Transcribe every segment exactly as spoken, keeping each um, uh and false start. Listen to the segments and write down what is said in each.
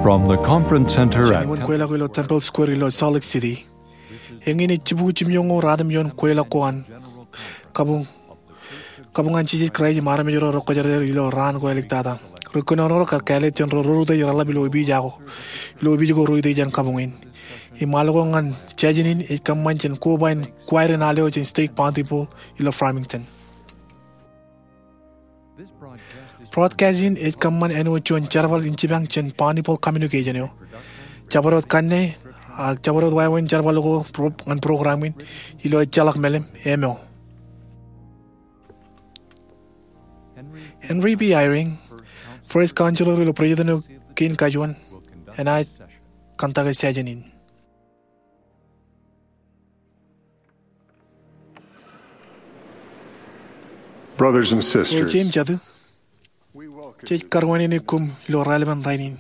From the Conference Center at Jān iuṃwin kweilọk ilo Temple Square ilo Salt Lake City, eñin ej jibukwi jimjuonñoul ruatimjuon kweilọk ko an kabuñ, kabuñ an Jisōs Kraist im armej ro rekwōjarjar ilo raan ko āliktata. Ri kōnono ro kar kāālōt jān ro rūtto reḷap ilo opiij ko, ilo opiij ko ro ite jān kabuñ in. Im al ko ñan jājin in ej kōṃṃan jān koba in choir in al eo jān stake Bountiful ilo Farmington. Broadcast in ej kōṃṃan āinwōt juon jerbal in jipañ jān Bountiful Communication eo. Jabdewōt kanne, ak jabdewōt wāween jerbal ko pro-, ñan program in, ilo ejjeḷọk mālim, āinwōt Henry B. Eyring, First Counselor ilo President eo kein kajuon, enaaj kōntake session in. Brothers and sisters, Eo ej im jatū, jej karuwainene koṃ ilo raelepen rainin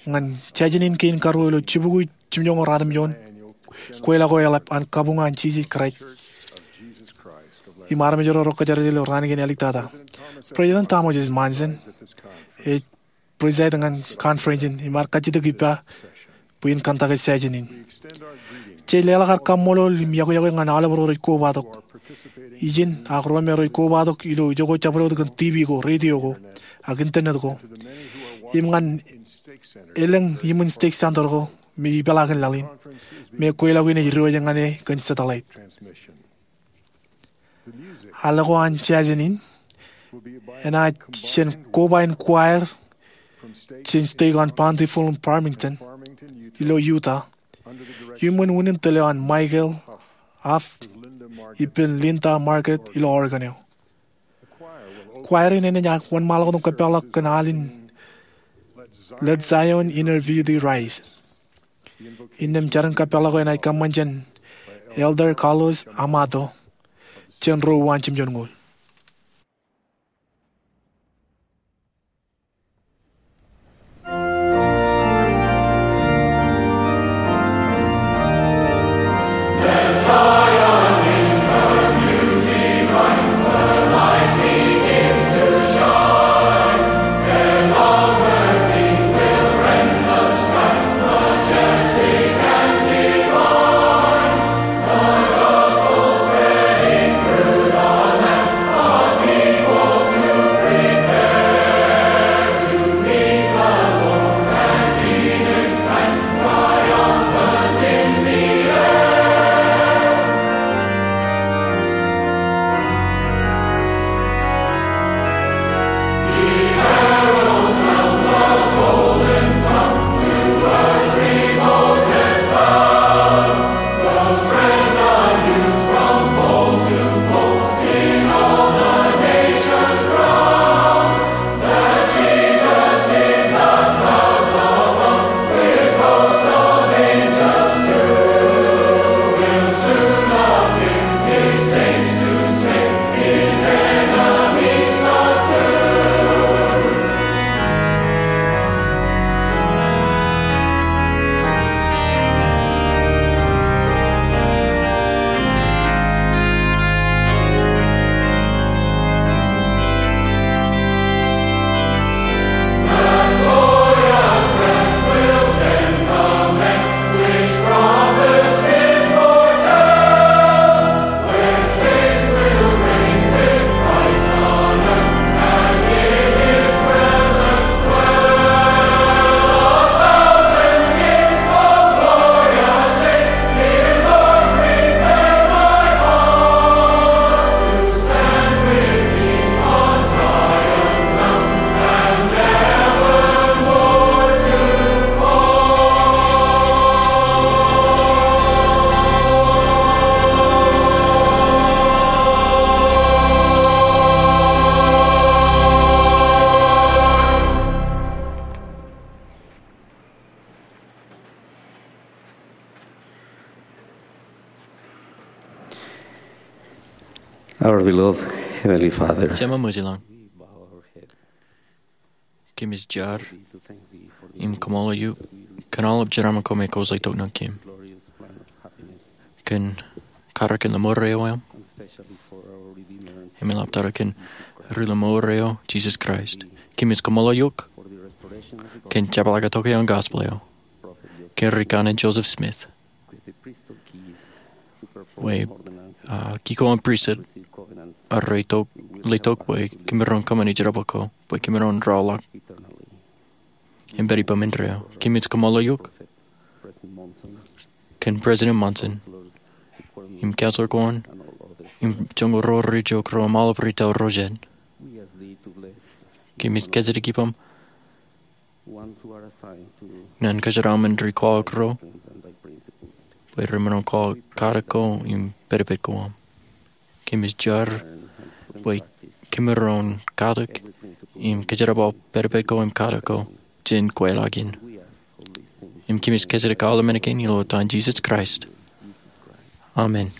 ñan jājin in kein karuo ilo jibukwi jimjuonñoul ruatimjuon kweilọk ko eḷap an kabuñ an Jisōs Kraist im armej ro rekwōjarjar ilo raan kein āliktata. President Thomas S. Monson ej preside ñan conference in im ear kajjitōk ippa bwe in kōntake session in. Jej leḷọk ad kaṃṃoolol im iọkwe iọkwe ñan aolep ro rej kobatok ijin ak ro me rej kobatok ilo ijoko jabdewōt kōn TV ko, radio ko, ak internet ko, im ñan elōñ iṃōn stake center ko me ipeḷaakin laḷ in, me kweilọk in ej diwōj ñan e kōn satellite. Al ko an session in enaaj jān koba in choir jān stake an Bountiful Farmington ilo Utah, iuṃwin unin tōl eo an Michael Huff ippān Linda Margaret ilo Oregon eo. Choir in enaaj wōnṃaanḷọk otem kōpeḷḷọk kōn al in Let Zion Inner Beauty Rise. Innām jarin kōpeḷḷọk eo enaaj kōṃṃan jān Elder Carlos Amato, jān ro uwaan jimjuonñoul. Our beloved Heavenly Father, Jema ṃōjlaḷ, kōmij jar im kaṃṃoolol eok kōn aolep jeraaṃṃan ko me kwōj letok ñan kōm kōn karōk in Ḷōṃoor eo aṃ im eḷaptata kōn Ri Ḷōṃoor eo, Jisōs Kraist. Kōmij kaṃṃoolol eok kōn jepḷaak tok eo an gospel eo, kōn ri kanaan Joseph Smith, bwe, ah, kikōḷ an pristut rej letok, letok bwe kōmro en kōṃṃani jerbal ko, bwe kōmro en rōḷọk im pād ippān indeeo. Kōmij kōṃṃan ḷọk kōn President Monson im council ko an im joñoul ro rej itok ro im aolep ri tōl ro jān. Kōmij kōjatdikdik ippaṃ ñan kōjeraaṃṃan ri kwaḷọk ro bwe remaroñ kwaḷọk katak ko im pedped ko aṃ. Kōmij jar bwe kōmro en katak im kōjerbal pedped ko im katak ko jān kweilọk in. Im kōmij kōjatdikdik aolep men kein ilo etan Jisōs Kraist. Amen.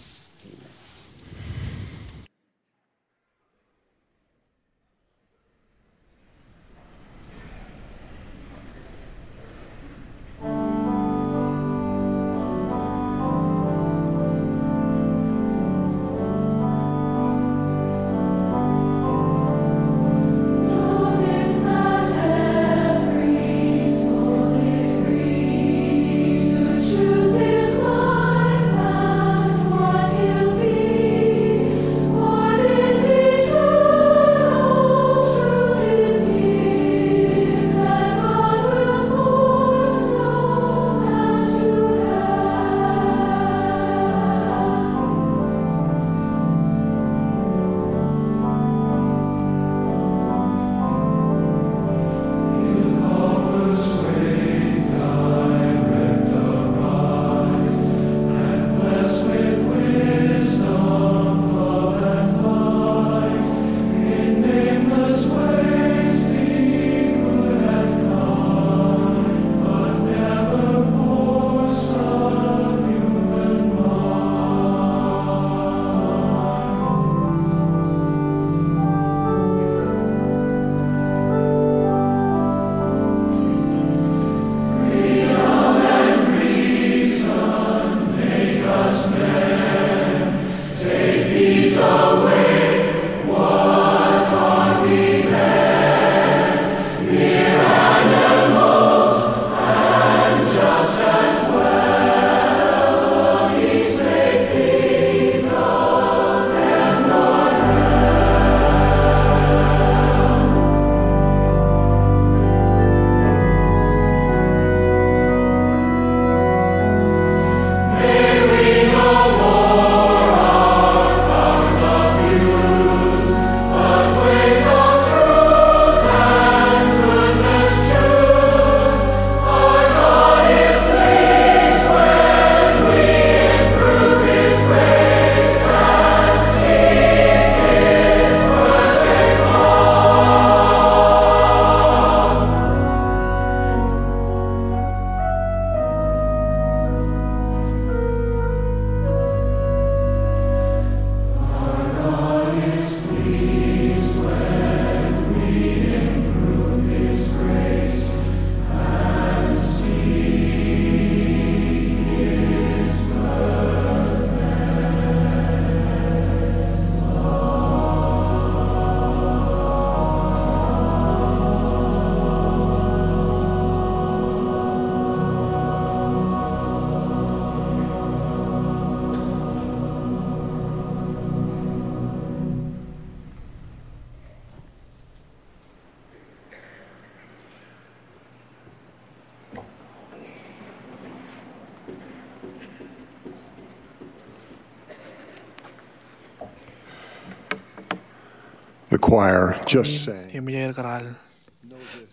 The choir just sang. Eṃōj aer kōrā,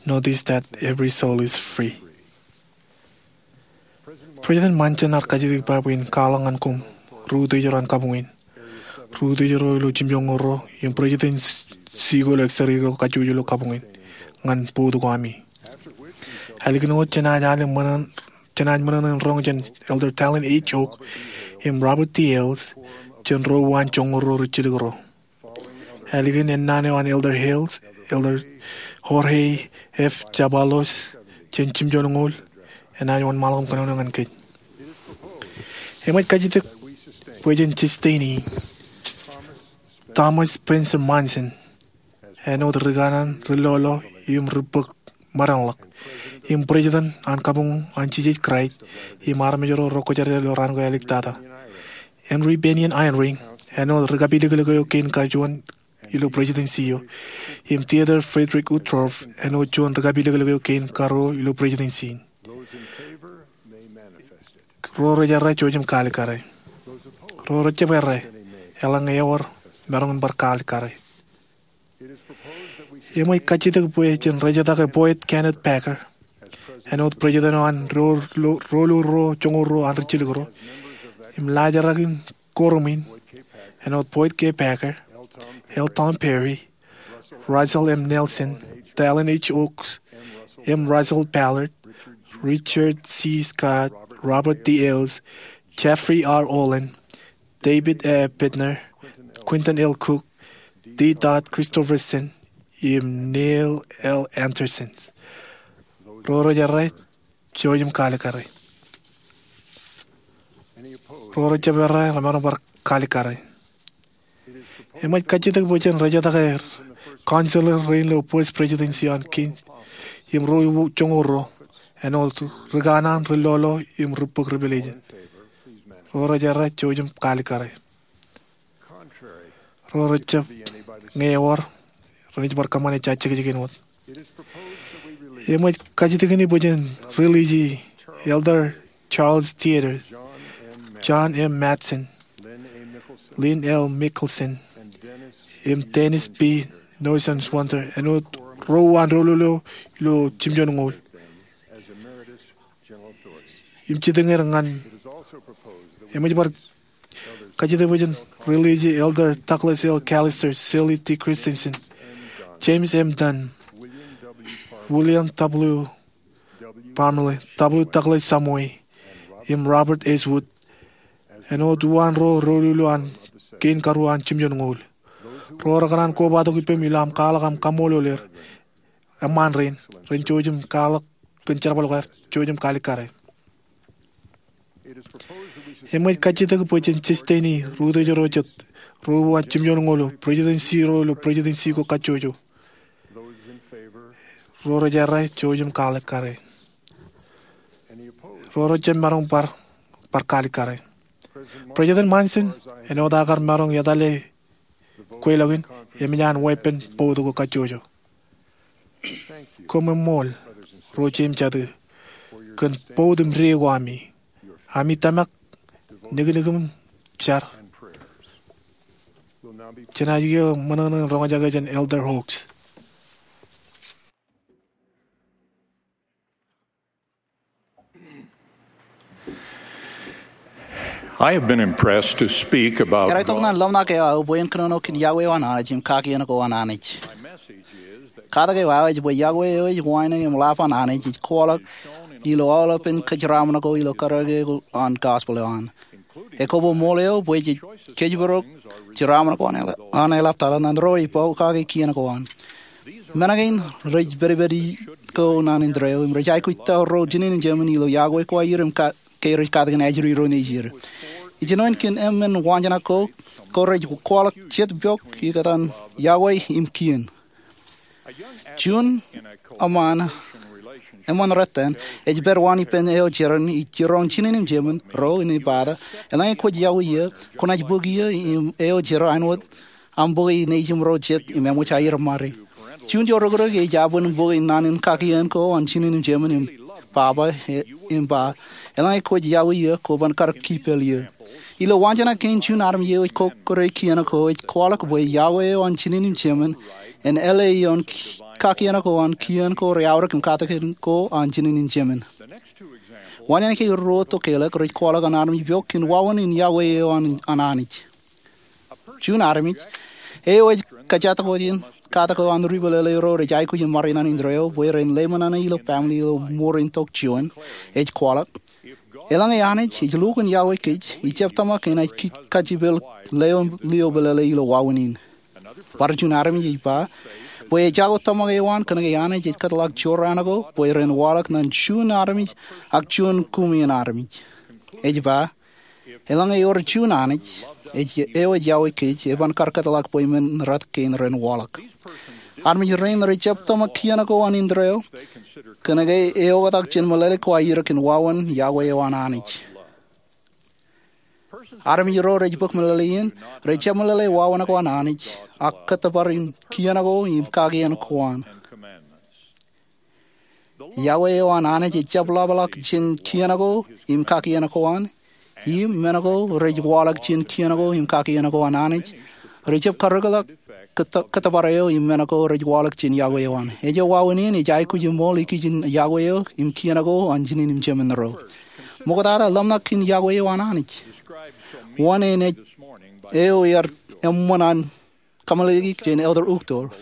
"Know this, that every soul is free." President Monson ear kajjitōk ippa bwe in kwaḷọk ñan koṃ ri utiej ro an kabuñ in, ri utiej ro ilo jimjuonñoul ro, im president sijko ilo ekseri ro kajjojo ilo kabuñ in ñan bout ko ami. Ālikin wōt jenaaj ale ṃōṇōṇō, jenaaj ṃōṇōṇō in roñ jān Elder Dallin H. Oaks im Robert D. Hales, jān ro uwaan joñoul ro rijjilōk ro. Ālikin ennaan eo an Elder Hales, Elder Jorge F. Chaballos jān jimjuonñoul enaaj wōnṃaanḷọk im kōnono ñan kōj. Eṃōj kajjitōk bwe jen sustaining Thomas Spencer Monson āinwōt ri kanaan, ri lolo, im ri bōk ṃōdeḷọk, im President an kabuñ an Jisōs Kraist, im armej ro rej kwōjarjar ilo raan ko āliktata. Henry Bennion Eyring, āinwōt ri kapilōklōk eo kein kajuon ilo Presidency eo, im Theodore Frederick Uchtdorf, āinwōt juon ri kapilōklōk eo kein karuo ilo Presidency in. Ro rej errā, jouj im kaalikkare. Ro rejjab errā, eḷaññe ewōr, maroñ in bar kaalikkare. Eṃōj kajjitōk bwe jen rejatake Boyd Kenneth Packer āinwōt President eo an Ro-, Ro-, Roḷoḷ Ro Joñoul Ruo an Rijjilōk Ro, im laajrak in kōrṃ in āinwōt Boyd K. Packer, L. Tom Perry, Russell M. Nelson, Dallin H. Oaks, M. Russell Ballard, Richard C. Scott, Robert D. Ailes, Jeffrey R. Holland, David A. Bednar, Quentin L. Cook, D. Todd Christofferson, im Neil L. Andersen. Ro rej errā, jouj im kaalikkare. Ro rejjab errā, remaroñ bar kaalikkare. Eṃōj kajjitōk bwe jen rejatake Counselor rein ilo First Presidency an kein, im Ro Joñoul Ruo, āinwōt ri kanaan, ri lolo, im ri bōk Revelation. Ro rej errā, jouj im kaalikkare. Ro rejjab, ñe ewōr, renaaj bar kōṃṃane jajjekjek in wōt. Eṃōj kajjitōk in bwe jen release Elder Charles Theodore, John M. Matson, Lynn L. Mickelson, im Dennis B. Newsom Swenter, āinwōt ro uwaan doulul eo ilo jimjuonñoul. Im jitōñōd ñan, eṃōj bar kajjitōk bwe jen release Elder Douglas L. Callister, Shirley T. Christensen, James M. Dunn, William W. Parmalee, W. Douglas Shumway, im Robert S. Wood, āinwōt uwaan ro doulul eo an kein karuo an jimjuonñoul. Ro rekōṇaan kobatok ippaṃ ilo aṃ kwaḷọk aṃ kaṃṃoolol er, eṃṃaan rein, ren jouj im kwaḷọk kōn jerbal ko aer, jouj im kaalikkare. Eṃōj kajjitōk bwe jen sustain e rūtōjro jet, ro uwaan jimjuonñoul eo, Presidency ro ilo Presidency ko kajjojo. Ro rej errā, jouj im kaalikkare. Ro rejjab maroñ bar, bar kaalikkare. President Monson, āinwōt aō kar maroñ etale kweilọk in, eṃōj an weeppān bout ko kajjojo. Koṃṃool, ro jeiū im jatū, kōn bout im dee ko ami, ami tōmak, niknik im jar. Jenaaj kiiō ṃōṇōṇō in roñjake jān Elder Oaks. I have been impressed to speak about Ear aetok ñan ḷōmṇak eo aō bwe en kōnono kōn yokwe eo an Anij im kakien ko an Anij. Katak eo aō ej bwe yokwe eo ej wānōk im ḷap an Anij ej kwaḷọk ilo aolepān kōjeraaṃṃan ko ilo karōke ko an gospel eo an. Ekwe ṃool eo bwe jej kōjparok jeraaṃṃan ko an eḷap, an eḷap tata ñan ro rej pokake kien ko an. Men kein rej pedped ko ñan indeeo im rej aikuj ta ro jinen in jemān ilo yokwe ko aer im ka ke rej katakin ajri ro nejier. Ij jino in kōn emān waanjoñak ko, ko rej kwaḷọk jet pok ikōtaan yokwe im kien. Juon eṃṃan, eṃṃan rot eṇ, ej pād waan ippān eo jeran ij jiroñ jinen in jemān ro ej ba ta, eḷaññe kwōj yokwe eō, kwōnaaj bōk eō im eo jeran āinwōt aṃ bōke nejūṃ ro jet im eṃōj aer ṃare. Juon jorokrak ej abwin bōke naan in kakien ko an jinen in jemān im baba e, im ba, eḷaññe kwōj yokwe eō, kwō ban kar kipel eō. Ilo waanjoñak kein juon armej eo ej kokkure kien ko ej kwaḷọk bwe yokwe eo an jinen in jemān en L A ioon ki-, kakien ko an kien ko reaorōk im katakin ko an jinen in jemān. Waanjoñak eo ruo tokālik rej kwaḷọk an armej pok kōn wāween in yokwe eo an, an Anij. Juon armej eo ej kōjatdikdik in katak eo an ri pālele ro rej aikuj im ṃare ñan indeeo bwe ren leṃōṇōṇō ilo family ilo ṃoor in tok juon, ej kwaḷọk, eḷaññe Anij ej lukkuun yokwe kōj, ij jab tōmak enaaj ki-, kajjipel lio, lio pālele ilo wāween in. Bar juon armej ej ba bwe ej jako tōmak eo an kōnke Anij ej kōtḷọk jorrāān ko bwe ren waḷọk ñan juon armej ak juon kuṃwin armej. Ej ba, eḷaññe ewōr juon Anij, ej, eo ej yokwe kōj, eban kar kōtḷọk bwe men rot kein ren waḷọk. Armej rein rej jab tōmak kien ko an indeeo, Kōnke eoktak jān meḷeḷe ko aer kōn wāween iọkwe eo an Anij. Armej ro rej bōk meḷeḷe in rejjab meḷeḷe wāween ko an Anij ak kōttōpar in kien ko im kakien ko an. Iọkwe eo an Anij ejjab ḷapḷọk jān kien ko im kakien ko an, im men ko rej waḷọk jān kien ko im kakien ko an Anij rejjab karōkḷọk kōttōpar eo im men ko rej waḷọk jān iọkwe eo an. Ejjo, wāween in ej aikuj ṃool ikijjien iọkwe eo im kien ko an jinen im jemān ro. Ṃoktata, ḷōmṇak kōn iọkwe eo an Anij. Wōn eo ear eṃṃan an kameḷeḷeik jān Elder Uchtdorf.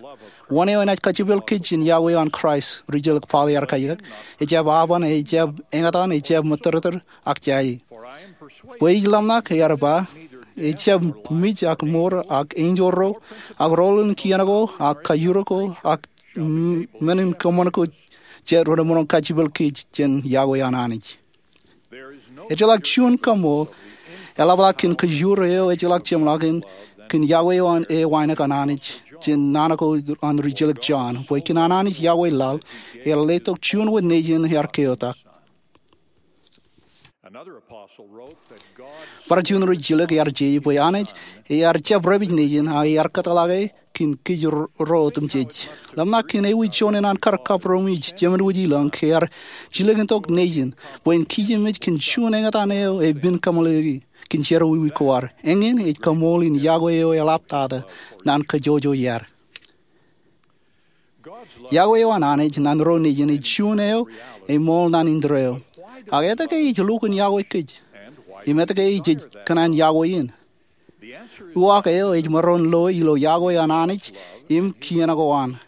Wōn eo enaaj kajepel kōj jān iọkwe eo an Kraist, ri-jilōk Paul ear kajjitōk, ejjab aban, ejjab eñtaan, ejjab ṃōttōrtōr, ak jaje. Bwe ij ḷōmṇak, ear ba, ejjab mej ak mour ak enjeḷ ro ak roḷ in kien ko ak kajjirōk ko ak men in kōṃṃan ko jet remaroñ kajepel kōj jān iọkwe eo an Anij. Ejjeḷọk juon kaṃool eḷapḷọk kōn kōjro eo ejjeḷọk jeṃḷọkin kōn iọkwe eo an e wānōk an Anij jān naan ko an ri-jilōk Jon, bwe kōn an Anij iọkwe laḷ ear letok juon wōt nejin ear keotak. Bar juon ri-jilōk ear jeje bwe Anij ear jab repej nejin ak ear kōtḷọke kōn kōjro otemjej. Ḷōmṇak kōn ewi juon in an kar kapromwij jemen wōj ilọñ ke ear jilkintok nejin bwe en kijem ej kōn juon eñtaan eo epen kameḷeḷeiki kōn jerọwiwi ko ad. Eñin ej kaṃool in iọkwe eo eḷaptata naan kōjojoi ad. Iọkwe eo an Anij naan ro nejin ej juon eo eṃool naan indeeo. Ak etke ej lukkuun iọkwe kōj? Im etke ej kōṇaan iọkwe in? Uwaak eo ej maroñ loe ilo iọkwe an Anij im kien ko an.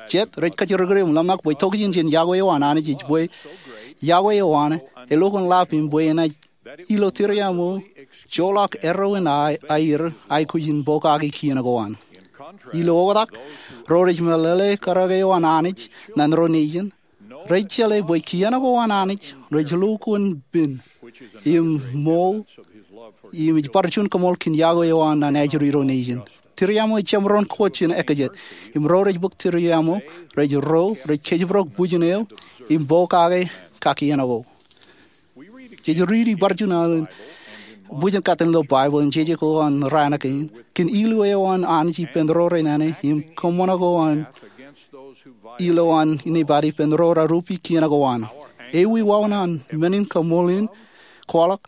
Jet rej kajjirikdik im ḷōmṇak bwe tokjān jān iọkwe eo an Anij ej bwe iọkwe eo an elukkuun ḷap im bwe enaaj ilo tūriaṃo joḷọk erro in aer aikuj in pokake kien ko an. Ilo oktak, ro rej meḷeḷe karōk eo an Anij naan ro nejin rej jeḷā bwe kien ko an Anij rej lukkuun pen im ṃool im ej bar juon kaṃool kōn iọkwe eo an naan ajri ro nejin. Tūriaṃo ejjab maroñ kōj jān ekkōjāt, im ro rej bōk tūriaṃo rej ro rej kōjparok bwijin eo im pokake kakien ko. Jej riiti bar juon alen bwijin katten ilo Baibōḷ im jeje ko an raan kein kōn ilu eo an Anij ippān ro renana im kōṃṃan ko an ilo an inepata ippān ro rej rup kien ko an. Ewi wāween an men in kaṃool in kwaḷọk?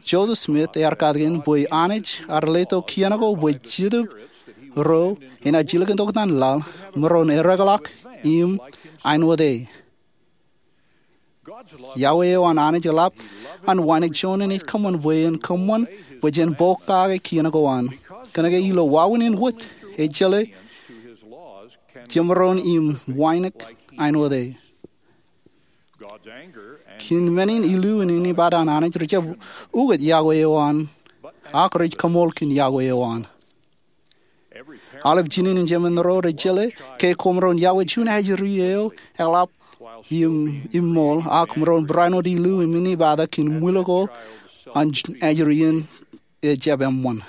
Joseph Smith ear katakin bwe Anij ear letok kien ko bwe Jetōb ro enaaj jilkintok naan laḷ, maroñ ereḷọk im āinwōt e. Iọkwe eo an Anij eḷap an wānōk juon in ej kōṃṃan bwe en kōṃṃan bwe jen pokake kien ko an. Kōnke ilo wāween in wōt, ejjeḷā jemaroñ im wānōk āinwōt e. Kōn men in ilu in inepata an Anij rejjab ukōt iọkwe eo an, ak rej kaṃool kōn iọkwe eo an. Aolep jinen in jemān ro rej jeḷā ke koṃ maroñ iọkwe juon ajri eo eḷap im ṃool, ak maroñ barāinwōt ilu im inepata kōn ṃwil ko an ajri in ejjab eṃṃan.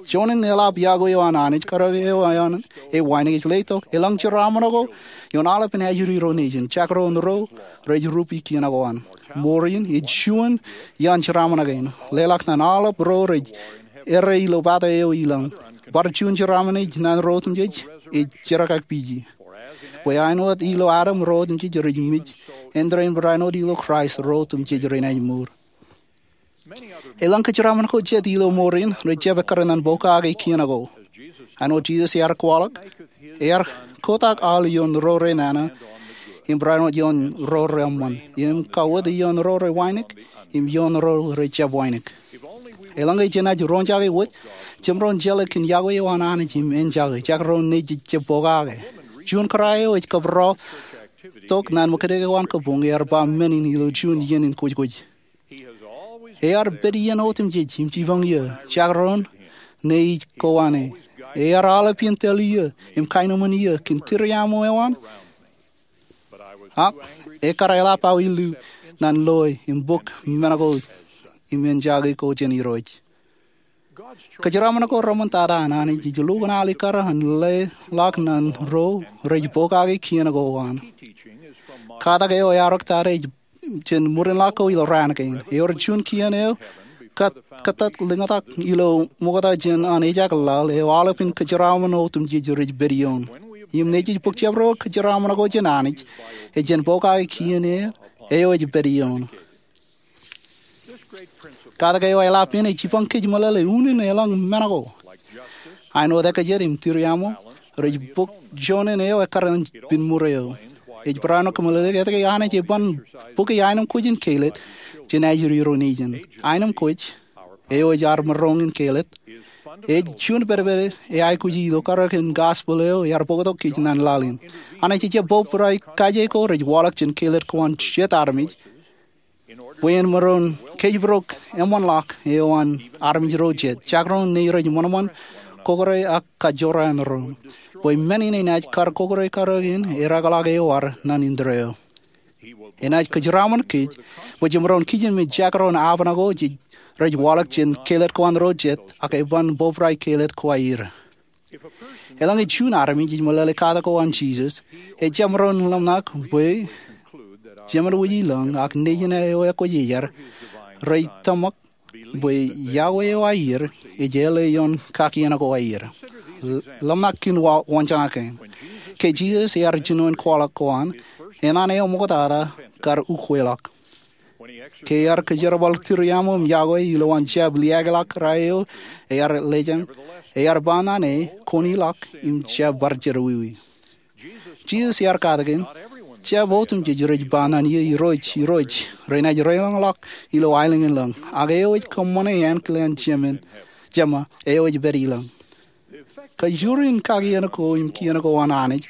Juon in eḷap iọkwe eo an Anij, karōk eo an e wānōk, ej letok eḷaññe jeraaṃṃan ko ioon aolepen ajri ro nejin, jekdọọn ro rej rup kien ko an. Mour in ej juon ioon jeraaṃṃan kein, leḷọk naan aolep ro rej errā ilo pata eo ilọñ. Bar juon jeraaṃṃan ej naan ro otemjej ej jerkakpije. Bwe āinwōt ilo Adam ro otemjej rej mej, āindein barāinwōt ilo Kraist ro otemjej renaaj mour. Eḷaññe jeraaṃṃan ko jet ilo mour in rejjab ekkar naan pokake kien ko. Āinwōt Jisōs ear kwaḷọk, ear kotak aḷ ioon ro renana im barāinwōt ioon ro reṃṃan, im kawōt ioon ro rewānōk im ioon ro rejjab wānōk. Eḷaññe jenaaj roñjake wōt, jemaroñ jeḷā kōn iọkwe eo an Anij im enjake, jekdọọn nejin ejjab pokake. Juon kōrā eo ej kōpooḷ tok naan ṃōkaj ko an kabuñ ear ba men in ilo juon iien in kwōjkwōj. Ear pād iien otemjej im jipañ iiō, jekdọọn ne ij ko an e. Ear aolep iien tōl iiō im kaenōṃṃan iiō kōn tūriaṃo eo an, ak ekkar eḷap aō ilu naan loe im bōk men ko im enjake ko jān Irooj. Kōjeraaṃṃan ko reṃṃan tata an Anij ej lukkuun alikkar an leḷọk ñan ro rej pokake kien ko an. Katak eo eaorōk tata ej jān ṃwirinḷọk ko ilo raan kein. Ewōr juon kien eo kōttat lōñtak ilo ṃokta jān an ejak laḷ eo aolepān kōjeraaṃṃan otemjej rej pād ioon. Im nejej bōk jabdewōt kōjeraaṃṃan ko jān Anij, ej jān pokake kien eo ej pād ioon. Katak eo eḷap in ej jipañ kōj meḷeḷe unin eḷaññe men ko. Āinwōt ekajet im tūriaṃo rej bōk joñan eo ekkar ñan pinmur eo. Ej barāinwōt kōmeḷeḷeik etke Anij eban bōke aenōṃ kwōj in Kaled jān ajri ro nejin. Aenōṃ kwōj, eo ej ad maroñ in Kaled, ej juon pedped eaikuji ilo karōk in gospel eo ear bōktok kōj ñan laḷ in. Anij ejjab bōbrae kaje ko rej waḷọk jān Kaled ko an jet armej bwe en maroñ kōjparok eṃṃanḷọk eo an armej ro jet, jakroñ ṇe rej ṃanṃan, kōkōre ak kajorrāān doon. Bwe men in enaaj kar kōkōre karōk in erakḷọk eo ad ñan indeeo. Enaaj kōjeraaṃṃan kōj bwe jemaroñ kijenmej jakroñ aopeṇ ko rej waḷọk jān Kaled ko an ro jet ak eban bōbrae Kaled ko aer. Eḷaññe juon armej ej meḷeḷe katak ko an Jisōs, ejjab maroñ ḷōmṇak bwe Jemān wōj ilōñ ak Nejin eo ekwōjarjar rej tōmak bwe yokwe eo aer ej āle ioon kakien ko aer. Ḷōmṇak kien waanjoñak kein. Ke Jisōs ear jinoin kwaḷọk ko an, eṇ an eo ṃoktata kar ukweḷọk. Ke ear kōjerbal tūriaṃo im yokwe ilowaan jab liaakḷọk ra eo ear lejañ, ear ba ñan e, Kwōn ilọk im jab bar jerọwiwi. Jisōs ear katakin, Jab otemjej rej ba ñan eō, Irooj, Irooj, renaaj deḷọñḷọk ilo aelōñ in lōñ, ak eo ej kōṃṃane ankilaan Jema eo ej pād ilōñ. Kajoor in kakien ko im kien ko an Anij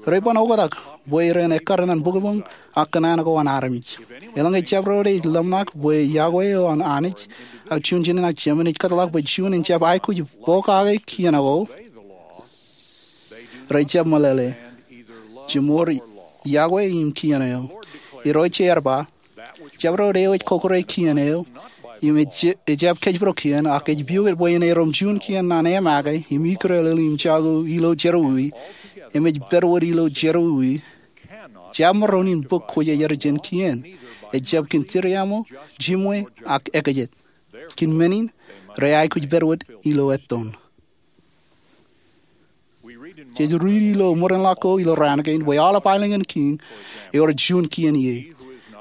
reban oktak bwe ren ekkar ñan bukbōñ ak kōṇaan ko an armej. Eḷaññe jabdewōt ej ḷōmṇak bwe yokwe eo an Anij ak juon jinōṇ an Jemān ej kōtḷọk bwe juon en jab aikuj pokake kien ko, rejjab meḷeḷe, Jemour yokwe im kien eo. Irooj ear ba, Jabdewōt eo ej kōkōre kien eo im ejjab kōjparok kien ak ej piukūt bwe en erom juon kien ñan emake im ikrelel im jako ilo jerọwiwi im ej pād wōt ilo jerọwiwi, jab maroñ in bōk kwōjarjar jān kien. Ejjab kōn tūriaṃo, jimwe, ak ekajet. Kōn men in, re aikuj pād wōt ilo ettoon. Jej riiti ilo ṃwirinḷọk ko ilo raan kein bwe aolep aelōñ in kiiñ ewōr juon kien ie.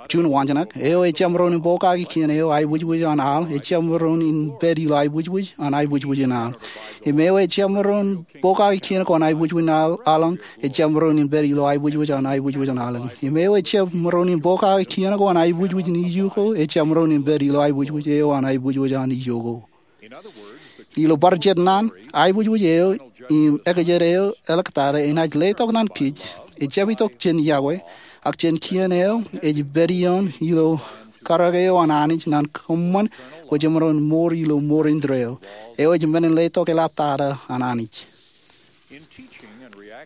Juon waanjoñak, eo ejjab maroñ in pokake kien eo aiboojoj an al ejjab maroñ in pād ilo aiboojoj an aiboojoj in al. Im eo ejjab maroñ in pokake kien ko an aiboojoj an al ejjab maroñ in pād ilo aiboojoj an aiboojoj an al. Im eo ejjab maroñ in pokake kien ko an aiboojoj in ijo ko ejjab maroñ in pād ilo aiboojoj eo an aiboojoj an ijo ko. Ilo bar jet naan, aiboojoj eo im ekajet eo eḷḷọk tata enaaj letok ñan kōj, ejjab itok jān yokwe, ak jān kien eo ej pād ioon ilo karōk eo an Anij ñan kōṃṃan bwe jemaroñ mour ilo mour indeeo. Eo ej men in letok eḷaptata an Anij.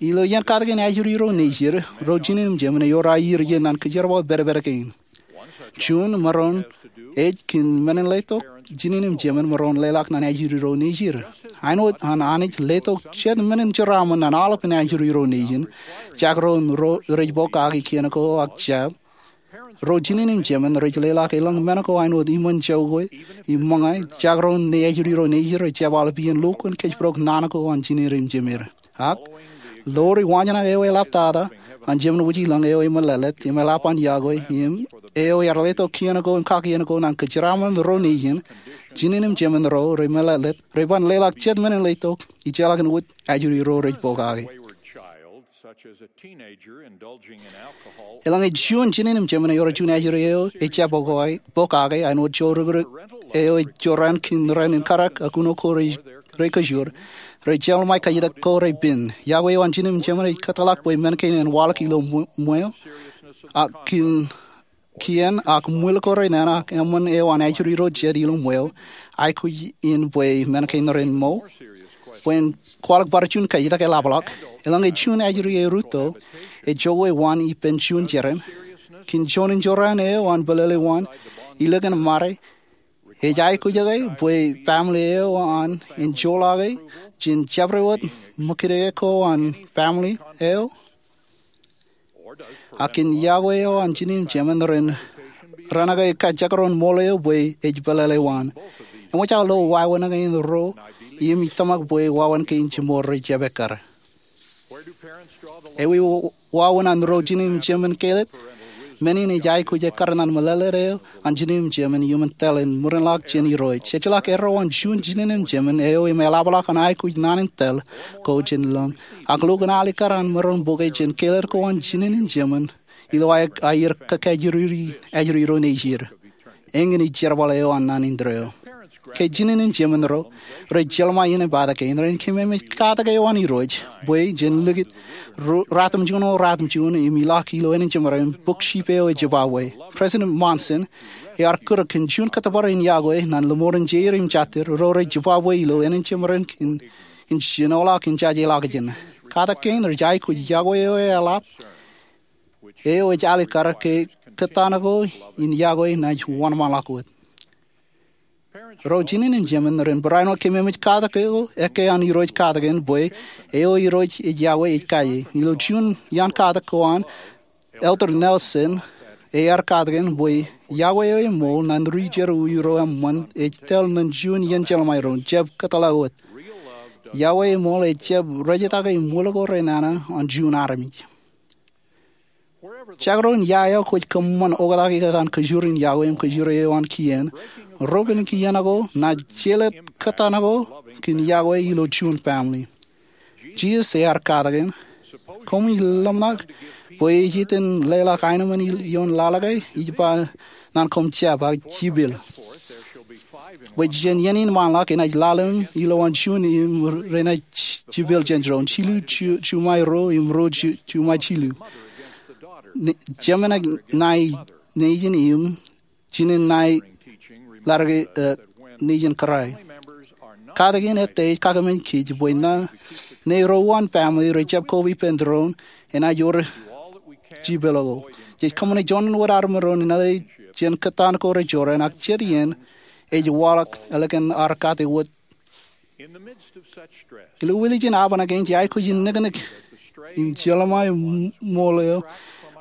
Ilo iien katakin ajri ro nejid, ro jinen im jemān ewōr aier iien ñan kōjerbal pedped kein. Juon maroñ ej kōn men in letok jinen im jemān maroñ leḷọk ñan ajri ro nejid. Āinwōt an Anij letok jet men in jeraaṃṃan ñan aolepān ajri ro nejin, jakroñ ro rej pokake kien ko ak jab, ro jinen im jemān rej leḷọk eḷaññe men ko āinwōt iṃōn jokwe im ṃōñā, jakroñ ṇe ajri ro nejid rej jab aolep iien lukkuun kōjparok naan ko an jinen im jemān. Ak lowaan waanjoñak eo eḷaptata an Jemān wōj ilōñ eo emeḷeḷe im eḷap an yokwe im eo ear letok kien ko im kakien ko ñan kōjeraaṃṃan ro nejin, jinen im jemān ro remeḷeḷe reban leḷọk jet men in letok ijellọkin wōt ajri ro rej pokake. Eḷaññe juon jinen im jemān ewōr juon ajri eo ejjab pokake, pokake āinwōt jorrāān eo ej jorrāān kōn ran in karak ak uno ko rej kajoor, rej jeḷā ṃae kajjitōk ko rej pen. Yokwe eo an jinen im jemān ej kōtḷọk bwe men kein en waḷọk ilo ṃweo, ak kōn kien ak ṃwil ko renana ak eṃṃan eo an ajri ro jet ilo ṃweo, aikuj in bwe men kein ren ṃōo. Bwe en kwaḷọk bar juon kajjitōk eḷapḷọk, eḷaññe juon ajri erūtto ejokwe waan ippān juon jeran, kōn juon in jorrāān eo an pālele waan, ilikin ṃade Ej aikuj eo ke bwe family eo an en joḷọke jān jabdewōt ṃōkaj ko an family eo? Ak kōn yokwe eo an jinen jemān ren raan ke kajekdọọn ṃool eo bwe ej pālele waan? Eṃōj aō lo wāween kein ruo im ij tōmak bwe wāween kein jiṃor rej jab ekkar. Ewi wāween an ro jinen jemān kelōt? Men in ej aikuj ekkar ñan meḷeḷe eo an jinen jemān iuṃwin tōl in ṃwirinḷọk jān Irooj. Ejjeḷọk erro an juon jinen jemān eo im eḷapḷọk an aikuj naan in tōl ko jān lōñ. Ak lukkuun alikkar an maroñ bōke jān kelōt ko an jinen jemān ilo aer kakajoor ro nejid. Eñin ej jerbal eo an naan indeeo. Ke jinen jemān ro rej jeḷā ṃae iien eo ej bōktok kein, ren kememej katak eo an Irooj bwe jen likūt ratimjuon ro ratimjuon im ilọk ilo ānjemaren bok jipeo ej jibabwe. President Monson ear kūrōk kōn juon kōttōpar in yokwe ñan lōṃoor in jeir im jatid ro rej jibabwe ilo ānjemaren kōn in jinoḷọk in jajeḷọkjeṇ. Katak kein rej aikuj yokwe eo eḷap eo ej alikkar ke kōttan ko in yokwe naaj wōnṃaanḷọk wōt. Ro jinen jemān ren barāinwōt kememej katak eo ekkā an Irooj katak in bwe eo Irooj ej yokwe ej kaje. Ilo juon iaan katak ko an, Elder Nelson ear katak in bwe yokwe eo eṃool ñan ri jerbal ro eṃṃan ej tōl ñan juon iien jeḷā ṃae ro jab kōtḷọk wōt. Yokwe eṃool ej jab rejjitōk im wōlọk ro ren nana an juon armej. Jekdọọn ia eo kwōj kōṃṃan oktak ikōtaan kōjwōr in yokwe im kōjwōr eo an kien, rupen kien ko naaj jelōt kōttan ko kōn yokwe ilo juon family. Jisōs ear katak in, koṃij ḷōmṇak bwe ej iten leḷọk aenōṃṃan ioon laḷ ke? Ij ba ñan koṃ, jab, ak jipel. Bwe jān iien in ṃaanḷọk enaaj laḷ im ilowaan juon im renaaj jipel jān doon, jilu juṃae ruo im ruo juṃae jilu. Jemān ṇae nejin im jinen ṇae ḷaddik nejin kōrā. Katak in ettā ej kakemān kōj bwe ñe ṇe ro an family rej jab koba ippān doon, enaaj wōr jipel ko. Jej kōṃṃane juon wōt armej ro in ale jān kōttan ko rej jorrāān, ak jet iien ej waḷọk ālikin ad kate wōt. Ilo wūlijin aban kein jej aikuj in niknik im jeḷā ṃae ṃool eo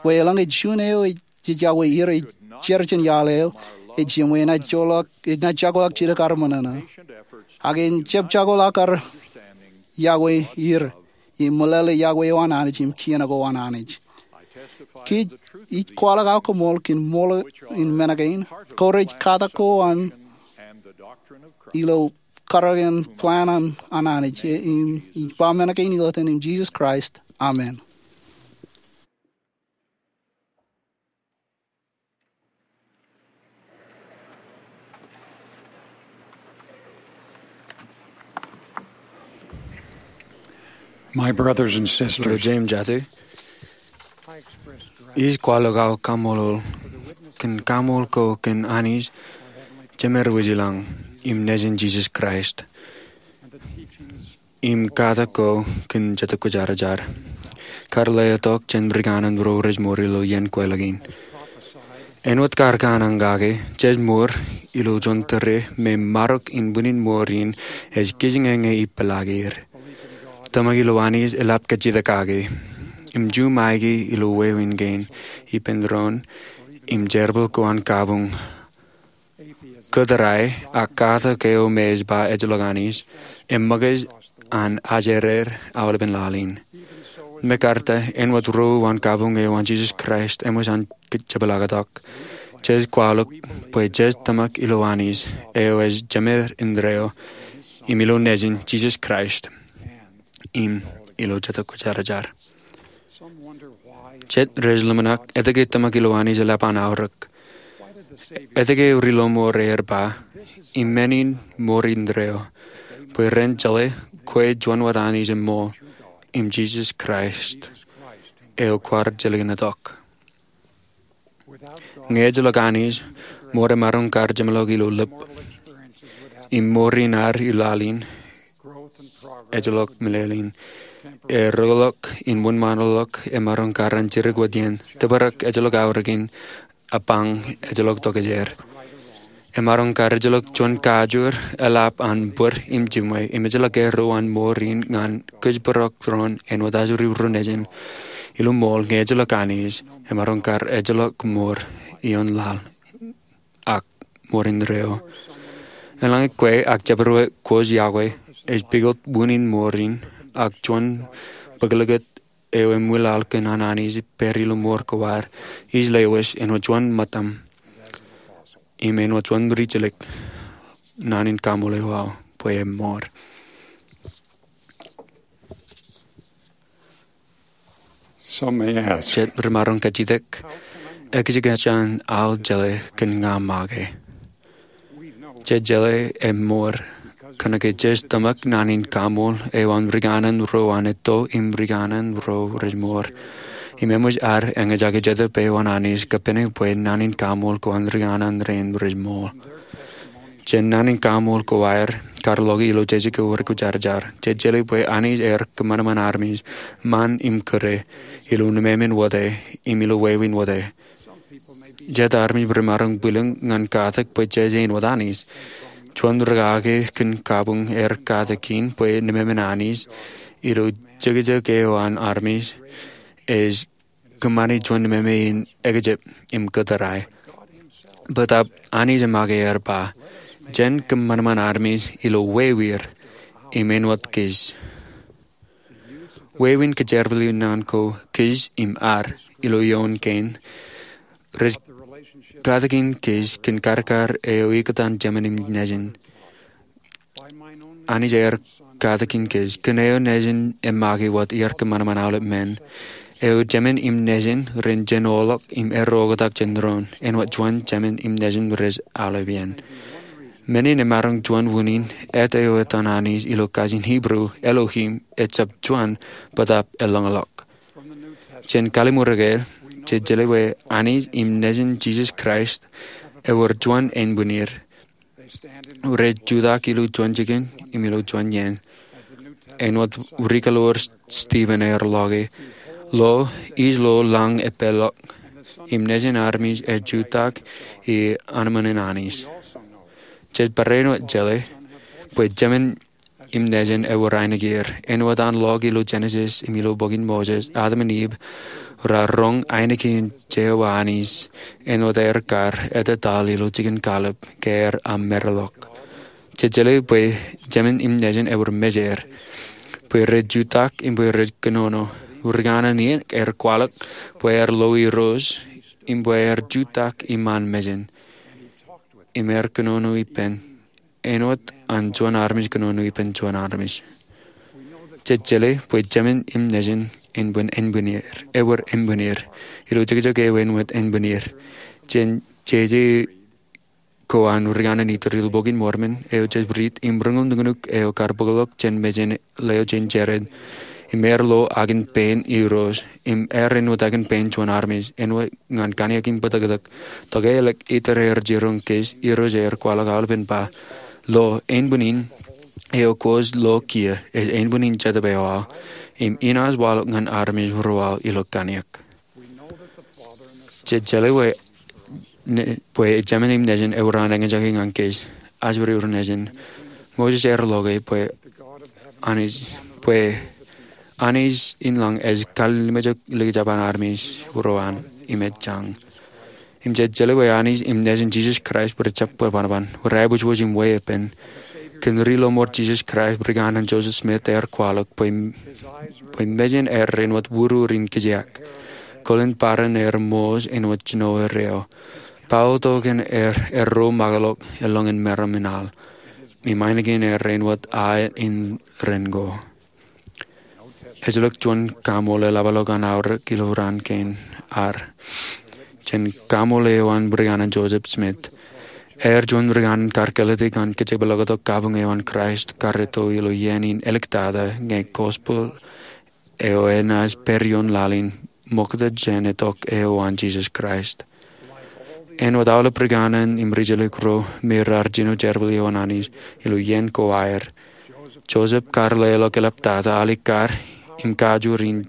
bwe eḷaññe juon eo jej yokwe er ej jar jān iaḷ eo ej jiṃwe, enaaj jokḷọk jidik ad ṃōṇōṇō. Ak en jab jokḷọk ad yokwe er im meḷeḷe yokwe eo an Anij im kien ko an Anij. Kōj, ij kwaḷọk aō koṃṃool kōn ṃool in men kein. Kōj rej katak ko an ilo karōk in plan an Anij. Im ij ba men kein ilo etan in Jisōs Kraist, amen. My brothers and sisters, ij kwaḷọk aō kaṃṃoolol kōn kaṃṃool ko kōn Anij Jemed Wūjlañ im Nejin Jisōs Kraist im katak ko kōn Jetōb Kwōjarjar kar letok jān ri kanaan ro rej ṃool ilo iien kweilọk in. Āinwōt kar kōṇaan kake, jej ṃool ilo juon tōre me marok in bwinin ṃool in ej kijengeñe ippān laḷ er. Tōmak ilo Anij eḷap kajjitōk kake im juṃae ilo wāween kein ippān doon im jerbal ko an kabuñ. Kōtōrae ak katak eo me ej ba ejjeḷọk Anij eṃōkaj an ajereer aolepen laḷ in. Mekarta, āinwōt ro an kabuñ eo an Jisōs Kraist eṃōj an jepḷaaktok, jej kwaḷọk bwe jej tōmak ilo Anij eo ej Jemed indeeo im ilo Nejin Jisōs Kraist im ilo Jetōb Kwōjarjar. Jet rej ḷōmṇak etke tōmak ilo Anij eḷap an aorōk. Etke ri-lọmọọr er ba, im men in ṃool indeeo, bwe ren jeḷā kwe juon wōt Anij eṃṃool im Jisōs Kraist eo kwaar jilkintok. Ñe ejjeḷọk Anij, ṃool emaroñ kar jeṃḷọk ilo lōb im ṃool in ad ilo laḷ in ejjeḷọk meḷeḷein. Eroḷọk im wōnṃaanḷọk emaroñ kar an jidik wōt iien. Tōprak ejjeḷọk aorōkin, apañ ejjeḷọk tokjāer. Emaroñ kar ejjeḷọk juon kajoor eḷap an bōd im jiṃwe im ejjeḷọk erro an mour in ñan kōjparok doon āinwōt ajri ro nejin ilo ṃool ñe ejjeḷọk Anij. Emaroñ kar ejjeḷọk mour ioon laḷ ak mour indeeo. Eḷaññe kwe ak jabdewōt kwe ej pukot wūnin mour in ak juon bōklōkōt eo emwilaḷ kōn an Anij pād ilo mour ko ad, ij lewōj āinwōt juon ṃōttam im āinwōt juon ri-jeḷā naan in kaṃool eo aō bwe emour. Jet ri maroñ kajjitōk, ekjek jān aō jeḷā kōn ña make? Jej jeḷā emour kōnke jej tōmak naan in kaṃool eo an rikōṇaan ro an etto im rikōṇaan ro rej mour. Im eṃōj ad eñjake Jetōb eo an Anij kappāne bwe naan in kaṃool ko an rikōṇaan rein rej mour. Jān naan in kaṃool ko aer kar loke ilo jeje ko wūr ko jarjar, jej jeḷā bwe Anij ear kōṃanṃan armej ṃaan im kūr ilo nemāmein wōt im ilo wāween wōt. Jet armej rej maroñ bwilōñ ñan katak bwe jej āinwōt Anij. Juon rūkaki kōn kabuñ ear katak in bwe nemāmein Anij ilo jekjek eo an armej ej kōṃṃani juon nemāmein ekjab im kōtōrai. Bōtab Anij emake ear ba, jen kōṃanṃan armej ilo wāweer im āinwōt kōj. Wāween kōjerbali naan ko kōj im ad ilo ioon kein rej katakin kōj kōn karkar eo ikōtaan jemān im nejin. Anij ear katakin kōj kōn eo nejin emake wōt iar kōṃanṃan aolep men. Eo jemān im nejin ren jenoḷọk im erro oktak jān doon āinwōt juon jemān im nejin rej aolep iien. Men in emaroñ juon wūnin, et eo etan Anij ilo kajin Hibru, Elohim, ejab juon, bōtab elōñḷọk. Jān Kallim̧ur Ekāāl, jej jeḷā bwe Anij im nejin Jisōs Kraist ewōr juon ānbwinnid. Rej jutak ilo juon jikin im ilo juon iien. Āinwōt rikaḷoor Stephen ear loke, lo, ij lo lañ epeḷḷọk, im nejin armej ej jutak i anemān in Anij. Jej barāinwōt jeḷā bwe jemān im nejin ewōr ainikien. Āinwōt an lọk ilo Jenesis im ilo bok in Moses, Adam im Iv raar roñ ainikien Jeova Anij āinwōt aer kar ettataḷ ilo jikin kallib ke aer amereḷọk. Jej jeḷā bwe jemān im nejin ewōr mejeir, bwe rej jutak im bwe rej kōnono. Rikōṇaan in ear kwaḷọk bwe aer lo Irooj im bwe aer jutak iṃaan mejān. Im ear kōnono ippān āinwōt an juon armej kōnono ippān juon armej. Jej jeḷā bwe jemān im nejin ewōr ānbwinnid, ewōr ānbwinnid. Ilo jekjek eo āinwōt ānbwinnid, jān jeje ko an rikōṇaan in Irooj ilo bok in Mormon, eo jej riit im roñoul nuknuk eo kar bōkḷọk jān mejān leo jān Jared. Im ear lo akin pein Irooj, im ear āinwōt akin pein juon armej, āinwōt ñan kanniōk im bōtōktōk. Tokālik itar ear jiroñ kōj, Irooj ear kwaḷọk aolepen ba, lo, ānbwinnin eo kwōj lo kiiō, ej ānbwinnin Jetōb eo aō, im inaaj waḷọk ñan armej ro aō ilo kanniōk. Jej jeḷā bwe, ne, bwe jemān im nejin ewōr an eñjake ñan kōj, ajri ro nejin. Moses ear loke bwe Anij, bwe Anij in lañ ej kallimjek likjab an armej ro an im ej jañ. Im jej jeḷā bwe Anij im nejin Jisōs Kraist bwe ejjab bōk banban, bwe ear aebōjbōj im weeppān. Kōn ri lọmọọr Jisōs Kraist, rikōṇaan Joseph Smith ear kwaḷọk bwe, bwe mejān ear āinwōt urur in kijeak. Kolen barāinwōt ear ṃooj āinwōt jino erreo. Bao tok in ear, erro ṃakḷọk elōñ in meram in al. Im ainikien ear āinwōt aet in ren ko. Ejjeḷọk juon kaṃool eḷapḷọk an aorōk ilo raan kein ad jān kaṃool eo an rikōṇaan Joseph Smith. Ear juon rikōṇaan kar kāālōt ñan kōjepḷọk tok kabuñ eo an Kraist kar itok ilo iien in āliktata ñe gospel eo enaaj pād ioon laḷ in ṃokta jān itok eo an Jisōs Kraist. Āinwōt aolep rikōṇaan im ri-jeḷā ro me raar jino jerbal eo an Anij ilo iien ko aer, Joseph kar leḷọk eḷaptata alikkar im kajoor in,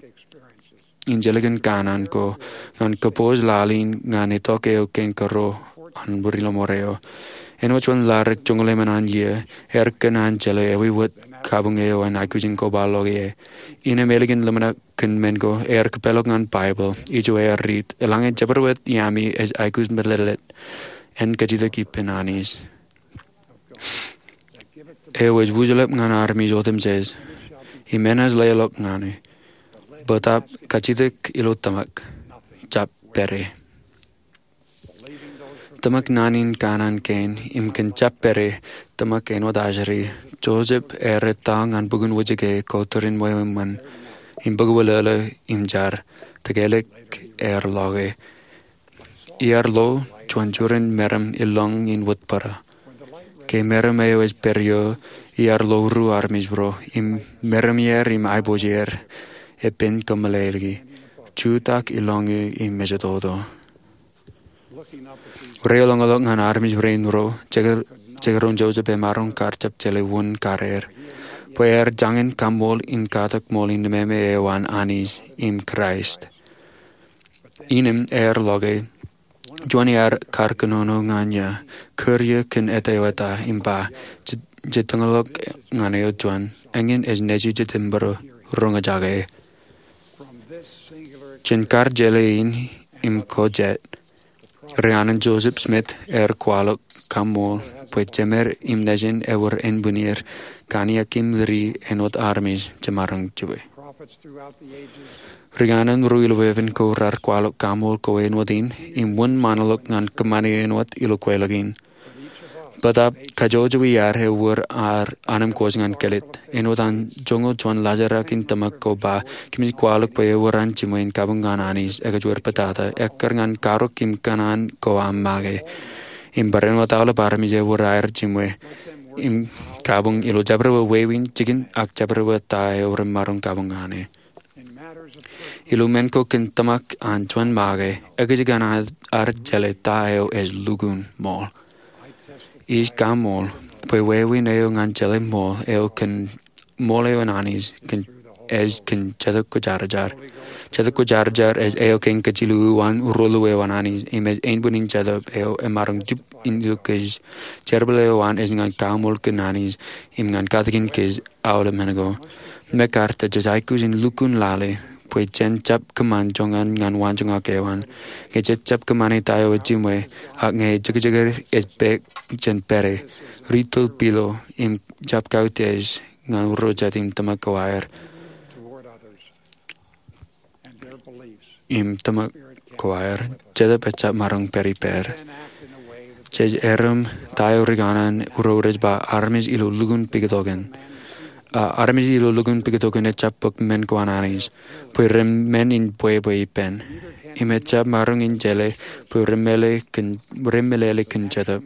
in jelōkin kanaan ko ñan kōpooj laḷ in ñan itok eo kein kōrā an ri lọmọọr eo. Āinwōt juon ḷadik joñoul emān an iiō, er kōn an jeḷā ewi wōt kabuñ eo an aikuj in kobaḷọk ie. Innām ālikin ḷōmṇak kōn men ko, er kōpeḷḷọk ñan Baibōḷ, ijo er riit, eḷaññe jabdewōt iaami ej aikuj meḷeḷe, en kajjitōk ippān Anij eo ej wūjlepḷọk ñan armej otemjej, im enaaj leḷọk ñan e. Bōtaab kajjitōk ilo tōmak, jab pād ie. Tōmak naan in kanaan kein im kōn jab pād ie, tōmak āinwōt ajri, Joseph ear ettā ñan bukun wōjke ko turin ṃweo eṃṃan, im bōk wōlōḷō im jar, tōkelōk ear ḷọke. Iar lo juon jurin meram ilọñ in wōt bōra. Ke meram eo ej pād ioō, iar lo ruo armej bōro, im meram er im aiboojoj er, epen kōmeḷeḷeiki, jutak ilọñ eo im ejetoto. Reiḷọñḷọk ñan armej rein ruo, jekdọọn Joseph emaroñ kar jab jeḷā wōn kar er, bwe er jañin kaṃṃoolol in katak ṃool innām eo an Anij im Kraist. Innām ear ḷọke, juon iaad kar kōnono ñan eō, kūr eō kōn ettā eo eta, im ba, je, je tōñḷọk ñan eō juon, eñin ej nejū Jetōb bōro, roñjake. Jān kar jeḷā in im ko jet, ri-anij Joseph Smith ear kwaḷọk kaṃṃool bwe jemed im nejin ewōr ānbwinnier, kaniakin ri āinwōt armej jemaroñ jibwe. Ri-anij ro ilo epen ko raar kwaḷọk kaṃṃool ko āinwōt in, im wōnṃaanḷọk ñan kōṃṃani āinwōt ilo kweilọk in. Bōtaab kajjojo iaad ewōr ad anemkwōj ñan kilit. Āinwōt an joñoul juon laajrak in tōmak ko ba, kōmij kwaḷọk bwe ewōr an jiṃwe in kabuñ ñan Anij ekajoor pātata, ekkar ñan karōk im kōṇaan ko aṃ make. Im barāinwōt aolep armej ewōr aer jiṃwe im kabuñ ilo jabdewōt wāween jikin ak jabdewōt ta eo remaroñ kabuñ ñan e. Ilo men ko kōn tōmak an juon make, ekōjkan ad jeḷā ta eo ej lukkuun ṃool. Ij kaṃṃool bwe wāween eo ñan jeḷā ṃool eo kōn ṃool eo an Anij kōn, ej kōn Jetōb Kwōjarjar. Jetōb Kwōjarjar ej eo kein kajjilōk uwaan ruo-luwāween an Anij, im ej ānbwinnin Jetōb eo emaroñ jab in ilo kōj. Jerbal eo an ej ñan kaṃṃool kōn Anij, im ñan katakin kōj aolep men ko. Mekarta jej aikuj in lukkuun lale, bwe jen jab kōṃṃan joñan ñan waanjoñak eo an. Ñe jej jab kōṃṃane ta eo ej jiṃwe, ak ñe jekjek ej pād jān pād e, ri-tōl pilo, im jab kautiej ñan ro jet im tōmak ko aer. Im tōmak ko aer, Jetōb ejjab maroñ pād ippād. Jej erom ta eo ri kanaan ro rej ba armej ilo lukkuun piktokin. A, armej ilo lukkuun piktokin ejjab bōk men ko an Anij, bwe ren men in bwebwe ippān. Im ejjab maroñ in jeḷā bwe ren meḷeḷe kōn, ren meḷeḷe kōn Jetōb.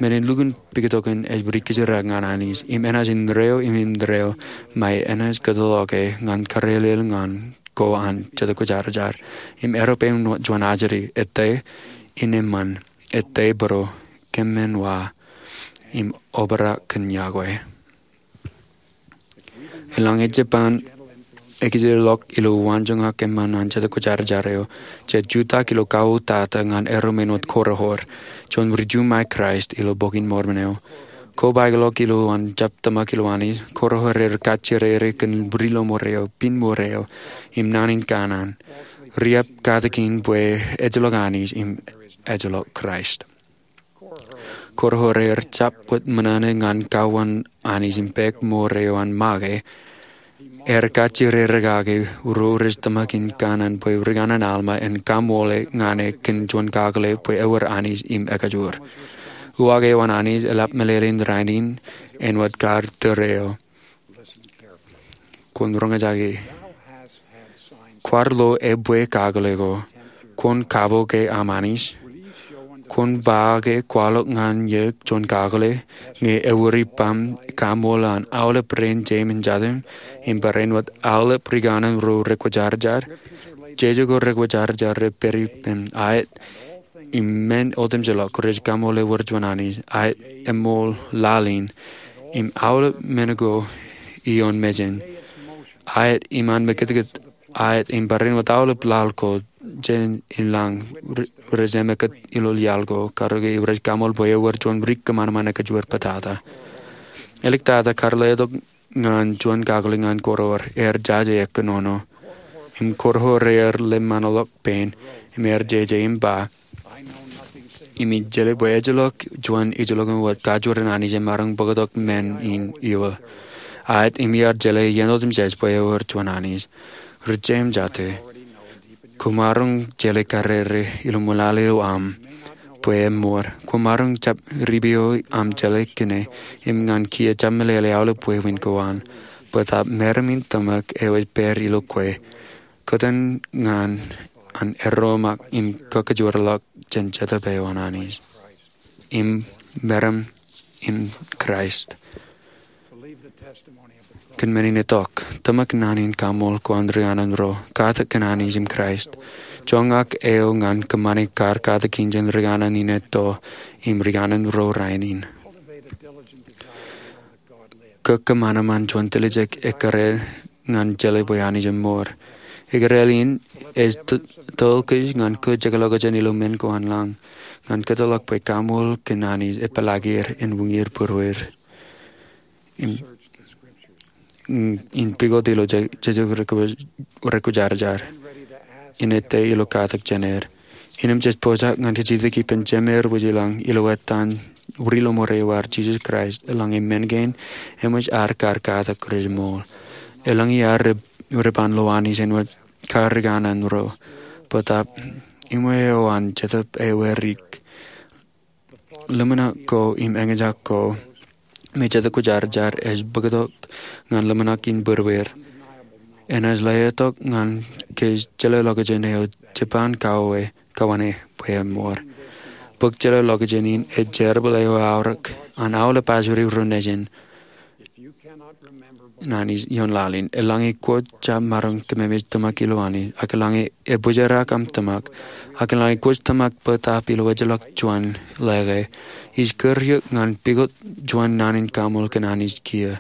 Men in lukkuun piktokin ej ri kōjrak ñan Anij, im enaaj indeeo im indeeo, ṃae enaaj kōtḷọke ñan karelel ñan ko an Jetōb Kwōjarjar. Im erup eo juon ajri, ettā in eṃṃan, ettā bōro, kōṃṃan wa, im obrak kōn yokwe. Eḷaññe jeban ekijjilọk ilo waanjoñak eṃṃan an Jetōb Kwōjarjar eo, jej jutak ilo kauwōtata ñan erom āinwōt Korihor, juon ri-Ju ṃae Kraist ilo Bok in Mormon eo. Kobaikḷọk ilowaan jab tōmak ilo Anij, Korihor ear kajjirere kōn bwidlọmore eo, pinmore eo, im naan in kanaan. Riab katakin bwe ejjeḷọk Anij im ejjeḷọk Kraist. Korihor ear jab wōt ṃōṇōṇō ñan kauwaan Anij im pād ṃool eo an make. Ear kajjirere kake ro rej tōmak in kanaan bwe ri kanaan Alma en kaṃṃoole ñan e kōn juon kakōḷḷe bwe ewōr Anij im ekajoor. Uwaak eo an Anij eḷap meḷeḷein rainin āinwōt kar tōre eo. Kwōn roñjake. Kwaar lo ebwe kakōḷḷe ko. Kwōn kapo ke aṃ Anij. Kwōn ba ke kwaḷọk ñan eō juon kakōḷḷe, ñe ewōr ippaṃ kaṃṃoolol an aolep rein jeim im jatūṃ, im barāinwōt aolep ri kanaan ro rekwōjarjar. Jeje ko rekwōjarjar rej pād ippān aet, im men otemjeḷọk rej kaṃṃoolol ewōr juon Anij, aet eṃool laḷ in, im aolep men ko ioon mejān, aet im an mekitkit aet im barāinwōt aolep laḷ ko jān ilañ rej emekūt ilo iaḷ ko, karōke rej kaṃool bwe ewōr juon ri kōṃanṃan ekajuwur pātata. Āliktata kar letok ñan juon kakōḷḷe ñan kōrọọr, er jaje kōnono im kōrọọr er lemṃanḷọk pein im er jeje im ba, im ij jeḷā bwe ejjeḷọk juon ijellọkin wōt kajoor in Anij emaroñ bōktok men in iwō. Aet im iar jeḷā iien otemjej bwe ewōr juon Anij. Ri-Jemes jate, koṃaroñ jeḷā karere ilo ṃool eo aṃ bwe eṃṃoor. Koṃaroñ jab ripeo aṃ jeḷā kine im ñan kiiō jab meḷeḷe aolep wāween ko an, bōtab meram in tōmak eo ej pād ilo kwe, kōtōn ñan an erro ṃōk in kakajoorḷọk jān Jetōb eo an Anij im meram in Kraist. Kōn men in itok, tōmak naan in kaṃool ko an ri kanaan ro, katak kōn Anij im Kraist. Joñak eo ñan kōṃṃane kar katakin jān ri kanaan in etto im ri kanaan ro rainin. Kōkōṃanṃan juon tiljek ekkere ñan jeḷā bwe Anij eṃṃoor. Ekkere in ej to-, toḷ kōj ñan kōjeḷā ḷọkjeṇ ilo men ko an lañ, ñan kōtḷọk bwe kaṃool kōn Anij epeḷaakier en uññūr būruod. In, in pukot ilo je-, jejjet rekwōjarjar. In ettā ilo katak jān er. Innām jej pojak ñan kajjitōk ippān Jemeer wōj ilañ ilo etan Ri Lọmọọr eo ad, Jisōs Kraist, eḷaññe men kein eṃōj ad kar katak rej ṃool. Eḷaññe ad ri, ri ban lo Anij āinwōt kar ri kanaan ro. Bōtab, iṃwe eo an Jetōb ewiik. Ḷōmṇak ko im eñjake ko me Jetōb Kwōjarjar ej bōktok ñan ḷōmṇak in būruod. Enaaj letok ñan kōj jeḷā ḷọkjeṇ eo jeban kauwe, kauwe bwe eṃṃoor. Bōk jeḷā ḷọkjeṇ in ej jerbal eo eaorōk an aolep ajri ro nejin in Anij ioon laḷ in. Eḷaññe kwōj jab maroñ kememej tōmak ilo Anij, ak eḷaññe ebōjrak aṃ tōmak, ak eḷaññe kwōj tōmak bōtab ilo ejjeḷọk juon ḷeke, ij kūr eok ñan pukot juon naan in kaṃool kōn Anij kiiō.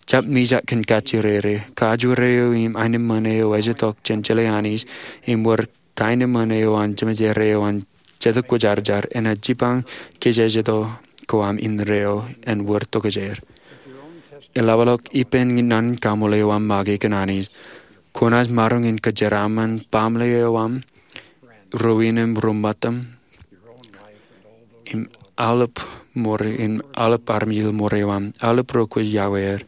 Jab mijak kōn kajjirere, kajoor eo im aenōṃṃan eo ej itok jān jeḷā Anij im wōr kaenōṃṃan eo an Jemejeer eo an Jetōb Kwōjarjar enaaj jipañ kōjejjeto ko aṃ indeeo en wōr tokjāer. Eḷapḷọk ippān naan in kaṃool eo aṃ make kōn Anij, kwōnaaj maroñ in kōjeraaṃṃan baaṃle eo aṃ, ro in im ro ṃōttaṃ, im aolep ṃōrā, im aolep armej ilo ṃōrā eo aṃ, aolep ro kwōj iọkwe er.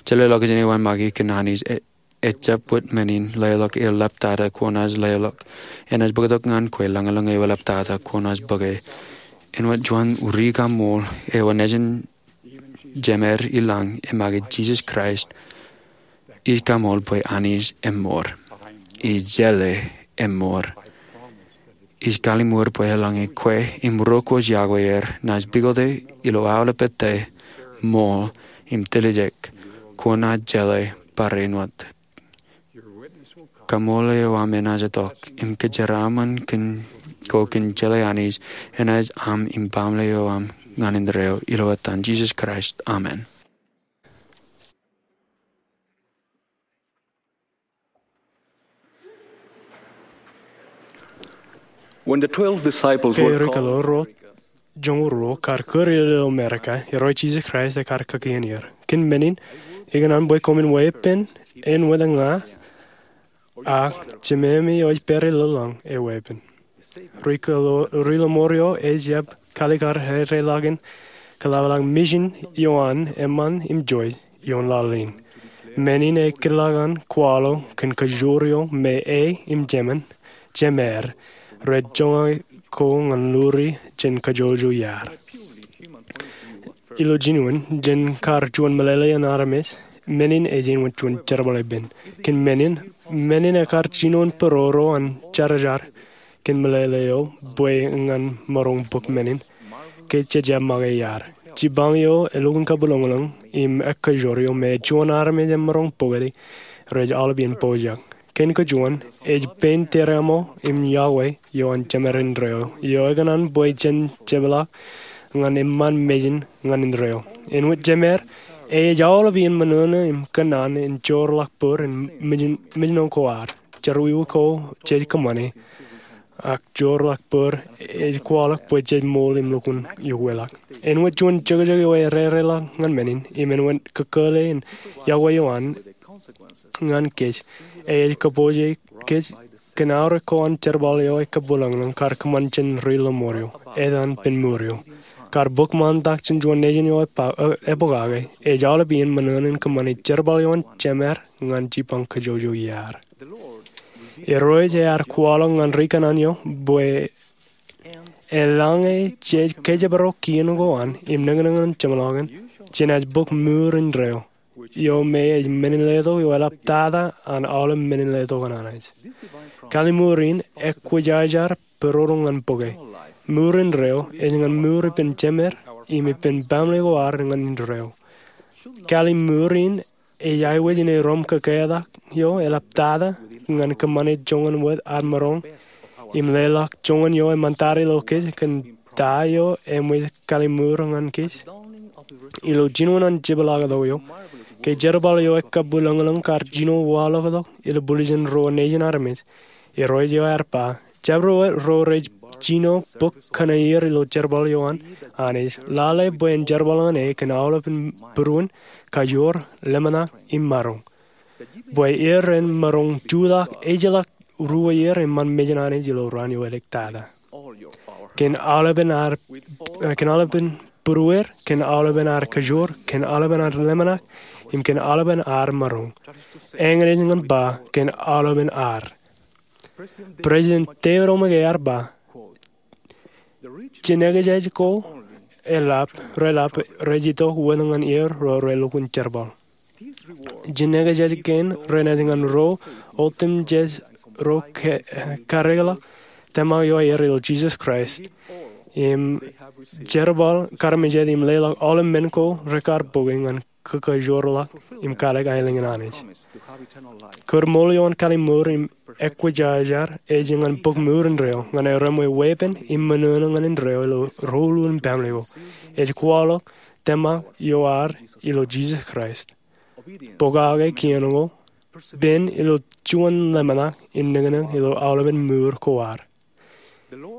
Jeḷā ḷọkjeṇ eo aṃ make kōn Anij e, ejjab wōt men in leḷọk eo ḷaptata kwōnaaj leḷọk. Enaaj bōktok ñan kwe lañlōñ eo ḷaptata kwōnaaj bōke. Āinwōt juon ri kaṃool eo nejin Jemeer ilañ emake Jisōs Kraist, ij kaṃool bwe Anij eṃṃoor. Ij jeḷā eṃṃoor. Ij kallimur bwe eḷaññe kwe im ro kwōj iọkwe er naaj pukote ilo aolep ettā, ṃool, im tiljek, kwōnaaj jeḷā barāinwōt. Kaṃool eo aṃ enaaj itok, im kōjeraaṃṃan kōn, ko kōn jeḷā Anij, enaaj aṃ im baaṃle eo aṃ ñan indeeo, ilo etan Jisōs Kraist. Amen. When the twelve disciples were called, ke ri kaḷoor ro joñoul ruo kar kūr ilo Amerika, Irooj Jisōs Kraist ekar kakien er. Kōn men in, ikōṇaan bwe koṃwin weeppān āinwōt ña, ak Jemāmi eo ej pād ilo lañ eweeppān. Ri kaḷoor, Ri Lọmọọr eo ej jab kaalikkar ereḷọk in kaḷapḷọk mejin ioon eṃṃan im joi ioon laḷ in. Men in ekōtḷọk an kwaḷọk kōn kajoor eo me e im jemān, Jemeer, rej joñak ko ñan luri jān kajjojo iaad. Ilo jinoin, jān kar juon meḷeḷe in armej, men in ej āinwōt juon jerbal ippān. Kōn men in, men in ekar jinoin būruo ro an jerajar kōn meḷeḷe eo bwe ñan maroñ bōk men in ke jejjab make iaad. Jipañ eo elukkuun kabwilōñlōñ im ekkajoor eo me juon armej emaroñ bōkde rej aolep iien pojak. Kōn kajuon, ej pein tōreaṃo im iọkwe ioon Jemeer indeeo, eo ekōṇaan bwe jen jepḷaak ñan eṃṃan mejin ñan indeeo. Āinwōt Jemeer, e ej aolep iien ṃōṇōṇō im kōnnaan in joorḷọk bōd in mejin, mejin ko ad. jerọwiwi ko jej kōṃṃane, ak joorḷọk bōd ej kwaḷọk bwe jej ṃool im lukkuun iọkweḷọk. Āinwōt juon jokjok eo erereḷọk ñan men in, im āinwōt kōkōle in iọkwe eo an ñan kōj, ej kōpooje kōj kōn aorōk ko an jerbal eo ekkabwilañlañ kar kōṃṃan jān ri lọmọọr eo, etan pen mour eo. Kar bōk ṃaantak jān juon nejin eo epokake, ej aolep iien ṃōṇōṇō in kōṃṃane jerbal eo an Jemed ñan jipañ kajjojo iaad. Irooj ear kwaḷọk ñan ri kōṇaan eo bwe eḷaññe jej kōjparok kien ko an im nōknōk ñan jeṃḷọkin, jenaaj bōk mour indeeo, eo me ej men in letok eo eḷaptata an aolep men in letok an Anij. Kalliṃur in ekwōjarjar pōroro ñan bōke. Mour indeeo ej ñan mour ippān jemed im ippān baaṃle ko ad ñan indeeo. Kalliṃur in ej aikuj in erom kōketak eo eḷaptata ñan kōṃṃane joñan wōt ad maroñ im leḷọk joñan eo eṃṃantata ilo kōj kōn ta eo eṃōj kalliṃur ñan kōj. Ilo jinoin an jepḷaaktok eo, ke jerbal eo ekkabwilañlañ kar jino waḷọkḷọk ilo bulijen ro nejin armej, Irooj eo ear ba, jabdewōt ro rej jino bōk kōn aier ilo jerbal eo an Anij, lale bwe en jerbal ñan e kōn aolepān būruon, kajoor, ḷōmṇak im maroñ. Bwe er ren maroñ jutak ejjeḷọk ruo ier eṃṃan mejān Anij ilo raan eo edik tata. Kōn aolepān būruer, kōn aolepān ad kajoor, kōn aolepān ad ḷōmṇak, im kōn aolepān ad maroñ. Eñin ej ñan ba kōn aolepān ad. President David O. McKay ear ba, jinekjej ko reḷap rej itok wōt ñan er ro relukkuun jerbal. Jinekjej kein renaaj ñan ro otemjej ro kareḷọk tōmak eo aer ilo Jisōs Kraist im jerbal kaarmejād im leḷọk aolep men ko rekar bōke ñan kōkajoorḷọk im katak aelōñ in Anij. Kōdṃool eo an kalliṃur im ekwōjarjar ej ñan bōk mour indeeo ñan erom weeppān im ṃōṇōṇō ñan indeeo ilo ro ulukkuun baaṃle ko. Ej kwaḷọk tōmak eo ad ilo Jisōs Kraist, pokake kien ko, pen ilo juon ḷōmṇak im nōknōk ilo aolepān mour ko ad.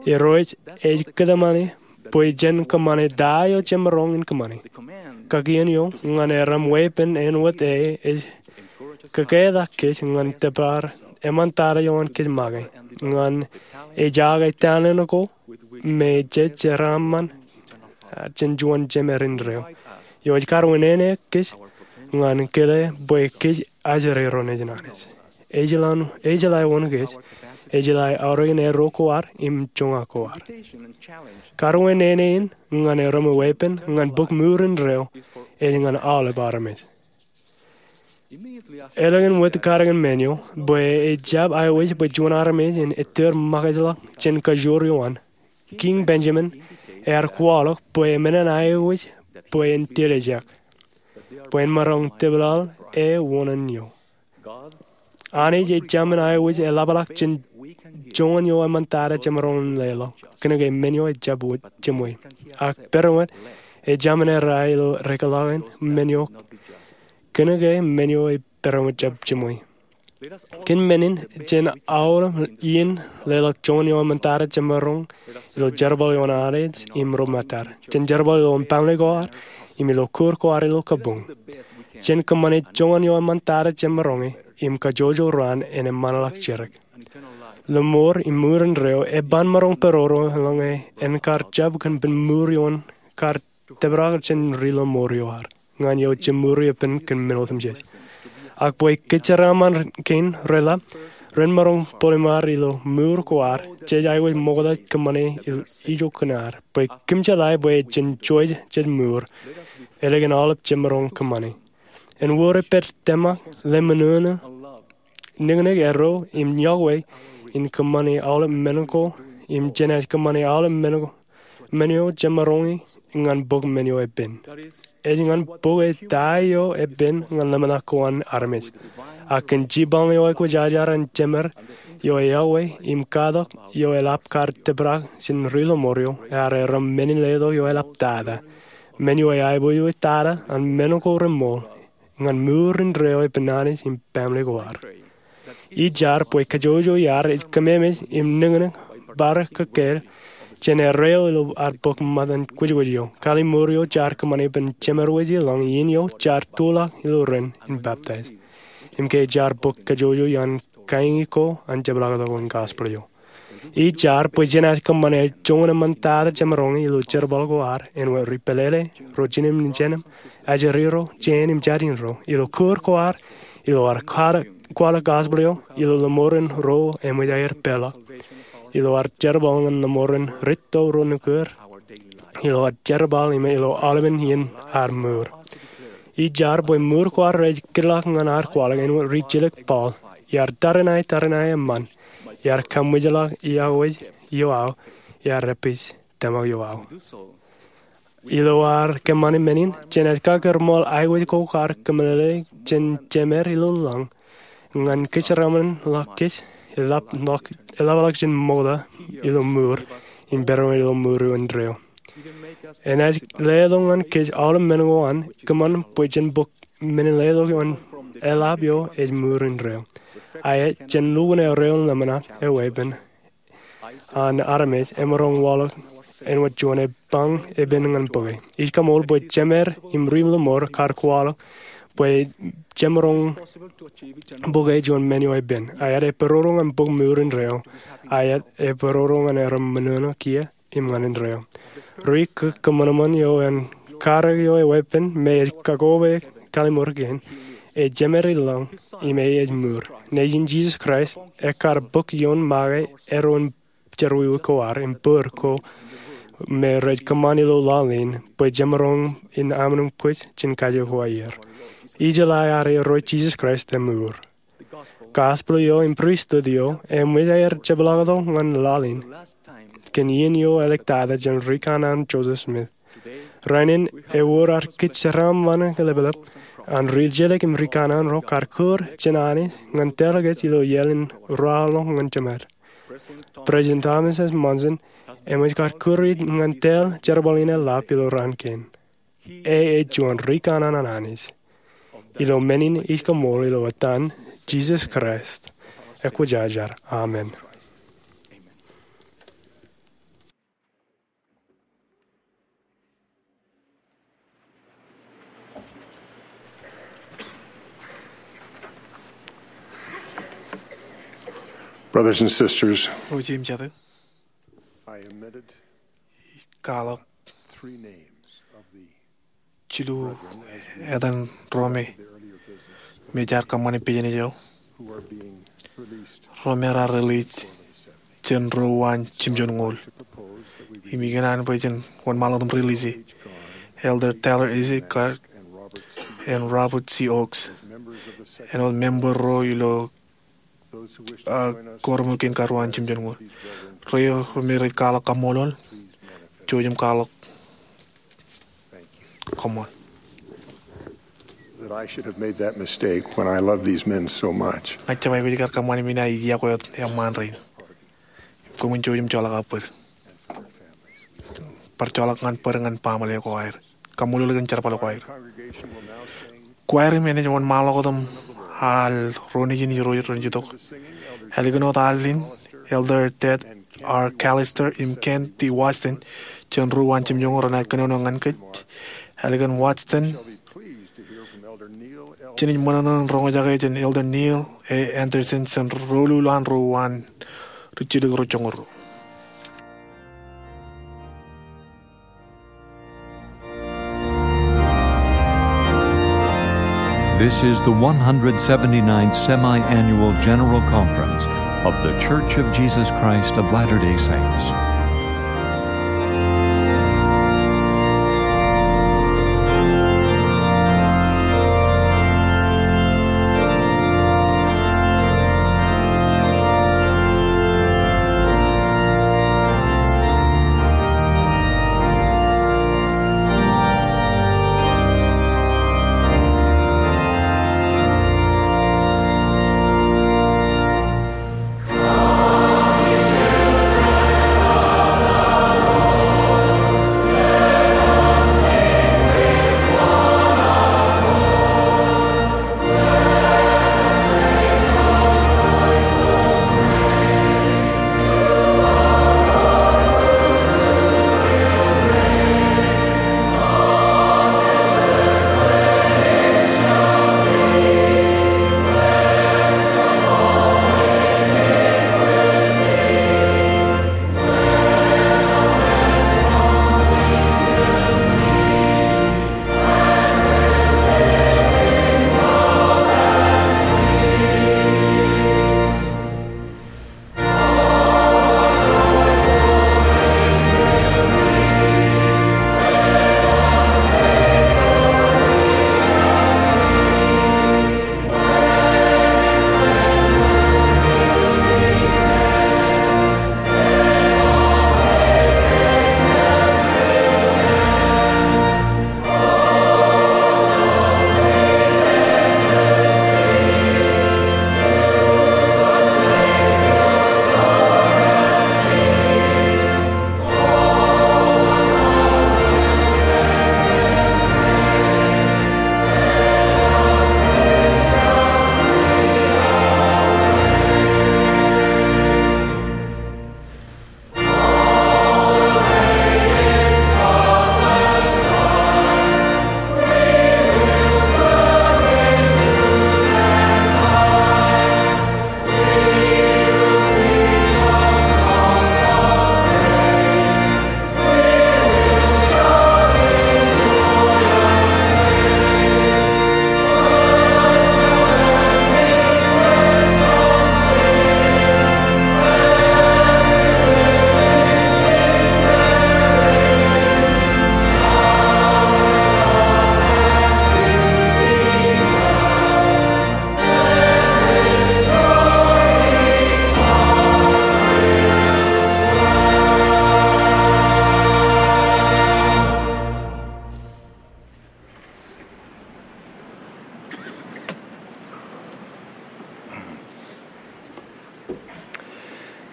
Irooj ej kōtmāne bwe jen kōṃṃane ta eo jemaroñ in kōṃṃane. Kakien eo ñan erom weeppān āinwōt e ej kōketak kōj ñan tōpar eṃṃantata eo an kōj make ñan ejake talent ko me jej jeraaṃṃan jān juon jemed indeeo eo ej kar wūnin kōj ñan kile bwe kōj ajri ro nejin Anij. Ejeḷā wōn kōj, ejeḷā aorōk in erro ko ad im joñak ko ad. Kar wūnin in ñan erom weeppān ñan bōk mour indeeo ej ñan aolep armej. Elōñ in wōt katakin men eo bwe ejab aikuj bwe juon armej en ettōr ṃakijḷọk jān kajoor eo an, Kiiñ Benjamin ear kwaḷọk bwe emān en aikuj bwe en tiljek, bwe en maroñ tōpḷaḷ e wōṇān eo. Anij ej Jemān aikuj eḷapḷọk jān joñan eo eṃṃantata jemaroñ in leḷọk, kōnke men eo ejab wōt jeṃwe. Ak pād wōt, ej Jemān errā ilo rekḷọk in men eo, kōnke men eo ej pād wōt jab jeṃwe. Kōn men in, jen aolep iien leḷọk joñan eo eṃṃantata jemaroñ ilo jerbal eo an Anij im ro ṃōttad, jān jerbal ilo baaṃle ko ad im ilo kōj ko ad ilo kabuñ. Jen kōṃṃane joñan eo eṃṃantata jemaroñ im kajjojo raan en eṃṃanḷọk jidik. Lọmọọr im mour indeeo eban maroñ pōroro eḷaññe en kar jab kōn pen mour eo en kar tōprak jān ri lọmọọr eo ad ñan eo jemūri ippān kōn men otemjej. Ak bwe kōjeraaṃṃan kein reḷap, ren maroñ bōlimar ilo mour ko ad, jej aikuj ṃokta kōṃṃane ijo kōn ad bwe kōm jeḷā bwe jen jouj jej mour ālikin aolep jemaroñ kōṃṃane. Ewōr epād tōmak, ḷōmṇak, nōknōk erro im iọkwe in kōṃṃane aolep men ko im jenaaj kōṃṃane aolep men eo jemaroñi ñan bōk men eo epen. Ej ñan bōke ta eo epen ñan ḷōmṇak ko an armej. Ak kōn jipañ eo ekwōjarjar an Jemed eo eọkwe im katak eo eḷap kar tōprak jān ri lọmọọr eo ear erom men in letok eo eḷaptata, men eo eaiboojoj tata an men ko reṃool ñan mour indeeo ippān Anij im baaṃle ko ad. Ij jar bwe kajjojo iaar ej kōmemej im niknik bar kōkkāāl jān erreo ilo ad bōk ṃōttan kwōjkwōj eo. Kallimur eo jaar kōṃṃane ippān jemed wōj ilọñ iien eo jaar tulọk ilo ren in peptaij. Im ke jaar bōk kajjojo iaan kaiñi ko an jepḷaaktok in gospel eo. Ij jar bwe jenaaj kōṃṃane joñan eṃṃantata jemaroñ ilo jerbal ko ad āinwōt ri pālele, ro jinōmjinōm, ajri ro, jān im jatin ro, ilo kūr ko ad, ilo ad kwaḷọk, kwaḷọk gospel eo, ilo lōṃoren ro eṃōj aer peḷḷọk, ilo ad jerbal ñan lōṃoren rūtto ro nukūr, ilo ad jerbal im ilo aolepen iien ad mour. Ij jar bwe mour ko ad rej kidḷọk ñan ad kwaḷọk āinwōt ri jilōk Paul, iar tariṇae tariṇae eṃṃan, iar kaṃwijḷọk iọkwe eo aō, iar epij tōmak eo aō. Ilo ad kōṃṃane men in, jenaaj kakūrṃool aikuj ko kar kōmeḷeḷe jān Jemed ilo lañ ñan kōjeraṃṃan ḷọk kōj, eḷap ḷọk, eḷapḷọk jān ṃokta ilo mour, im pedoin ilo mour indeeo. Enaaj letok ñan kōj aolep men ko an kōṃṃan bwe jen bōk men in letok ioon eḷap eo ej mour indeeo. Aet jān lukkuun erreo ḷōmṇak eweeppān an armej emaroñ waḷọk āinwōt juon epañ epen ñan bōke. Ij kaṃool bwe jemed im ri lōṃour kar kwaḷọk bwe jemaroñ bōke juon men eo epen. Aet epororo ñan bōk mour indeeo. Aet epororo ñan aer ṃōṇōṇō kiiō im ñan indeeo. Ri kōṃanṃan eo an karōk eo eweeppān me ej kakoba kallimur kein, ej Jemed ilo lañ im ej mour. Nejin Jisōs Kraist, ekkar bōk ioon make eddo in jerọwiwi ko ad im bōd ko me rej kōṃṃan ilo laḷ in bwe jemaroñ in aṃ naaj kwōj jān kaje ko aer. Ij jeḷā ad erro Jisōs Kraist emour. Gospel eo im pristut eo eṃōj aer jepḷaaktok ñan laḷ in kōn iien eo āliktata jān rikanaan Joseph Smith. Rainin ewōr ad kōjeraṃṃan leplep an ri jilōk im rikanaan ro kar kūr jān Anij ñan tōl kōj ilo iaḷ in ruwaḷọk ñan Jemed. President Thomas S. Monson eṃōj kar kūr ñan tōl jerbal in eḷap ilo raan kein. E ej juon rikanaan an Anij. Ilo men in ij kaṃool ilo etan Jisōs Kraist, ekwōjarjar. Amen. Brothers and sisters, Ro jeiū im jatū, I omitted kwaḷọk three names of the jilu etan ro me, me jaar kōṃṃane pejnej eo, ro me raar release jān ro uwaan jimjuonñoul. Im ikōṇaan bwe jen wōnṃaanḷọk im release e. Elder Taylor A. C. Clark and Robert C. Oaks, āinwōt member ro ilo, ah, quorum eo kein kar uwaan jimjuonñoul. Ro, ro me rej kwaḷọk kaṃṃoolol, jouj im kwaḷọk koṃṃool. That I should have made that mistake when I love these men so much. Ña ij jab aikuj kar kōṃṃane men in, iọkwe wōt eṃṃaan rein. Koṃwin jouj im joḷọk aō bōd. Bar joḷọk ñan bōd ñan baaṃle ko aer. Kaṃṃoolol kōn jerbal ko aer. Kwaer in enaaj wōnṃaanḷọk wōt im al ro nejin Irooj ren itok. Ālikin wōt al in, Elder Ted R. Callister im Ken T. Watson jān ro uwaan jimjuonñoul renaaj kōnono ñan kōj. Ālikin Watson, jenaaj ṃōṇōṇō in roñjake jān Elder Neil A. Andersen jān ro ḷọk an ro uwaan ri jilōk ro joñoul ruo. This is the one hundred seventy-ninth Semi-Annual General Conference of The Church of Jesus Christ of Latter-day Saints.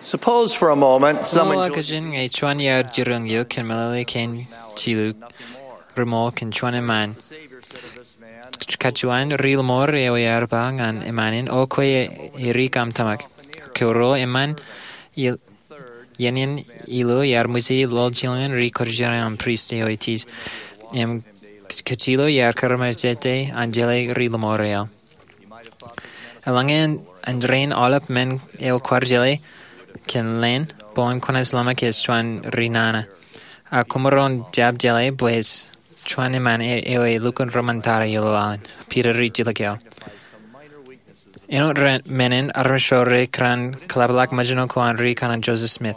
Suppose for a moment someone Ṃool joins kajin ñe juon iaar jiroñ eok kōn meḷeḷe kein jilu, ri ṃool kōn juon eṃṃaan. Kajuon ri lōṃoor eo ear ba ñan eṃṃaan in, O kwe, e ri kaṃ tōmak. Kōruo, eṃṃaan iien in ilo iar ṃōji ḷoḷjilñin ri kōjeraṃ prist eo ej tij. Im kajilo iar kūrmejete an jeḷā ri lōṃoor eo. Eḷaññe en rein aolep men eo kwaar jeḷā kōn leen, bwe en kwōnaaj ḷōmṇak ej juon ri nana. Ak koṃaroñ jab jeḷā bwe ej juon eṃṃaan eo elukkuun ri ṃōn tata ilo laḷ in. Piter ijjilōk eo. Āinwōt men in armej ro rekōṇaan kōḷapḷọk ṃōjṇo ko an ri kōṇaan Joseph Smith.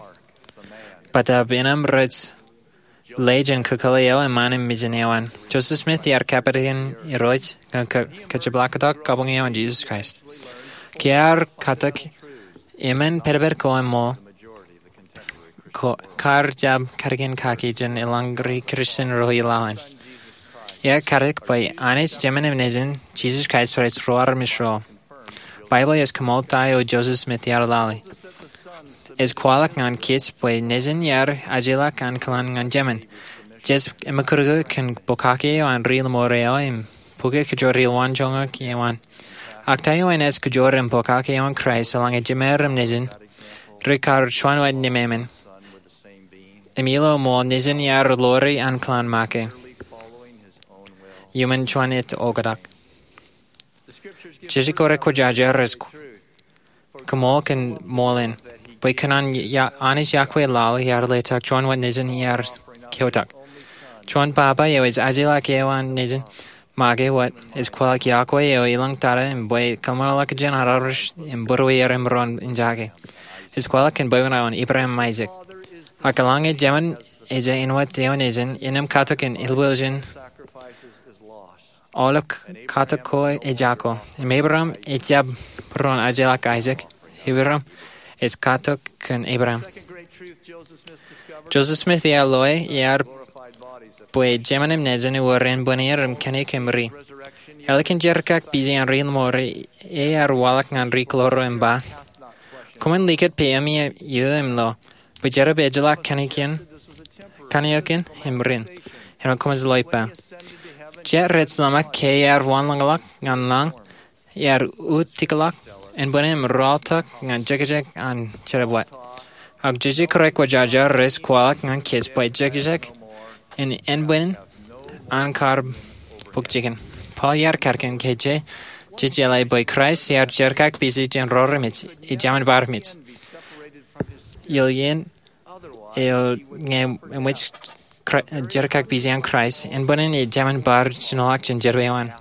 Bōtaab innem rej lale jān kōkōḷḷe eo eṃṃaan im mijin eo an. Joseph Smith iar kapād kōn Irooj ñan kajepḷaaktok kabuñ eo an Jesus Christ. Ke ear katak, eṃṃan pedped ko eṃṃool, kar jab kadkōn kaki jān eḷaññe ri Kristian ro ilaḷ in. Ear katak bwe Anij Jemān im Nejin, Jesus Christ, rej ro armej ro. Baibōḷ ej kōṃṃool ta eo Joseph Smith ear lale. Ej kwaḷọk ñan kōj bwe Nejin ear ajlak an kōḷan ñan Jemān. Jej ṃakūtkūt kōn pokake eo an ri lōṃoor eo im bukwi kōjro ri lowaan joñak eo an. Ak ta eo enaaj kōjro im pokake eo an Kraist eḷaññe Jemān im Nejin rekar juon wōt nemāmein. Im ilo ṃool Nejin ear ḷoori an kōḷan make iuṃwin juon ej oktak. Jeje kōrā kwōjarjar ej kōṃṃool kōn ṃool in. Bwe kōn an Anij iọkwe laḷ ear letok juon wōt Nejin ear keotak. Juon baba eo ej ajlak eo an Nejin make wōt ej kwaḷọk iọkwe eo elōñ tata im bwe kōḷmānḷọkjeṇ an armej im būrueir im roñ in jake. Ej kwaḷọk kōn bwebwenato in Abraham im Aisak. Ak eḷaññe Jemān ej āinwōt eo nejin, innām katok in ilwilōñ in aolep katak ko ejako. Im Abraham ejjab roñ ajlak Aisak. Abraham ej katok kōn Abraham. Joseph Smith ear loe ear bwe Jemān im Nejin ewōr ānbwinnid im kōnke im ri. Ālikin jerkakpeje an ri lōṃoor, ear waḷọk ñan ri kōḷaḷḷo im ba, Koṃwin likūt peiṃ eo im lo, bwe jerbal ejjeḷọk kanniōkin im rin, āinwōt koṃij lo ippa. Jet rej ḷōmṇak ke ear wanlōñḷọk ñan lañ, ear utiklọk ānbwinnid im rọọltok ñan jekjek an jerbal. Ak jeje kōrā kwōjarjar rej kwaḷọk ñan kōj bwe jekjek in ānbwinnid an kar bōk jikin. Paul ear katkōn ke jej jeḷā bwe Kraist ear jerkakpeje jān ro remej, ej Jemān bar mej. Ilo iien eo ñe eṃōj jerkakpeje an Kraist, ānbwinnid ej Jemān bar jinoḷọk jān jerbal eo an.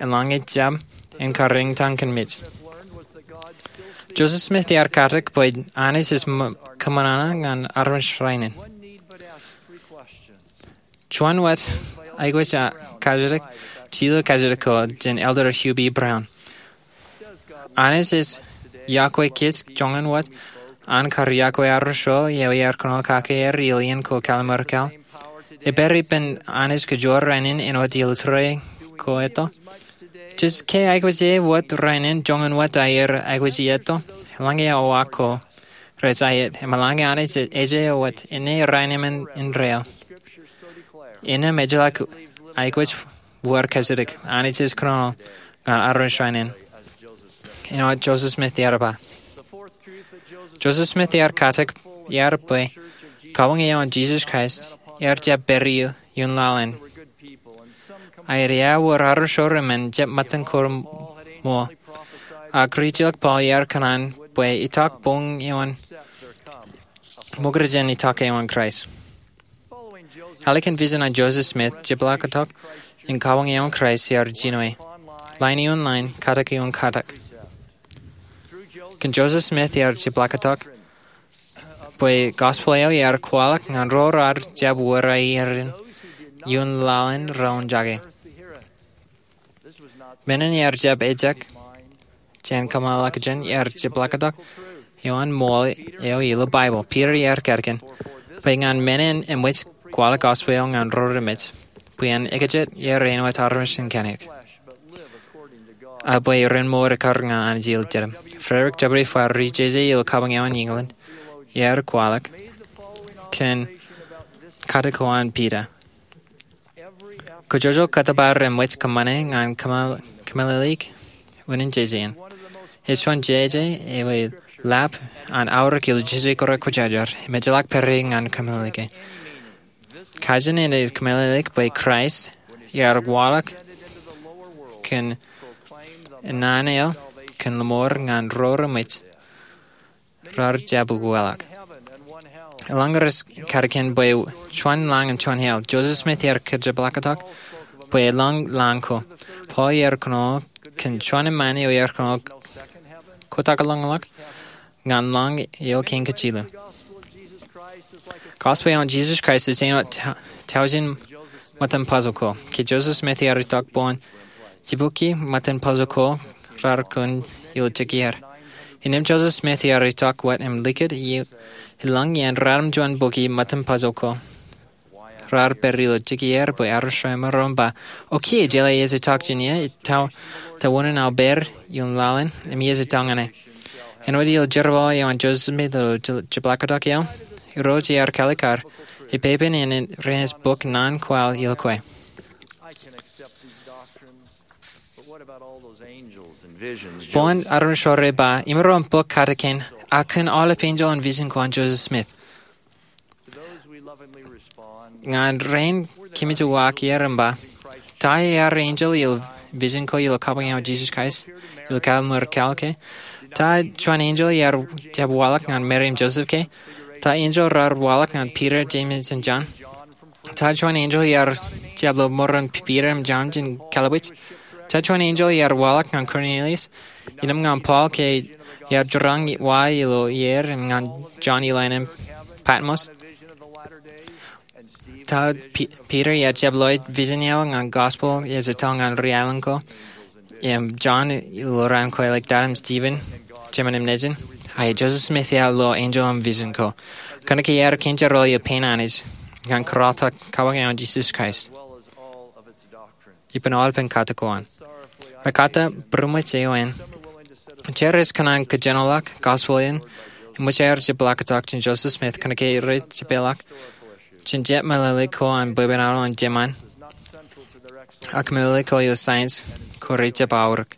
Eḷaññe ejjab, en kar eñtaan kōn mej. Joseph Smith ear katak bwe Anij ej kōṃanṃan ñan armej rainin. Juon wōt aikuj kajjitōk, jilu kajjitōk ko jān Elder Hugh B. Brown. Anij ej iọkwe kōj joñan wōt an kar iọkwe armej ro eo ear kōnono kake er ilo iien ko kalimur kaḷ. Epād ippān Anij kōjro rainin āinwōt ilo tōre ko eto. Jej ke aikuj e wōt rainin joñan wōt aer aikuj eto. Eḷaññe awa ko rej aet, im eḷaññe Anij ej eo wōt inne rainwōt indeeo, innām ejjeḷọk aikuj wōr kajjitōk. Anij ej kōnono ñan armej rainin āinwōt Joseph Smith ear ba. Joseph Smith ear katak er bwe kabuñ eo an Jesus Christ ear jab pād iuṃwin laḷ in. Aet, ewōr armej ro remen jab ṃōttan ko ṃool. Ak rijjilōk Paul ear kōṇaan bwe itak boñ eo an ṃokta jān itak eo an Kraist. Ālikin vision an Joseph Smith, jepḷaaktok in kabuñ eo an Kraist ear jino. Lain ioon lain, katak ioon katak. Kōn Joseph Smith ear jepḷaaktok bwe gospel eo ear kwaḷọk ñan ro raar jab wōr aer in ioon laḷ in ro jake. Men in ear jab ejjab jān kōṃṃan ḷọk jān, ear jepḷaaktok ioon ṃool eo ilo Baibōḷ. Peter ear katkōn bwe ñan men in eṃōj kwaḷọk gospel eo ñan ro remen, bwe en ekjat er āinwōt armej in kanniōk. a bwe ren mour ekkar ñan Anij Ilo Jedem. Frederick W. Farrar, ri-jeje ilo kabuñ eo an England, ear kwaḷọk kōn kate ko an Piter. Kōjojol kōttōpar emōj kōṃṃane ñan kōmeḷeḷeik unin jeje in. Ej juon jeje eo eḷap an aorōk ilo jeje ko raar kwōjarjar im ejjeḷọk pere ñan kōmeḷeḷeik. Kajin in ej kōmeḷeḷeik bwe Kraist ear waḷọk kōn naan eo kōn lọmọọr ñan ro remej raar jab ukeḷọk. Eḷaññe rej katakin bwe juon lañ im juon hell, Joseph Smith ear kajepḷaaktok bwe eḷaññe lañ ko, Paul ear kōnono kōn juon emān eo ear kōnono kotak ḷọñḷọk ñan lañ eo kein kajjilōk. Gospel eo an Jesus Christ ej āinwōt ta-, tọujin ṃōttan puzzle ko. Ke Joseph Smith ear itok boñ jibukwi ṃōttan puzzle ko raar kōn ilo jikier. Innām Joseph Smith ear itok wōt im likūt eḷaññe iien ratimjuon bukwi ṃōttan puzzle ko raar pād ilo jikier bwe armej ro emaroñ ba, "O kiiō jeḷā ej itok jān ie, ta-, ta wōn in aō pād ioon laḷ in im iiō ej itok ñan e?" Āinwōt ilo jerbal eo an Joseph Smith ilo je-, jepḷaaktok eo, Irooj ear kaalikkar, ippān in renaaj bōk naan kwaḷ ilo kwe. Boñ armej ro rej ba, "Imaroñ bōk katakin, ak kōn aolep enjeḷ in vision ko an Joseph Smith." Ñan rein kōmij uwaak er im ba, "Ta ear enjeḷ ilo vision ko ilo kabuñ eo an Jesus Christ ilo Kalvary Mōj ke? Ta juon enjeḷ ear jab waḷọk ñan Mary im Joseph ke? Ta enjeḷ raar waḷọk ñan Peter, James im John? Ta juon enjeḷ ear jab lo ṃōran Peter im John jān kalabwij? Ta juon enjeḷ ear waḷọk ñan Cornelius, innām ñan Paul ke ear jerañ wa ilo aer, im ñan John ilo ānin Patmos? Ta P-, Peter ear jab lo vision eo ñan gospel ej itok ñan ri-aelōñ ko, im John ilo raan ko āliktata, im Stephen, jemān im nejin? Ak Joseph Smith ear lo enjeḷ in vision ko?" Kōnke ear kōn jerbal eo pein Anij ñan kōrọọltok kabuñ eo an Jesus Christ ippān aolepen kate ko an. Mekkata būroṃōj eo an, jar rej kōṇaan kōjenolọk gospel in im ṃōj aer jepḷaaktok jān Joseph Smith kōnke rej jepeḷḷọk jān jet meḷeḷe ko an bwebwenato an jemān, ak meḷeḷe ko eo science ko rej jab aorōk.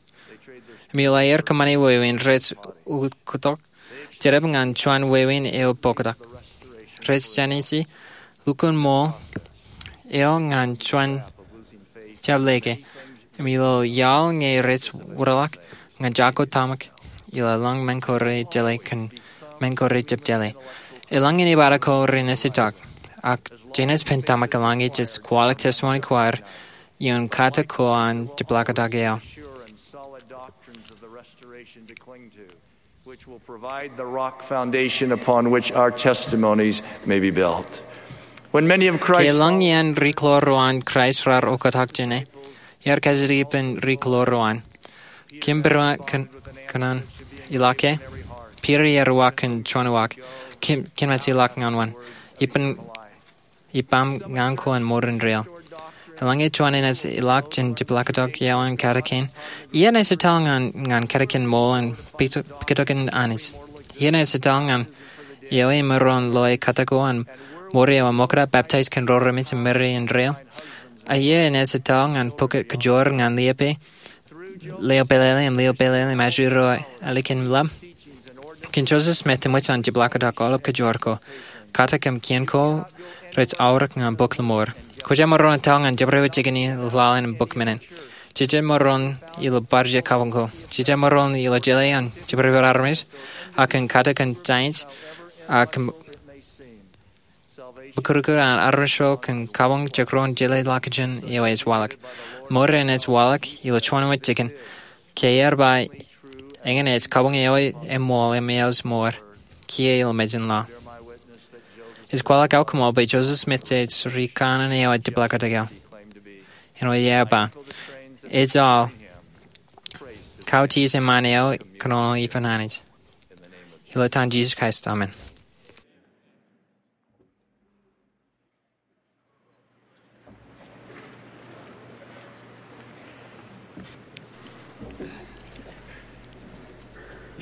Im ilo aer kōṃṃane wāween, rej ukoktok Jedeb ñan juon wāween eo bōktok. Rej jāniji lukkuun ṃool eo ñan juon jab leke. Im ilo iaḷ ñe rej wūrḷọk ñan jako tōmak ilo eḷaññe men ko rej jeḷā kōn men ko rej jab jeḷā. Eḷaññe enaaj bar ko renaaj itok. Ak jenaaj pen tōmak eḷaññe jej kwaḷọk testimony ko ad ioon kate ko an jepḷaaktok eo. Which will provide the rock foundation upon which our testimonies may be built. When many of Christ's Ke eḷaññe iien ri-klor ro an Kraist raar oktak jān e, ear kajjitōk ippān ri-klor ro an. Kōm bar kōn-, kōnono ilọk ke? Peter ear uwaak kōn juon uwaak. Kōm, kōm naaj ilọk ñan wōn? Ippān ippaṃ ñan ko an mour indeeo. Eḷaññe juon enaaj ilọk jān jepḷaaktok eo an katakin, iien ej etal ñan, ñan katakin ṃool an pukot-, pukotkin Anij. Iien ej etal ñan eo emaroñ loe kōttar ko an mour eo eṃōkaj, baptize kōn ro remeej im Meri indeeo. Ak iien ej etal ñan pukot kōjoor ñan liape lio pālele im lio pālele im ajri ro ālikin ḷap. Kōn Joseph Smith eṃōj an jepḷaaktok aolep kōjoor ko. Kōttar im kien ko rej aorōk ñan bok Ḷōṃoor. Kwōj jab maroñ etal ñan jabdewōt jikin in ilo laḷ in bok men in. Jej jab maroñ ilo bar jek kabuñ ko. Jej jab maroñ ilo jeḷā an jabdewōt armej, ak kōn kōttar kōn giants, ak kōn bōkūtkūt an armej ro kōn kabuñ jekdọọn jeḷā ḷọkjeṇ eo ej waḷọk. Ṃool enaaj waḷọk ilo juon wōt jikin, ke ear ba, eñin ej kabuñ eo eṃool im eoos mour, kiiō ilo mejān laḷ. Ej kwaḷọk aō koṃṃool bwe Joseph Smith ej ri kanaan eo an jepḷaaktok eo. Āinwōt ear ba, ejjeḷọk kautiej eṃṃan eo kōnono ippān Anij. Ilo etan Jesus Christ, amen.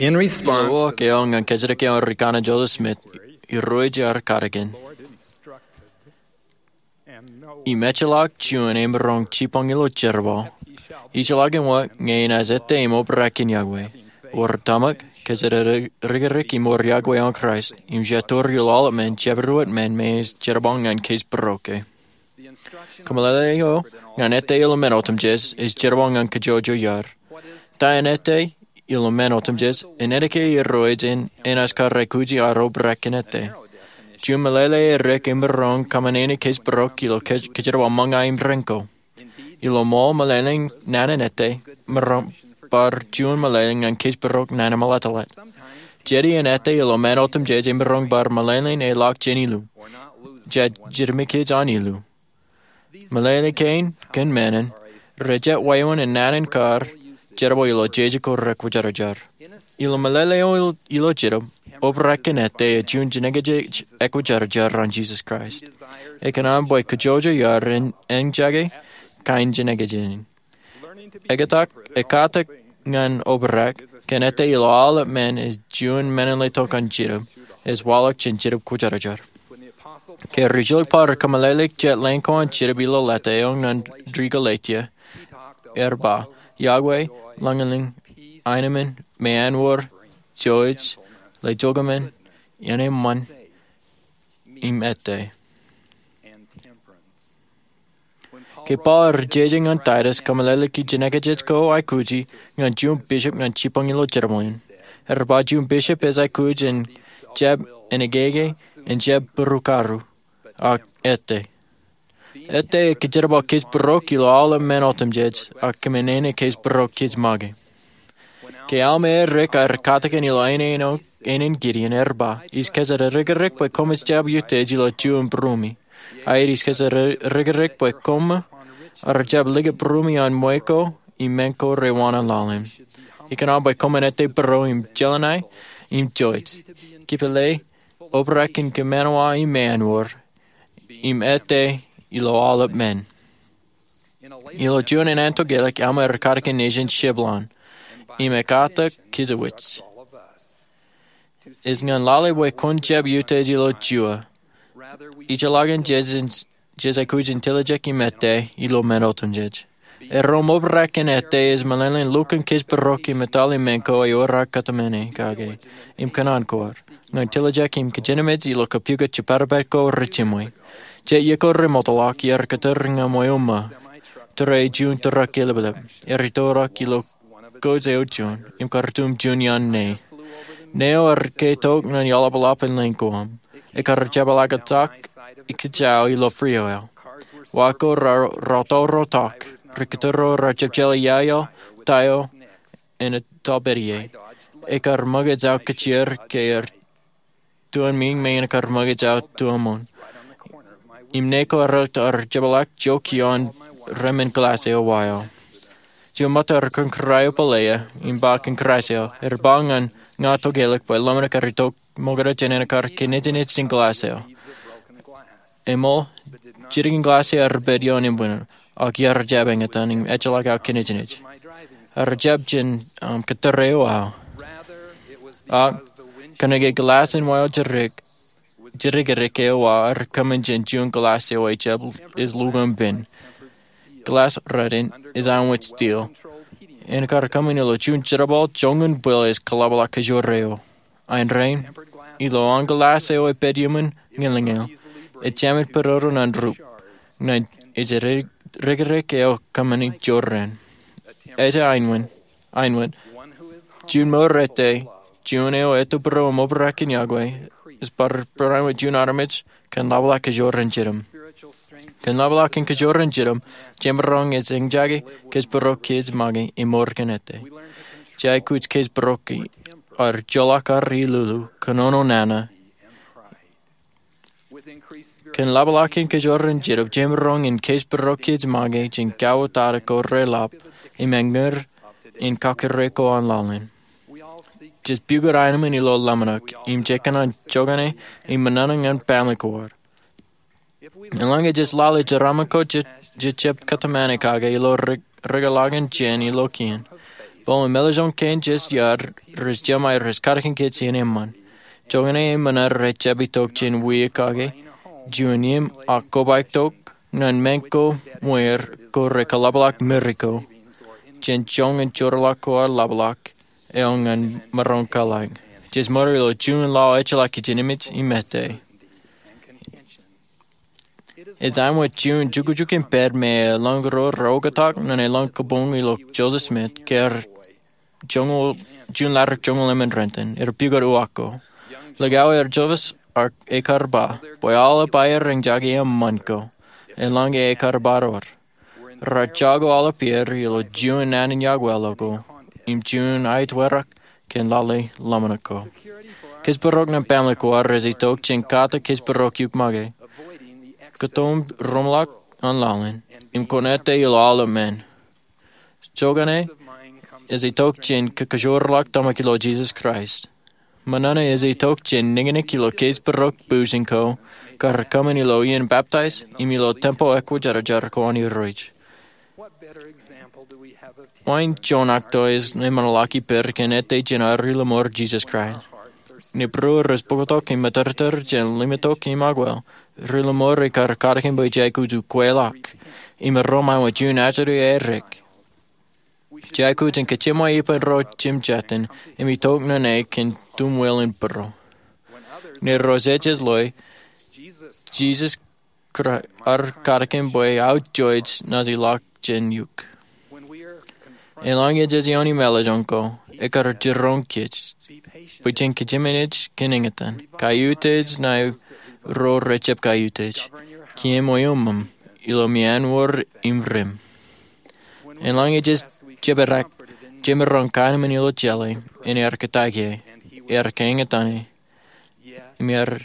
In response, ilo uwaak eo ñan kōjatdikdiki eo an Ri Kanan Joseph Smith, irooj ear katakin, im ejjeḷọk juon emaroñ jipañ ilo jerbal, ijjeḷọkin wōt ñe enaaj ettā im obrak kōn yokwe. Wōr tōmak, kōjatdikdik im wōr yokwe an Kraist, im jea tour ilo aolep men, jabdewōt men me ej jerbal ñan kōjparok e. Kōmeḷeḷe eo ñan ettā ilo men otemjej ej jerbal ñan kōjojoj iar. Ta en ettā ilo men otemjej? En ālikin irooj enaaj kar aikuji ad obrak kōn ettā. Juon meḷeḷe eo rej maroñ kōṃṃane kōjparok ilo kōj-, kōjerbal ṃōñā im ren ko. Ilo ṃool, meḷeḷein naan in ettā emaroñ bar juon meḷeḷe ñan kōjparok naan in ṃōḷaḷḷap. Jet iien ettā ilo men otemjej emaroñ bar meḷeḷein eḷak jān ilu, jea jidik kōj an ilu. Meḷeḷe kein kōn men in rejjab wāween naan in kar jerbal ilo jeje ko rekwōjarjar. Ilo meḷeḷe eo ilo Jetōb, obrak kōn ettā ej juon jinōkjeik ekwōjarjar an Jisōs Kraist. Ekōṇaan bwe kōjojoj iar en, enaaj jake kain jinōkjeik in. Ekkatak, ekkatak ñan obrak kōn ettā ilo aolep men ej juon men in letok an Jetōb, ej waḷọk jān Jetōb Kwōjarjar. Ke rijjilōk Paul ej kōmeḷeḷeik jet lōñ ko an Jetōb ilo leta eo ñan ri Galetia, ear ba, Yokwe, lañlōñ, aenōṃṃan, meanwōr, jouj, lejokōṃṃan, iien eṃṃan, im ettā. Ke Paul ear jeje ñan Taitus kōmeḷeḷeiki jinōkjeik ko aikuji ñan juon bishop ñan jipañ ilo jerbal in, ear ba juon bishop ej aikuj in jab eñkeke, in jab būrukaru, ak ettā. Ettā ej kōjerbal kōjparok ilo aolep men otemjej, ak kōmeñe kōjparok kōj make. Ke Alma erik ear katakin ilo āne eo, ānen Gideon, ear ba, Ij kōjatdikdik bwe koṃij jab utiej ilo juon būrumi. Ak ij kōjatdikdik bwe koṃ ar jab likūt būrumi an ṃwe ko im men ko rewōṇān laḷ in. Ikōṇaan bwe koṃwin ettā būro im jeḷā ṇae im jouj. Kipele, obrak in kōṃanṃan im meanwōr, im ettā ilo aolep men. Ilo juon āne tokālik, Alma ear katakin nejin Shiblon, im ekkatak kōjwōj. Ej ñan lale bwe kwōn jab utiej ilo juon. Ijellọkin jej, jej aikuj in tiljek im ettā ilo men otemjej. Erom obrak kōn ettā ej meḷeḷein lukkuun kōjparok im etale men ko ewōr aō kōtmāne kake im kōṇaan kōj, ñan tiljek im kōjenmej ilo kapukot jepād ko rej jiṃwe. Jet iiō ko remootḷọk, iar kōtōr ñan ṃweo ṃō. Tōre juon tōrak eḷapḷap. Ear itoktak ilo kōj eo juon, im kar itok juon iaan ṇe. Ṇe eo ear ke tok ñan iaḷapḷap in lōñ ko aṃ. Ekar jepḷaaktok ikijjeen ilo frio eo. Wa ko raar, raar tōrotok, ri kōtōro raar jepjeḷā iaio, ta eo, en etōpād ie. Ekar ṃōkaj aō kajjioñ ke er tuon meñe ekar ṃōkaj aō tuon ṃoon. Im ṇe ko ear, ear jepḷaak jok ioon remān glass eo wa eo. Juon ṃōttan ear kōn kōrā eo pālle ia, im ba kōn kōrā eo, ear ba ñan ña tokālik bwe ḷōmṇak ear itok ṃōkaj jān ekar kōnejnej jān glass eo. Eṃool, jidikdik glass eo ear pād ioon embuñin, ak iar jab eñtaan im ejjeḷọk aō kōnejnej. Ear jab jān, um, kōtōre eo aō. Ak kōnke glass in wa eo jidik, jidikdik eo aō ear kōṃṃan jān juon glass eo ejjab, ej lukkuun pen. Glass ro in ej āinwōt steel. Im ekar kōṃṃan ilo juon jerbal joñan bwil ej kaḷapḷọk kōjro eo. Ak ilo an glass eo ej pād iuṃwin ñilñil, ejāmin pād ro ñan rup, ñan ejidikdik eo kōṃṃani jorrāān. Ej āinwōt, āinwōt, juon mour ettā, juon eo ettōpar im obrak kōn yokwe, ej bar, bar āinwōt juon armej kōn ḷapḷọk kōjro in jitōm. Kōn ḷapḷọk kōn kōjro in jitōm, jemaroñ in eñjake kōjparok kōj make im mour kōn ettā. Jej aikuj kōjparok ad joḷọk ad ilulu, kōnono nana. Kōn ḷapḷọk kōn kōjro in jitōm, jemaroñ in kōjparok kōj make jān kauwōtata ko reḷap, im eñin in kakōrā ko an laḷ in. Jej pukot aenōṃṃan ilo ḷōmṇak, im jej kōṇaan jokane im ṃōṇōṇō ñan family ko ad. Eḷaññe jej lale jeraaṃṃan ko jej, jej jab kōtmāne kake ilo ri, rikōḷakin jān ilo kien, Bwe meḷeḷe in kōn jes iar rej jema rej kadkin kōj iien eṃṃan. Joñan eṃṃan rej jab itok jān wiik kake juon im ak kobaik tok ñan men ko ṃweer ko rej kaḷapḷọk Meri ko jān joñan jorrāḷọk ko ar ḷapḷọk eo ñan maroñ kōḷḷā. Jes ṃōrā ilo juon lọo ejjeḷọk kōj jān emān im ettā. Ej āinwōt juon jukjuk in pād me eḷaññe ro rej oktak ñan eḷaññe kabuñ ilo Joseph Smith ke juon laḷ joñoul emān renton er pukot uwaak ko. Likao er Joseph ak ekar ba bwe aolep aer eñjake eṃṃan ko eḷaññe ekar ba ro. Rej jako aolep er ilo juon naan in yokwe ḷọk ko im juon aetwerak kōn lale ḷōmṇak ko. Kōjparok ñan baaṃle ko ad rej itok jān kate kōjparok iukṃake, kōtōn roñḷọk an laḷ in, im kōn ettā ilo aolep men. Joñan e ej itok jān kōjparok ḷọk tōmak ilo Jisōs Kraist. Ṃōṇōṇō ej itok jān niñniñ ilo kōjparok būsin ko kar kōṃṃan ilo iien baptaiz im ilo tempeḷ ekwōjarjar ko an Irooj. Wāween juon akto ej eṃṃanḷọk ippād kōn ettā jān ad ri-lọmọọr Jisōs Kraist. Nōbar rej bōktok im metartar jān limtok im akwāāl, ri-lọmọọr ekar kadkin bwe jej aikuj in kweilọk im erom āinwōt juon ajri erik. Jej aikuj in kōjeṃwe ippān ro jemjetan im itok ñan e kōn tumwil in būruō. Ñe ro jejjet loe, Jisōs Kraist ear kadkin bwe aō jouj naaj ilọk jān eok. Eḷaññe jej iioon meḷeḷe in ko, ekar jiroñ kōj bwe jen kōjemān kōn eñtaan, kaiuj ṇae ro rej jab kaiuj, kiiō ṃweo ṃōṃ ilo meanwōr im rim. Eḷaññe jej jepdek, jemaroñ kaenōṃṃan ilo jeḷā in ear kōttāik e, ear kaeñtaan e, im ear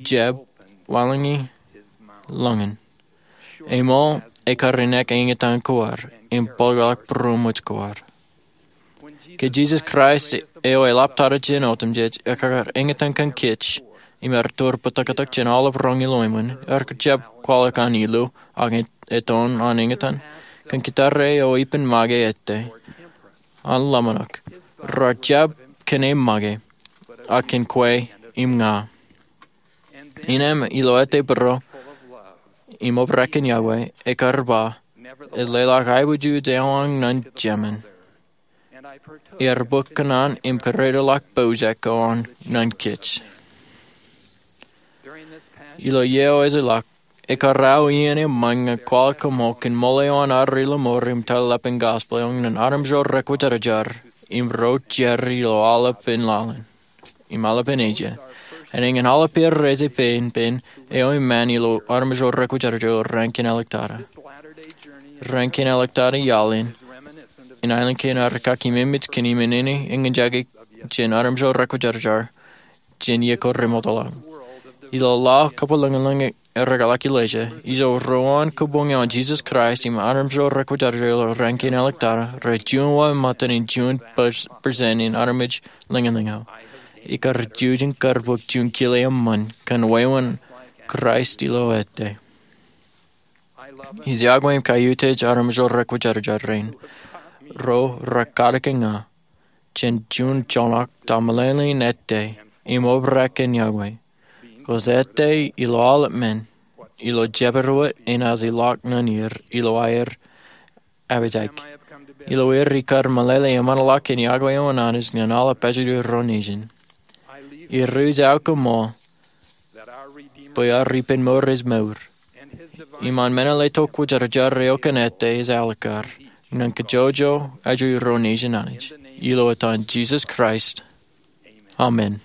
jab wanlōñi lōñin. Eṃool, ekar ineek eñtaan ko ad im bōkḷọk būroṃōj ko ad. Ke Jisōs Kraist eo eḷap tata jān otemjej ekar eñtaan kōn kōj im ear tōre bōtōktōk jān aolep roñ ilo eṃṃan, ear jab kwaḷọk an ilu ak etoon an eñtaan. Kōn kōttar eo ippān make ettā an ḷōmṇak, rej jab kōn e make, ak kōn kwe im ña. Innām ilo ettā būruō im obrak kōn Yokwe, ekar ba, ej leḷọk aiboojoj eo an ñan Jemān. Ear bōk kōṇaan im kōrā ḷọk pojak ko an ñan kōj. Ilo iiō eo ej ilọk, ekar aō iien eṃṃan ñan kwaḷọk koṃṃool kōn ṃool eo an ad ri-lọmọọr im tōl ḷap in gospel eo ñan armej ro rekwōjarjar im ro jar ilo aolepān laḷ in im aolepān Asia. Enañin aolep er rej ippān ippān eo eṃṃan ilo armej ro rekwōjarjar ilo raan kein āliktata. Raan kein āliktata iaḷ in, in aelōñ kein ad kaki memej kōn iṃōn eo eñjake jān armej ro rekwōjarjar jān iiō ko remootḷọk. Ilo laḷ kōpeḷḷọk ñan ereḷọk ilo Asia, ijo ruo an kabuñ eo an Jisōs Kraist im armej ro rekwōjarjar ilo raan kein āliktata rej juon wōt ṃōttan in juon percent in armej ḷōñlōñ eo. Ikar jujen kar bōk juon kile eṃṃan kōn wāween Kraist ilo ettā. Ij iọkwe im kaiutiej armej ro rekwōjarjar rein, ro rekadkōn ña jān juon joñak ta meḷeḷein ettā im obrak kōn Yokwe. Kōj ettā ilo aolep men, ilo jabdewōt enaaj ilọk ñan er ilo aer apajaik. Ilo er ikar meḷeḷe eṃṃanḷọk kōn Yokwe eo an Anij ñan aolep pājuju ro nejin. Ij ruj aō koṃṃool bwe ad ippān mour ej mour. Im an meḷeḷe tok kwōjarjar eo kōn ettā ej alikkar ñan kajjojo ajri ro nejin Anij. Ilo etan Jisōs Kraist. Amen.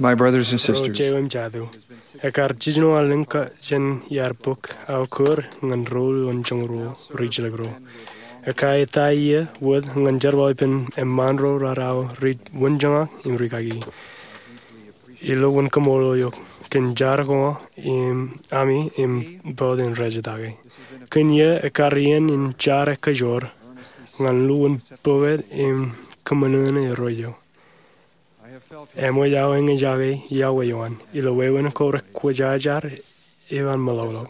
My brothers and sisters, ekar jiljino allōñ jān iar bōk aō kōr ñan ruo wōnjoñruo ri jilkinro. Ekā eta iiō wōt ñan jerbal ippān eṃṃaan ro raar aō ri wōnjoñak im rikaki. Ilo wōn kaṃṃoolol eok kōn jar ko ami im bōd in rej etake. Kōn iiō ekar iien in jar ekajoor ñan lowaan bōkōt im kōṃṃan eo. Eṃōj aō eñjake iọkwe eo an ilo wāween ko rekwōjarjar eo an meḷọkḷọk.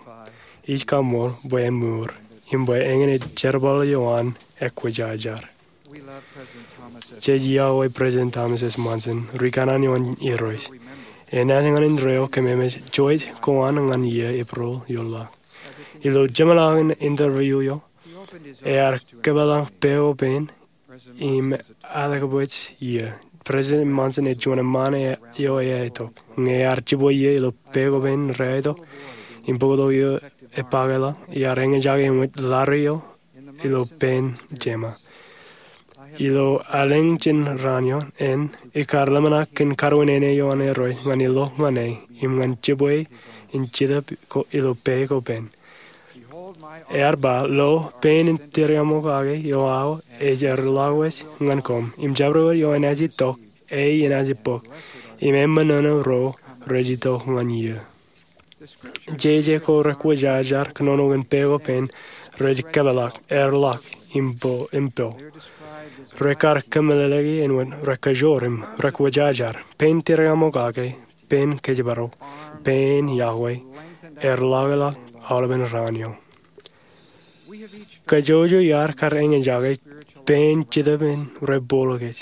Ij kaṃṃool bwe eṃour im bwe eñin ej jerbal eo an ekwōjarjar. Jej iọkwe President Thomas S. Monson, ri kanaan eo an Irooj. Enaaj ñan indeeo kōmeemej jouj ko an ñan iiō Eprel ioḷọk. Ilo jeṃḷọkin interview eo, ear kōpeḷḷọk pā ko pān im atakbwij iiō. President Monson ej juon eṃṃaan eo eaetok. Ñe ear jibwe iiō ilo pā ko pān reaetok im bōktok eo epakeḷọk, ear eñjake eṃōj ḷadik eo ilo pān jema. Ilo allōñ jān raan eo an, ikar ḷōmṇak kōn karuwaineene eo an Irooj ñan ilo ñan e im ñan jibwe in Jetōb ilo pā ko pān. Ear ba, lo, pān in tiriaṃokake eo aō ej erḷọk wōj ñan koṃ, im jabdewōt eo enaaj itok, e enaaj bōk, im e ṃōṇōṇō ro rej itok ñan iiō. Jeje ko rekwōjarjar kōnono kōn pā ko pān rej kōpeḷḷọk, erḷọk, im po, im po. Rekar kōmeḷeḷeiki āinwōt rekajoor im rekwōjarjar. Pān tiriaṃokake, pān kōjparok, pān iọkwe, erḷọkḷọk aolepen raan eo. Kajjojo iar kar eñjake pān Jetōb in rej bōklọk kōj.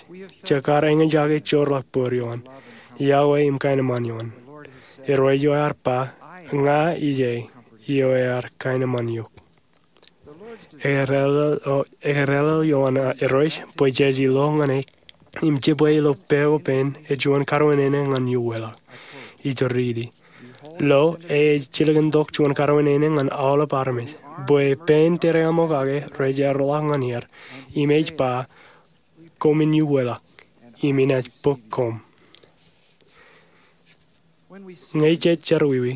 Jekar eñjake joorḷọk bōd eo an, iọkwe im kaenōṃṃan eo an. Irooj eo ear ba, ña ij e eo ear kaenōṃṃan eok. Ekrōḷḷọk eo an Irooj bwe jej ilo ñan e im jibwe ilo pā ko pān ej juon karuwaineene ñan iuweḷọk. Ij riiti. Lo, e ej jilkintok juon karuwaineene ñan aolep armej, bwe pān tiriaṃokake rej erḷọk ñan er, im ej ba, koṃwin iuweḷọk, im inaaj bōk koṃ. Ñe jej jerọwiwi,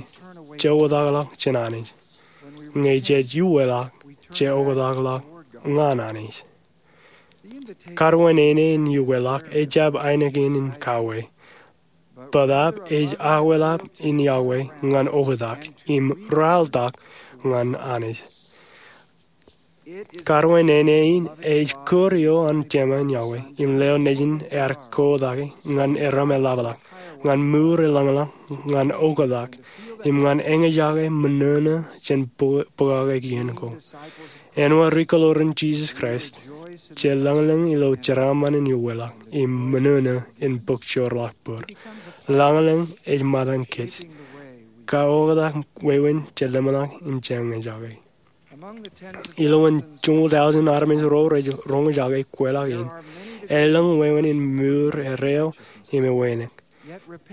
je oktakḷọk jān Anij. Ñe jej iuweḷọk, je oktakḷọk ñan Anij. Karuwaineene in iuweḷọk ejjab ainikien in kawe. Bōtaab ej akwelap in iọkwe ñan oktak im ralitōk ñan Anij. Karuwaineene in ej kūr eo an jema in iọkwe im leo nejin ear kotak ñan erom eḷapḷọk, ñan mour elōñḷọk, ñan oktak, im ñan eñjake ṃōṇōṇō jān bō-, bōkake kien ko. Āinwōt ri kōḷoor in Jisōs Kraist, je lañlōñ ilo jeraaṃṃan in iuweḷọk im ṃōṇōṇō in bōk joorḷọk bōd. Lañlōñ ej ṃōttan kōj. Kaoktak wāween je lemḷọk im je eñjake. Ilowaan joñoul tọujin armej ro rej roñjake kweilọk in, elōñ wāween in mour erreo im ewānōk.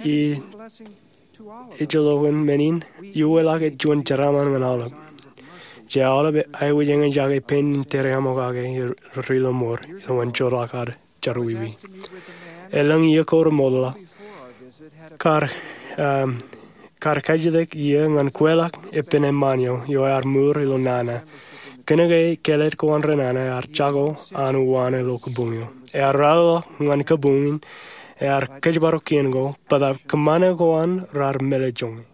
Ij, ijellọkin men in, iuweḷọk ej juon jeraaṃṃan ñan aolep. Je aolep aikuj eñjake pān in tiriaṃokake ri-, ri-Lomor, ilowaan joorḷọk ad jerọwiwi. Elōñ iiō ko remootḷọk, kar, um, kar kajjitōk iiō ñan kweilọk epen eṃṃaan eo, eo ear mour ilo nana. Kōnke kāālōt ko an ri nana ear jako an uwaan ilo kabuñ eo. Ear ralitōk ñan kabuñ in, ear kōjparok kien ko, bōtaab kōṃṃane ko an raar mālejjoñe.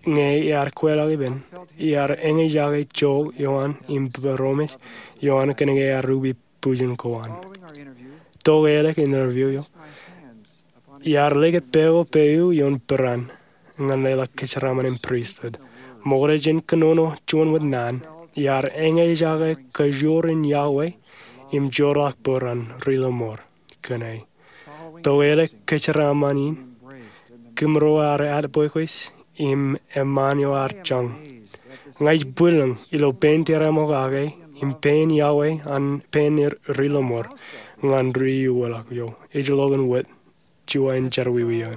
Ñe ear kweilọk ippān, ear eñjake jook eo an im būroṃōj eo an kōnke ear ubi bwijin ko an. Tok ālikin interview eo, iar likūt pā ko pā eō ioon peran ñan leḷọk kōjeraaṃṃan in pristut. Ṃokta jān kōnono juon wōt naan, iar eñjake kajoor in iọkwe im joorḷọk bōd an ri-Lomor kōn e. Tok ālik kōjeraaṃṃan in, kōmro ear atbwekbwej im eṃṃaan eo ear jañ. Ña ij bwilōñ ilo pān tiriaṃokake im pān iọkwe an pān ri-Lomor ñan ri-iuweḷọk eo. Ijellọkin wōt juon jerọwiwi eo.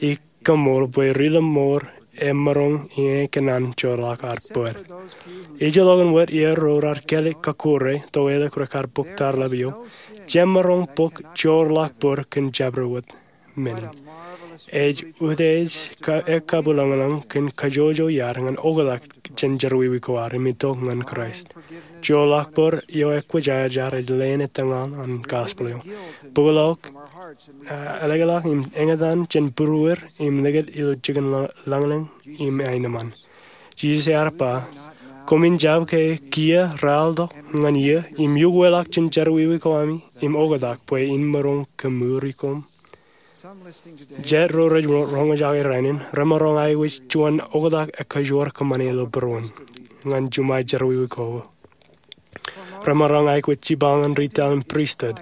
Ij kaṃṃool bwe ri-Lomor emaroñ in kōṇaan joorḷọk ad bōd. Ijellọkin wōt iar ro raar kāālōt kọkkure, tok ālik rekar bōk tarlap eo, jemaroñ bōk joorḷọk bōd kōn jabdewōt men in. Ej utiej ka-, ekabwilōñlōñ kōn kajjojo iar ñan oktak jān jerọwiwi ko ad im itok ñan Kraist. Joorḷọk bōd eo ekwōjarjar ej leen etōñal an gospel eo. Bōkḷọk, ah, ālōkḷọk im eñtaan jān būruer im likūt ilo jikin lañ-, lañlōñ im aenōṃṃan. Jisōs ear ba, koṃwin jab ke kiiō ralitōk ñan iiō im iuweḷọk jān jerọwiwi ko ami im oktak bwe in maroñ kōmuri koṃ. Jet ro rej roñjake rainin remaroñ aikuj juon oktak ekkajoor kōṃṃane ilo būruon ñan jiṃa jerọwiwi ko. Remaroñ aikuj jipañ ñan retail im pristut.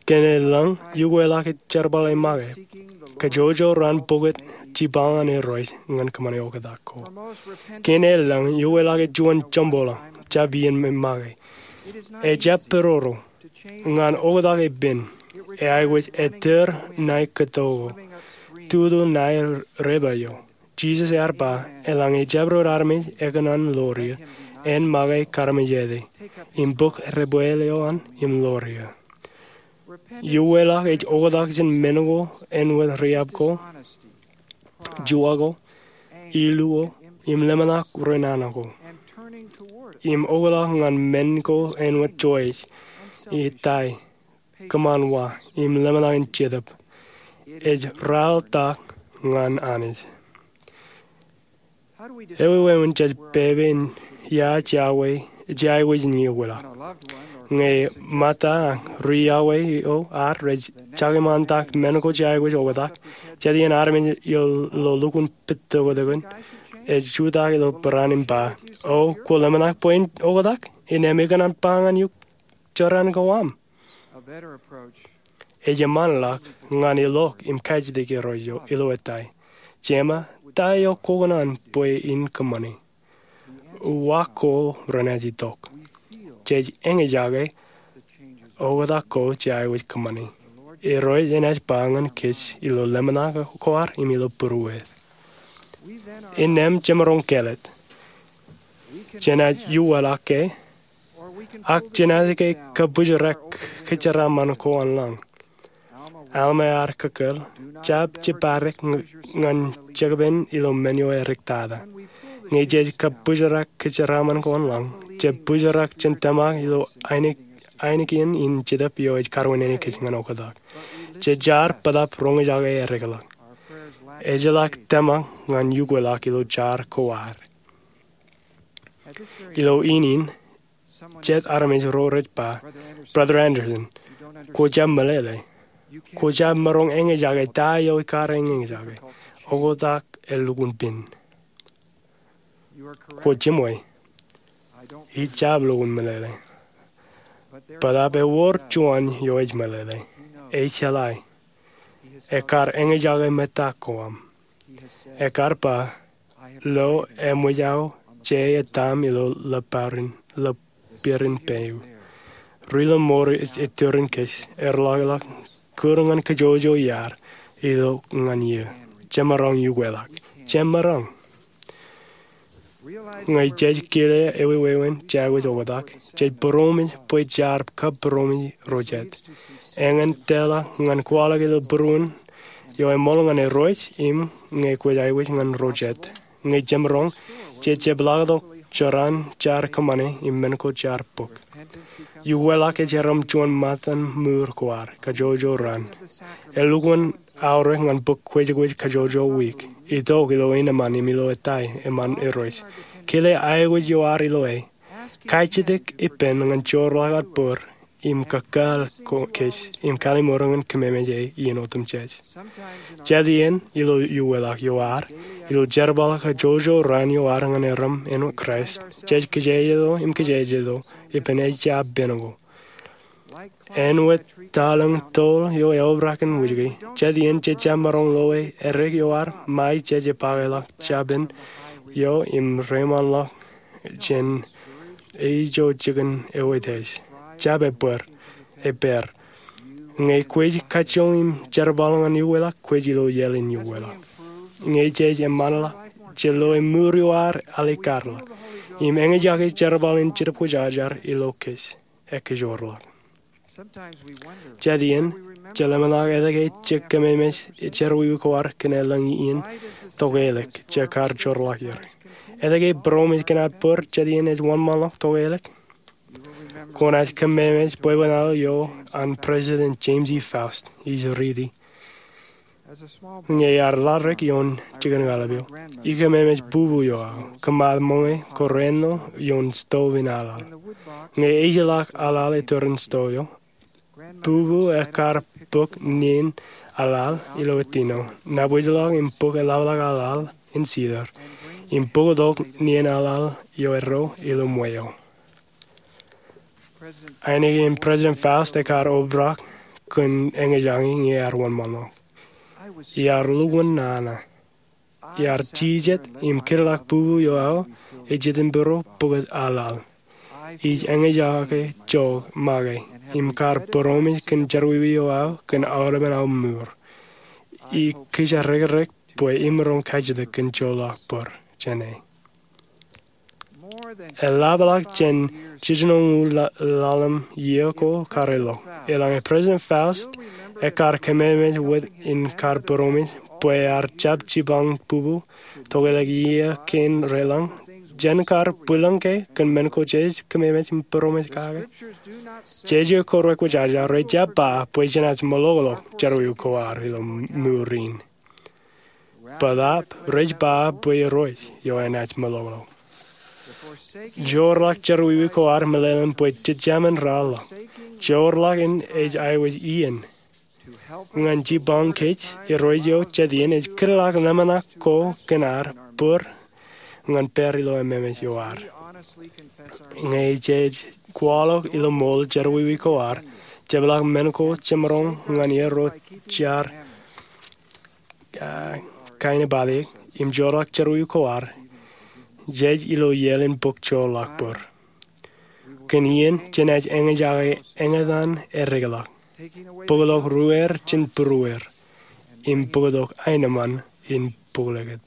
Kōn elōñ, iukwelọk ej jerbal e make. Kajjojo raan pokot jipañ ñan Irooj ñan kōṃṃane oktak ko. Kōn elōñ, iukwelọk ej juon joñboḷọk, jab iien make. Ejjab peroro. Ñan oktak epen, e aikuj ettōr ṇae kōto ko, tutu ṇae repa eo. Jisōs ear ba, eḷaññe ejjab ro armej ekōṇaan ḷoor eō, en make karmejete, im bōk rebweel eo an im ḷoor eō. Iukwelọk ej oktak jān men ko āinwōt riab ko, juwa ko, ilu ko, im ḷōmṇak ro nana ko. Im oktak ñan men ko āinwōt joij, itai, kōṃanwa, im ḷōmṇak in jetōb. Ej raeltak ñan Anij. Ewi wāween jej pepe in ia jea aikuj in iukwelọk? Ñe ṃōtta ak ri-iọkwe eo ad rej jakemantak men ko jej aikuj oktak, jet iien armej eo ilo lukkuun pād tokōtōkōn ej jutak ilo peran im ba, O, kwō ḷōmṇak bwe in oktak? Innām ikōṇaan ba ñan eok joran ko aṃ. Ej eṃṃanḷọk ñan ilọk im kajjitōk Irooj ilo etai, Jema, ta eo kwō kōṇaan bwe in kōṃṃani? Uwaak ko renaaj itok. Jej eñjake oktak ko jej aikuj kōṃṃani. Irooj enaaj ba ñan kōj ilo ḷōmṇak ko ad im ilo būrueet. Innām jemaroñ kāālōt. Jenaaj iukwelọk ke, ak jenaaj ke kabūjrak kōjeraaṃṃan ko an lañ. Alma ear kōkkōl, jab jeppadik ñan jekpen ilo men eo eriktata. Ñe jej kabūjrak kōjeraaṃṃan ko an lañ, jej būjrak jān tōmak ilo ainikien in jetōb eo ej kariwinene kōj ñan oktak. Jej jaar bōtaab roñjake eddekḷọk. Ejjeḷọk tōmak ñan iukwelọk ilo jar ko ad. Ilo iien in, jet armej ro rej ba, Brother Andersen, kwō jab meḷeḷe. Kwō jab maroñ eñjake ta eo ikar eñjake. Oktak elukkuun pen. Kwō jiṃwe. Ij jab lukkuun meḷeḷe. Bōtaab ewōr juon eo ej meḷeḷe. Ej jeḷā. Ekar eñjake ṃōtta ko aṃ. Ekar ba, Lo eṃōj aō je etam ilo ḷōpārin, ḷōpārin peiū. Ri ḷōṃour ej ettōrin kōj, erḷọkḷọk kūr ñan kajjojo iaad, itok ñan eō. Jemaroñ iukwelọk. Jemaroñ. Ñe jej kile ewi wāween jej aikuj oktak, jej būroṃōj bwe jaar kab būroṃōj ro jet. Eñin tōlḷọk ñan kwaḷọk ilo būruon eo eṃool ñan Irooj im ñe kwōj aikuj ñan ro jet. Ñe jemaroñ, jej jepḷaaktok joran jaar kōṃṃane im men ko jaar bōk. Iukwelọk ej erom juon ṃōttan mour ko ad, kajjojo raan. Elukkuun aorōk ñan bōk kwōjkwōj kajjojo wiik. Itok ilo eṇ eṃṃan im ilo etai eṃṃan Irooj. Kile aikuj eo ad ilo e. Kajjitōk ippān ñan joorḷọk aō bōd im kōkkaal kōj im kalliṃur ñan kōmemeje iien otemjej. Jet iien ilo iukwelọk eo ad, ilo jerbal kajjojo raan eo ad ñan erom āinwōt Kraist, jej kijejeḷ im kijejeḷ ippān ejjab pen ko. Āinwōt taḷōñ toḷ eo eobrak in wūjke, jet iien jej jab maroñ loe eddek eo ad ṃae jej jeppakeḷọk japen eo im reiṃaanḷọk jān eo ijo jikin eo ej. Jab ebōd, epaad. Ñe kwōj kajjioñ im jerbal ñan iukwelọk, kwōj ilo iaḷ in iukwelọk. Ñe jej eṃṃanḷọk, jej loe mour eo ad alikkar ḷọk im eñjake jerbal in Jetōb Kwōjarjar ilo kōj. Ekajoor ḷọk. Jet iien, jej ḷōmṇak etke jej kōmemej jerọwiwi ko ad kōn elōñ iien tokālik jej kar joorḷọk er. Etke būroṃōj kōn ad bōd jet iien ej wōnṃaanḷọk tokālik? Kwōnaaj kōmemej bwebwenato eo an President James E. Faust ij riiti. Ñe iar laḷ dik ioon jikin aolep eo, ikōmemej bubu eo aō, kōṃṃan ṃōñā ko rāān ioon stove in aḷaḷ. Ñe ejjeḷọk aḷaḷ ettōrin stove eo, bubu ekar bōk nien aḷaḷ ilo ettino, nabōjḷọk im bōk eḷapḷọk aḷaḷ in sidar, im bōktok nien aḷaḷ eo erro ilo ṃweo. Ainikien President Faust ekar obrak kōn eñjake ñe ear wōnṃaanḷọk. Iar lukkuun nana. Iar jijet im kidḷọk bubu eo aō ej jitōnbōro bōktok aḷaḷ. Ij eñjake jook make im kar būroṃōj kōn jerọwiwi eo aō kōn aolepen aō mour. Ij kijerrekrek bwe imaroñ kajjitōk kōn joḷọk bōr jāne. Eḷapḷọk jān jiljino ñūḷ ḷalem iiō ko kar ilọk, eḷaññe President Faust ekar kememej wōt im kar būroṃōj bwe ear jab jipañ bubu tokālik iiō kein reḷañ, jen kar bwilōñ ke kōn men ko jej kememej im būroṃōj kake? Jeje ko rekwōjarjar rej jab ba bwe jenaaj meḷọkḷọk jerọwiwi ko ad ilo mour in. Bōtaab rej ba bwe Irooj eo enaaj meḷọkḷọk. Joorḷọk jerọwiwi ko ad meḷeḷein bwe jejāmin raorḷọk. Joorḷọk in ej aikuj iien ñan jipañ kōj. Irooj eo jet iien ej kidḷọk ḷōmṇak ko kōn ad bōr ñan pād ilo ememej eo ad. Ñe jej kwaḷọk ilo ṃool jerọwiwi ko ad, jepḷọk men ko jemaroñ ñan er ro jar, ah, kain eo bōtab im joorḷọk jerọwiwi ko ad, jej ilo iaḷ in bōk joorḷọk bōr. Kōn iien jenaaj eñjake eñtaan eddekḷọk, bōkḷọk ruer jān būruer, im bōktok aenōṃṃan in bōklōkōt.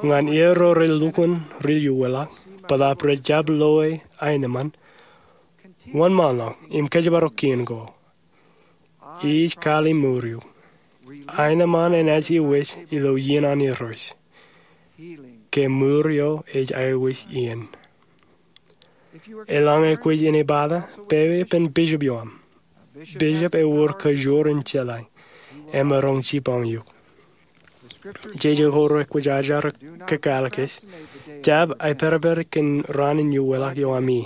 Ñan er ro rej lukkuun ri-uweḷọk, bōtaab rej jab loe aenōṃṃan, wōnṃaanḷọk im kōjparok kien ko. Ij kalimuur eok. Aenōṃṃan enaaj iwōj ilo iien an Irooj. Ke mour eo ej aikuj iien. Eḷaññe kwōj inepata, pepe ippān bishop eo aṃ. Bishop ewōr kajoor in jeḷā. Emaroñ jipañ eok. Jeje ko rekwōjarjar kōkāāl kōj. Jab aipedped kōn raan in uweḷọk eo ami.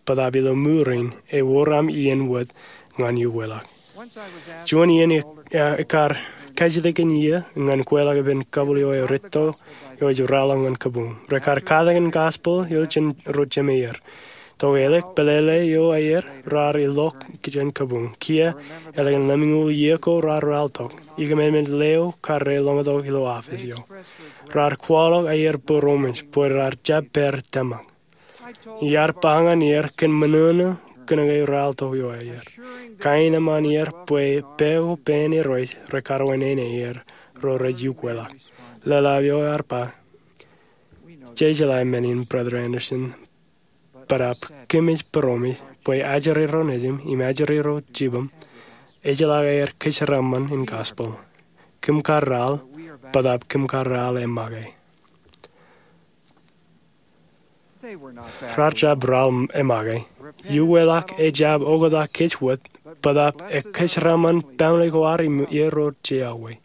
Bōtaab ilo mour in ewōr aṃ iien wōt ñan uweḷọk. Juon iien i, ah, ikar kajjitōk in iiō ñan kweilọk ippān kabwil eo eretto eo ej raorḷọk ñan kabuñ. Rekar katakin gospel eo jān ro jemāer. Tokālik pālele eo aer raar ilọk jān kabuñ. Kiiō, ālikin lemñoul iiō ko raar raortok. Ikōmemeej leo kar reḷọñtok ilo office eo. Raar kwaḷọk aer būroṃōj bwe raar jab pād tōmak. Iar ba ñan er kōn ṃōṇōṇō kōnke raortok eo aer. Kaenōṃṃan er bwe pā ko pān Irooj rekar wāween aer ro rej uweḷọk. Lōḷḷap eo ear ba, jejeḷā men in, Brother Anderson, bōtaab kōmij būroṃōj bwe ajri ro nejim im ajri ro jibōm ejjeḷọk aer kōjeraaṃṃan in gospel. Kōm kar raorḷọk, bōtaab kōm kar raorḷọk emake. Raar jab raorḷọk emake. Uweḷọk ejjab oktak kōj wōt, bōtaab ekōjeraaṃṃan baaṃle ko ad im er ro jeawe.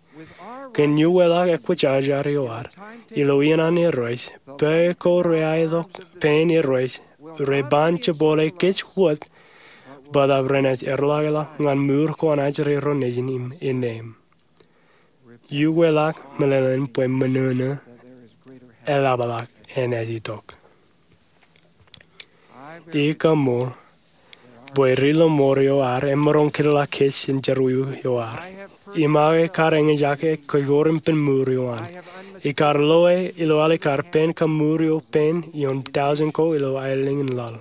Kōn uweḷọk ekwōjarjar eo ad, ilo iien an Irooj, pā ko reaetok pān Irooj, reban jepole kōj wōt, bōtaab renaaj erḷọkḷọk ñan mour ko an ajri ro nejin im innām. Uweḷọk meḷeḷein bwe ṃōṇōṇō eḷapḷọk enaaj itok. Ij kaṃṃool bwe ri-lọmọọr eo ad emaroñ kidḷọk kōj in jerọwiwi eo ad. Im aō kar eñjake kōjkor ippān mour eo an. Ikar loe ilo alikar pān kaṃṃoor eo pān ioon tọujin ko ilo aelōñ in laḷ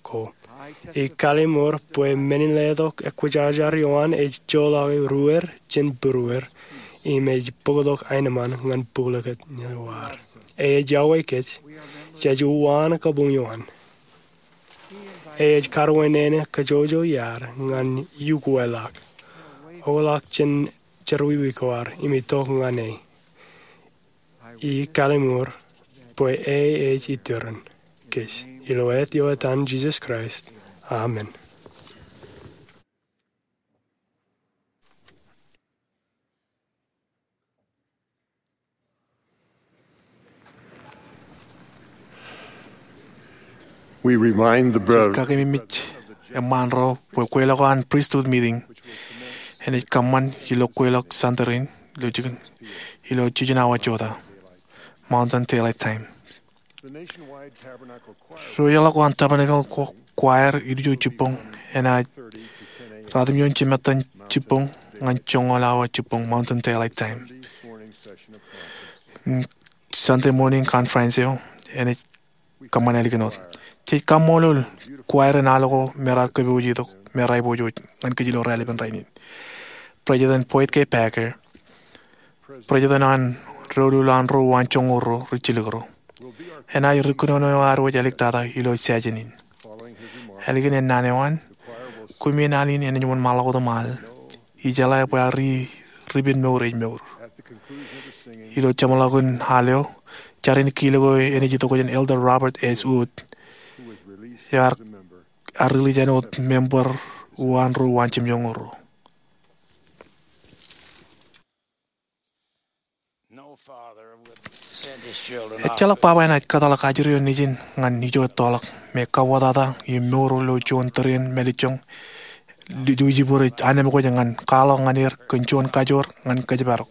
ko. Ij kallimur bwe men in letok ekwōjarjar eo an ej joḷọk ruer jān būruer, im ej bōktok aenōṃṃan ñan bōklōkōt eo ad. Ej iọkwe kōj, jej uwaan kabuñ eo an. Ej kar wāween kajjojo iaad ñan uweḷọk, oktak jān jerọwiwi ko ad im itok ñan e. Ij kallimur bwe e ej iturin kōj. Ilo āt eo etan Jisōs Kraist, amen. We remind the brothers Kakememej eṃṃaan ro bwe kweilọk an pristut meeting enaaj kōṃṃan ilo kweilọk Sunday in ilo jikin, ilo jiljino awa jota, Mountain Daylight Time. Ri-ḷọk wōn Tabernacle Choir ijo jibboñ enaaj ratimjuon jimettan jibboñ ñan joñoul awa jibboñ Mountain Daylight Time. Sunday morning conference eo enaaj kōṃṃan ālikin wōt. Jej kaṃṃoolol choir in al ko me raar kōpooj itok me raar aiboojoj ñan kōj ilo raelepen rainin. President Boyd K. Packer, president an doulul an ro waanjoñoul ro rijjilōk ro, enaaj ri kōnono eo ad wōj āliktata ilo session in. Ālikin ennaan eo an, kumi in al in enaaj wōnṃaanḷọk wōt im al, ijeḷā bwe ad ri, ri ippān mour ej mour. Ilo jeṃḷọkin al eo, jar in kilōk eo enaaj itok jān Elder Robert S. Wood, eo ear, ear release āinwōt member uwaan ro waanjoñoul ro. Ejjeḷọk baba enaaj kōtḷọk ajri eo nejin ñan ijo ettoḷọk me kauwōtata im mour ilo juon tōre in mālejjoñ Lucifer ej anemkwōj ñan kwaḷọk ñan er kōn juon kajoor ñan kōjparok.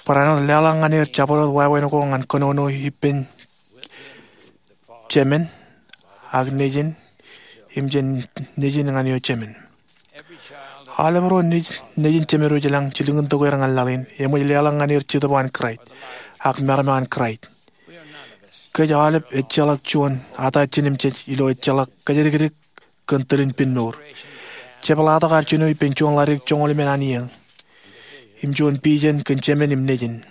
Bwe āinwōt leḷọk ñan er jabdewōt wāween ko ñan kōnono ippān Jemān ak Nejin im jān Nejin ñan eo Jemān. Aolep ro nejin, nejin Jemān ro ilañ jilkintok er ñan laḷ in eṃōj leḷọk ñan er Jetōb an Kraist ak meram an Kraist. Kōj aolep ejjeḷọk juon ata jinimjej ilo ejjeḷọk kōjatdikdik kōn tōl in pinemour. Jepḷaaktok ad jino ippān juon ḷaddik joñoul emān an iiō im juon vision kōn Jemān im Nejin.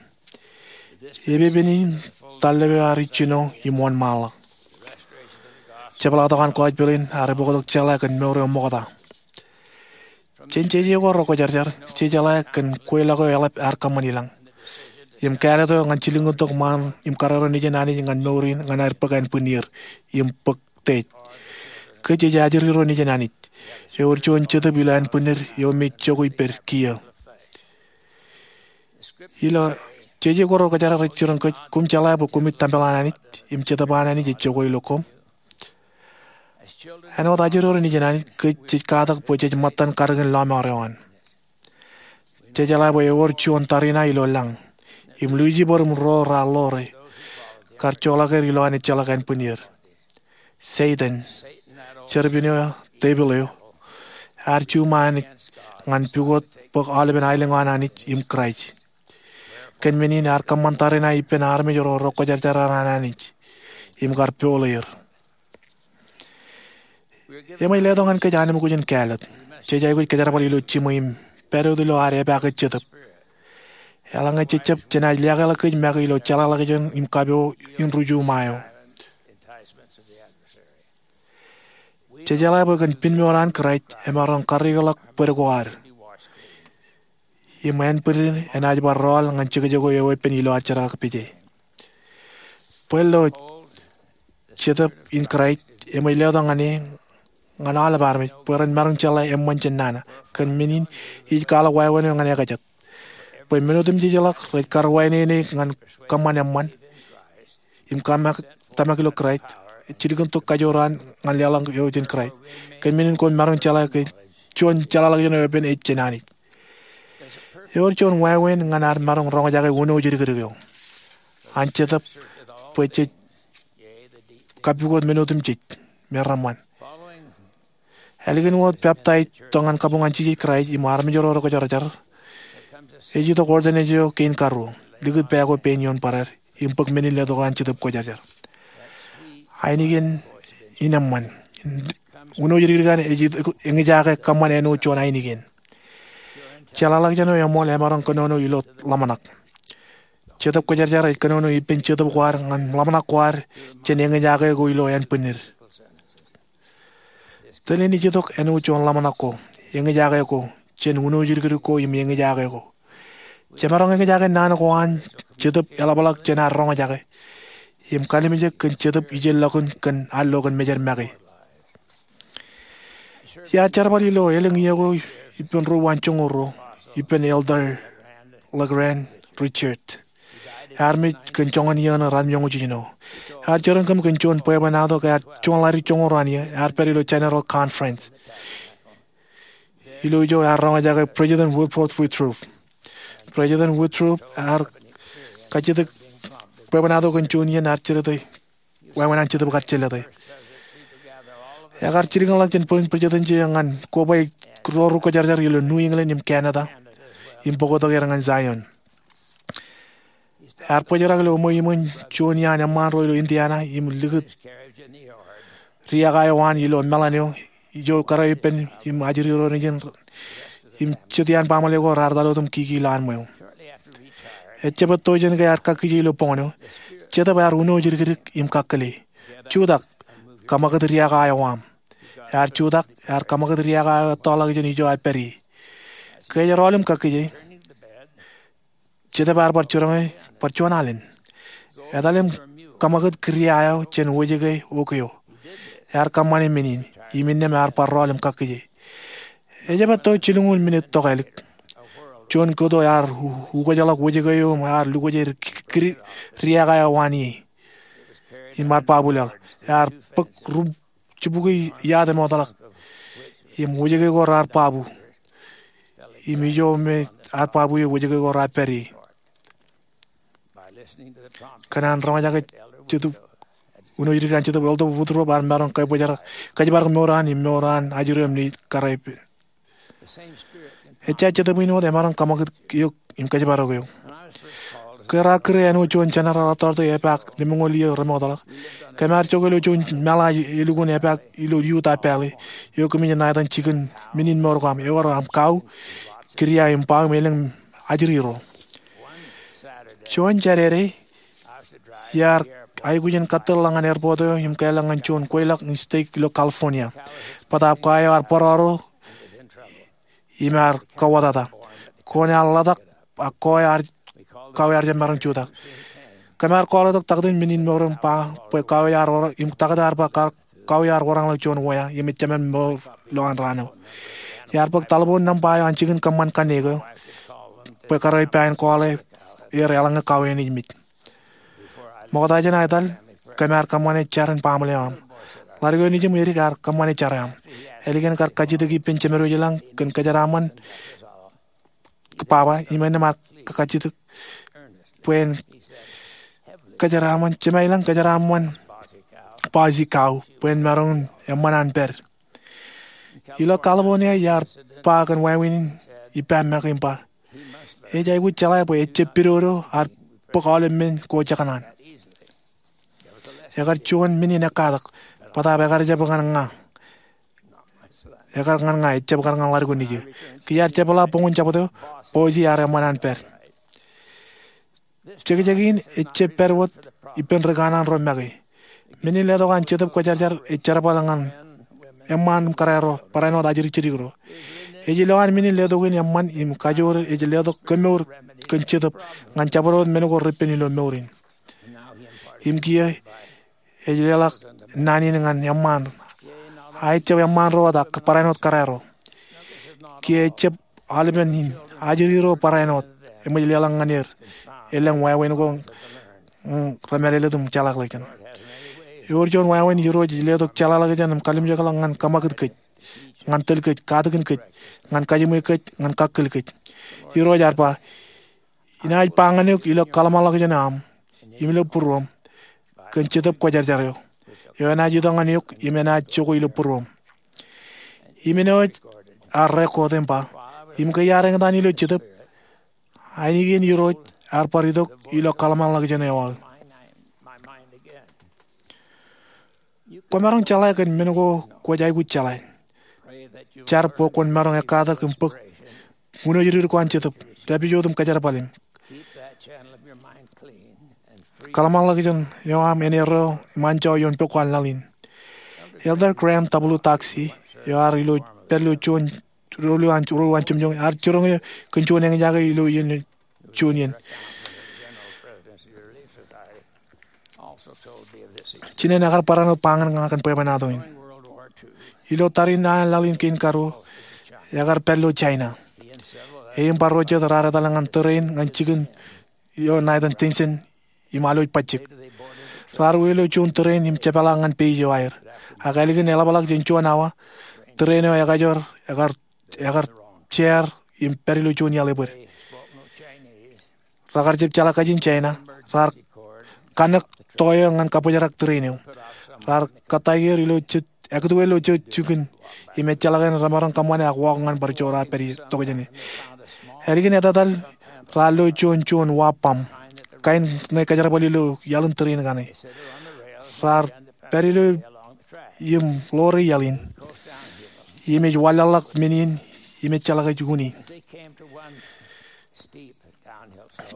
Epepen in tallep eo ear ijjino im wōnṃaanḷọk. Jepḷaaktok an gospel in ear bōktok jeḷā kōn mour eo ṃokta. Jān jeje ko rekwōjarjar, jejeḷā kōn kweilọk eo eḷap ear kōṃṃan ilañ im kāālōt eo ñan jilkintok ṃaan im karreo nejin Anij ñan mour in ñan aer bōk ānbwinnier im bōk tej. Kōj jej ajri ro nejin Anij. Ewōr juon Jetōb ilo ānbwinnid eo me jokwe ippād kiiō. Ilo jeje ko rekwōjarjar ej jiroñ kōj, koṃ jeḷā bwe koṃij tempel an Anij im Jetōb an Anij ej jokwe ilo koṃ. Āinwōt ajri ro nejin Anij, kōj jej katak bwe jej ṃōttan kadikōn lọmọọr eo an. Jejeḷā bwe ewōr juon tariṇae ilo lañ im Lucifer im ro raar ḷoore kar joḷọk er ilowaan ejjeḷọk ānbwinnier. Setan, serpent eo, devil eo, ear juṃae Anij ñan pukot bōk aolepen aelōñ an Anij im Kraist. Kōn men in ear kōṃṃan tariṇae ippān armej ro rekwōjarjar an Anij im kar poḷeer. Eṃōj letok ñan kōj anemkwōj in kāālōt. Jej aikuj kōjerbal ilo jiṃwe im pād wōt ilo ad epaake Jetōb. Eḷaññe jejjab, jenaaj liaakḷọk kōj make ilo jeḷāḷọkjeṇ im kapo in ri juṃae eo. Jejeḷā bwe kōn pinemour an Kraist emaroñ karreoḷọk bōd ko ad im ānbwinnid enaaj bar rọọl ñan jekjek eo eoon ilo ad jerkakpeje. Bwe ilo Jetōb in Kraist eṃōj letok ñan e, ñan aolep armej bwe ren maroñ jeḷā eṃṃan jān nana. Kōn men in ij kwaḷọk wāween eo ñan ekajet, bwe men otemjejḷọk rej kar wāween eṇ ñan kōṃṃan eṃṃan im tōmak, tōmak ilo Kraist, jilkintok kajoor an ñan leḷọk eo jān Kraist. Kōn men in koṃ maroñ jeḷā ke juon jeḷāḷọkjeṇ eo eoon ej jān Anij. Ewōr juon wāween ñan ad maroñ roñjake unooj dikdik eo an Jetōb bwe jej kapukot men otemjej me reṃṃan. Ālikin wōt peptaij tok ñan kabuñ an Jisōs Kraist im armej ro rekwōjarjar, ej itok ordination eo kein karuo, likūt pā ko pein ioon barād im bōk men in letok an Jetōb Kwōjarjar. Ainikien in eṃṃan. Unooj dikdik an ej itok eñjake kōṃṃan āinwōt juon ainikien. Jeḷāḷọkjeṇ eo eṃool emaroñ kōnono ilo ḷōmṇak. Jetōb Kwōjarjar ej kōnono ippān jetōb ko ad ñan ḷōmṇak ko ad jān eñjake ko ilo ānbwinnid. Tōl in ej itok āinwōt juon ḷōmṇak ko, eñjake ko, jān unooj dikdik ko im eñjake ko. Jemaroñ eñjake naan ko an Jetōb eḷapḷọk jān ad roñjake im kalimjek kōn Jetōb ijellọkin kōn allo kōn mejed make. Iar jerbal ilo elōñ iiō ko ippān ruo waanjoñoul ruo ippān Elder LeGrand Richards. Ear mej kōn joñan iiō ṇe ratimjuonñoul jiljino. Ear jerañ kōm kōn juon bwebwenato ke ear juon ḷaddik joñoul ruo an iiō ear pād ilo General Conference. ilo ijo ear roñjake President Woodrow Wilson. President Woodrow ear kajjitōk bwebwenato kōn juon iien ear jelōte, wāween an Jetōb kar jelōte. Ekar jilkinḷọk jān bwilōñ presidency eo ñan koba ro ri kwōjarjar ilo New England im Canada im bōktok er ñan Zion. Ear bōjrak ilo ṃweo iṃōn juon iaan eṃṃaan ro ilo Indiana im likūt riaak eo an ilo meḷan eo ijo kōrā ippān im ajri ro nejin im jet iaan baaṃle ko raar etal wōt im kiki ilowaan ṃweo. Ejjab etto jān ke ear kakkije ilo boñōn eo, Jetōb ear uno jidikdik im kakkile, "Jutak, kōṃakūt riaak eo aṃ." Ear jutak, ear kōṃakūt riaak eo ettoḷọk jān ijo ear pād ie. Ke ej rọọl im kakkije, Jetōb ear bar jiroñ e bar juon alen. "Etal im kōṃakūt kūria eo jān wōjke oke eo." Ear kōṃṃane men in, im innām ear bar rọọl im kakkije. Ejjab etto jilñuul minit tokālik, juon kōto ear u-, ukōjḷọk wōjke eo im ear lukwōj er k-, k-, riaak eo an ie im bar baabu laḷ. Ear bōk ri-, jibukwi iaad emootḷọk im wōjke ko raar baabu. Im ijo me ear baabu ie, wōjke ko raar pād ie. Kōn an roñjake Jetōb, uno jidikdik an Jetōb, Elder Woodrow ear maroñ kōjparok, kōjparok mour eo an im mour eo an ajri eo im naaj kōrā ippān. Ejja Jetōb in wōt emaroñ kōṃakūt eok im kōjparok eok. Ke raar kūr āinwōt juon general authority epaak lemñoul iiō remootḷọk, kōm ar jokwe ilo juon meḷaaj elukkuun epaak ilo Utah Valley eo kōmij ṇa etan jikin men in mour ko aṃ, ewōr aṃ kau, kūria im ba im elōñ ajri ro. Juon Jādede, iar aikuj in kōtōrḷọk ñan airport eo im kālọk ñan juon kweilọk in stek ilo California. Bōtaab kae eo ear bōrọro im ear kauwōtata. Koon ear ḷotak, ak kae eo ear, kau eo ear jab maroñ jutak. Kōm ar call tok taktō in men in mour im ba bwe kau eo ear wōr, im taktō ear ba kar, kau eo ear wōrōñḷọk juon wea im ejāmin mour ilowaan raan eo. Iar bōk taḷboon nōṃba eo an jikin kōṃṃan kanniōk eo bwe kōrā ippān call e er eḷaññe kau eo enaaj mej. Ṃokta jān aō etal, kōm ar kōṃṃane jar in baaṃle eo aṃ. Ḷadik eo nejiṃ edik ear kōṃṃane jar eo aṃ. Ālikin kar kajjitōk ippān Jemed wōj ilañ kōn kōjeraaṃṃan baba, im innām ar kajjitōk bwe en kōjeraaṃṃan, Jemed ilañ kōjeraaṃṃan Boise kau bwe en maroñ in eṃṃan an pād. Ilo California iar ba kōn wāween in ippa make im ba, ej aikuj jeḷā bwe ejjab pidodo ad bōk aolep men ko jekōṇaan. Ekar juon men in ekkatak, bōtaab ekar jab ñan ña. Ekar ñan ña, ejjab kar ñan ḷadik eo nejier. Kiiō iar jepḷaak boñin jabdewōt, Boise ear eṃṃan an pād. Jekjek in ejjab pād wōt ippān ri kanaan ro make. Men in letok an Jetōb Kwōjarjar ej jerbal ñan eṃṃaan im kōrā ro, barāinwōt ajri jidik ro. Ej ilowaan men in letok in eṃṃan im kajoor ej letok kōmour kōn Jetōb ñan jabdewōt men ko repen ilo mour in. Im kiiō ej leḷọk naan in ñan eṃṃaan. A ejjab eṃṃaan ro wōt ak barāinwōt kōrā ro. Kiiō ejjab aolepen in ajri ro barāinwōt eṃōj leḷọk ñan er elōñ wāween ko, mm, remālōtlōt im jeḷāḷọkjeṇ. Ewōr juon wāween Irooj ej letok jeḷāḷọkjeṇ im kalimjekḷọk ñan kōṃakūt kōj, ñan tōl kōj, katakin kōj, ñan kajiṃwe kōj, ñan kakkōl kōj. Irooj ear ba, inaaj ba ñan eok ilo kōḷmānḷọkjeṇ eo aṃ im ilo būruōṃ kōn Jetōb Kwōjarjar eo, eo enaaj itok ñan eok im enaaj jokwe ilo būruōṃ. Im āinwōt ear record im ba, im ke iar eñtaan ilo Jetōb, ainikien Irooj ear bar itok ilo kōḷmānḷọkjeṇ eo aō. Kwōmaroñ jeḷā kōn men ko kwōj aikuj jeḷā. Jar bwe kwōn maroñ ekkatak im bōk uno jidikdik ko an Jetōb, dāpijot im kōjerbal im kōḷmānḷọkjeṇ eo aṃ en erreo im anjọ ioon pok ko an laḷ in. Elder Graham W. Doxey, eo ear ilo, pād ilo juon ruo, ruo an, ruo an jemjeṃ, ear jiroñ eō kōn juon eñjake ilo iien, juon iien. Jinen ekar barāinwōt ba ñan ña kōn bwebwenato in. Ilo tariṇae an laḷ in kein karuo, ekar pād ilo China. E im bar ro jet raar etal ñan tōre in ñan jikin eo ṇa etan Tientsin im alwōj bajjek. Raar wōj ilo juon tōre in im jepḷaak ñan page eo aer. Ak ālikin eḷapḷọk jān juon awa, tōre in eo ekajoor, ekar ekar jeer im pād ilo juon iaḷ ebōd. Rekar jab jeḷā kajin Jaina, raar kanōk to eo ñan kabbōjrak tūrin eo. Raar kōttāik er ilo jet, ekūtwe ilo jet jikin im ejjeḷọk en remaroñ kōṃṃane ak walk ñan bar joor aō pād ie tokjāne. Ālikin etetal raar lo juon juon wa bōm kain ṇe kōjerbal ilo iaḷ in tūrin kaṇe. Raar pād ilo im ḷoore iaḷ in im ej wanlaḷḷọk men in im ejjeḷọk ej uñi.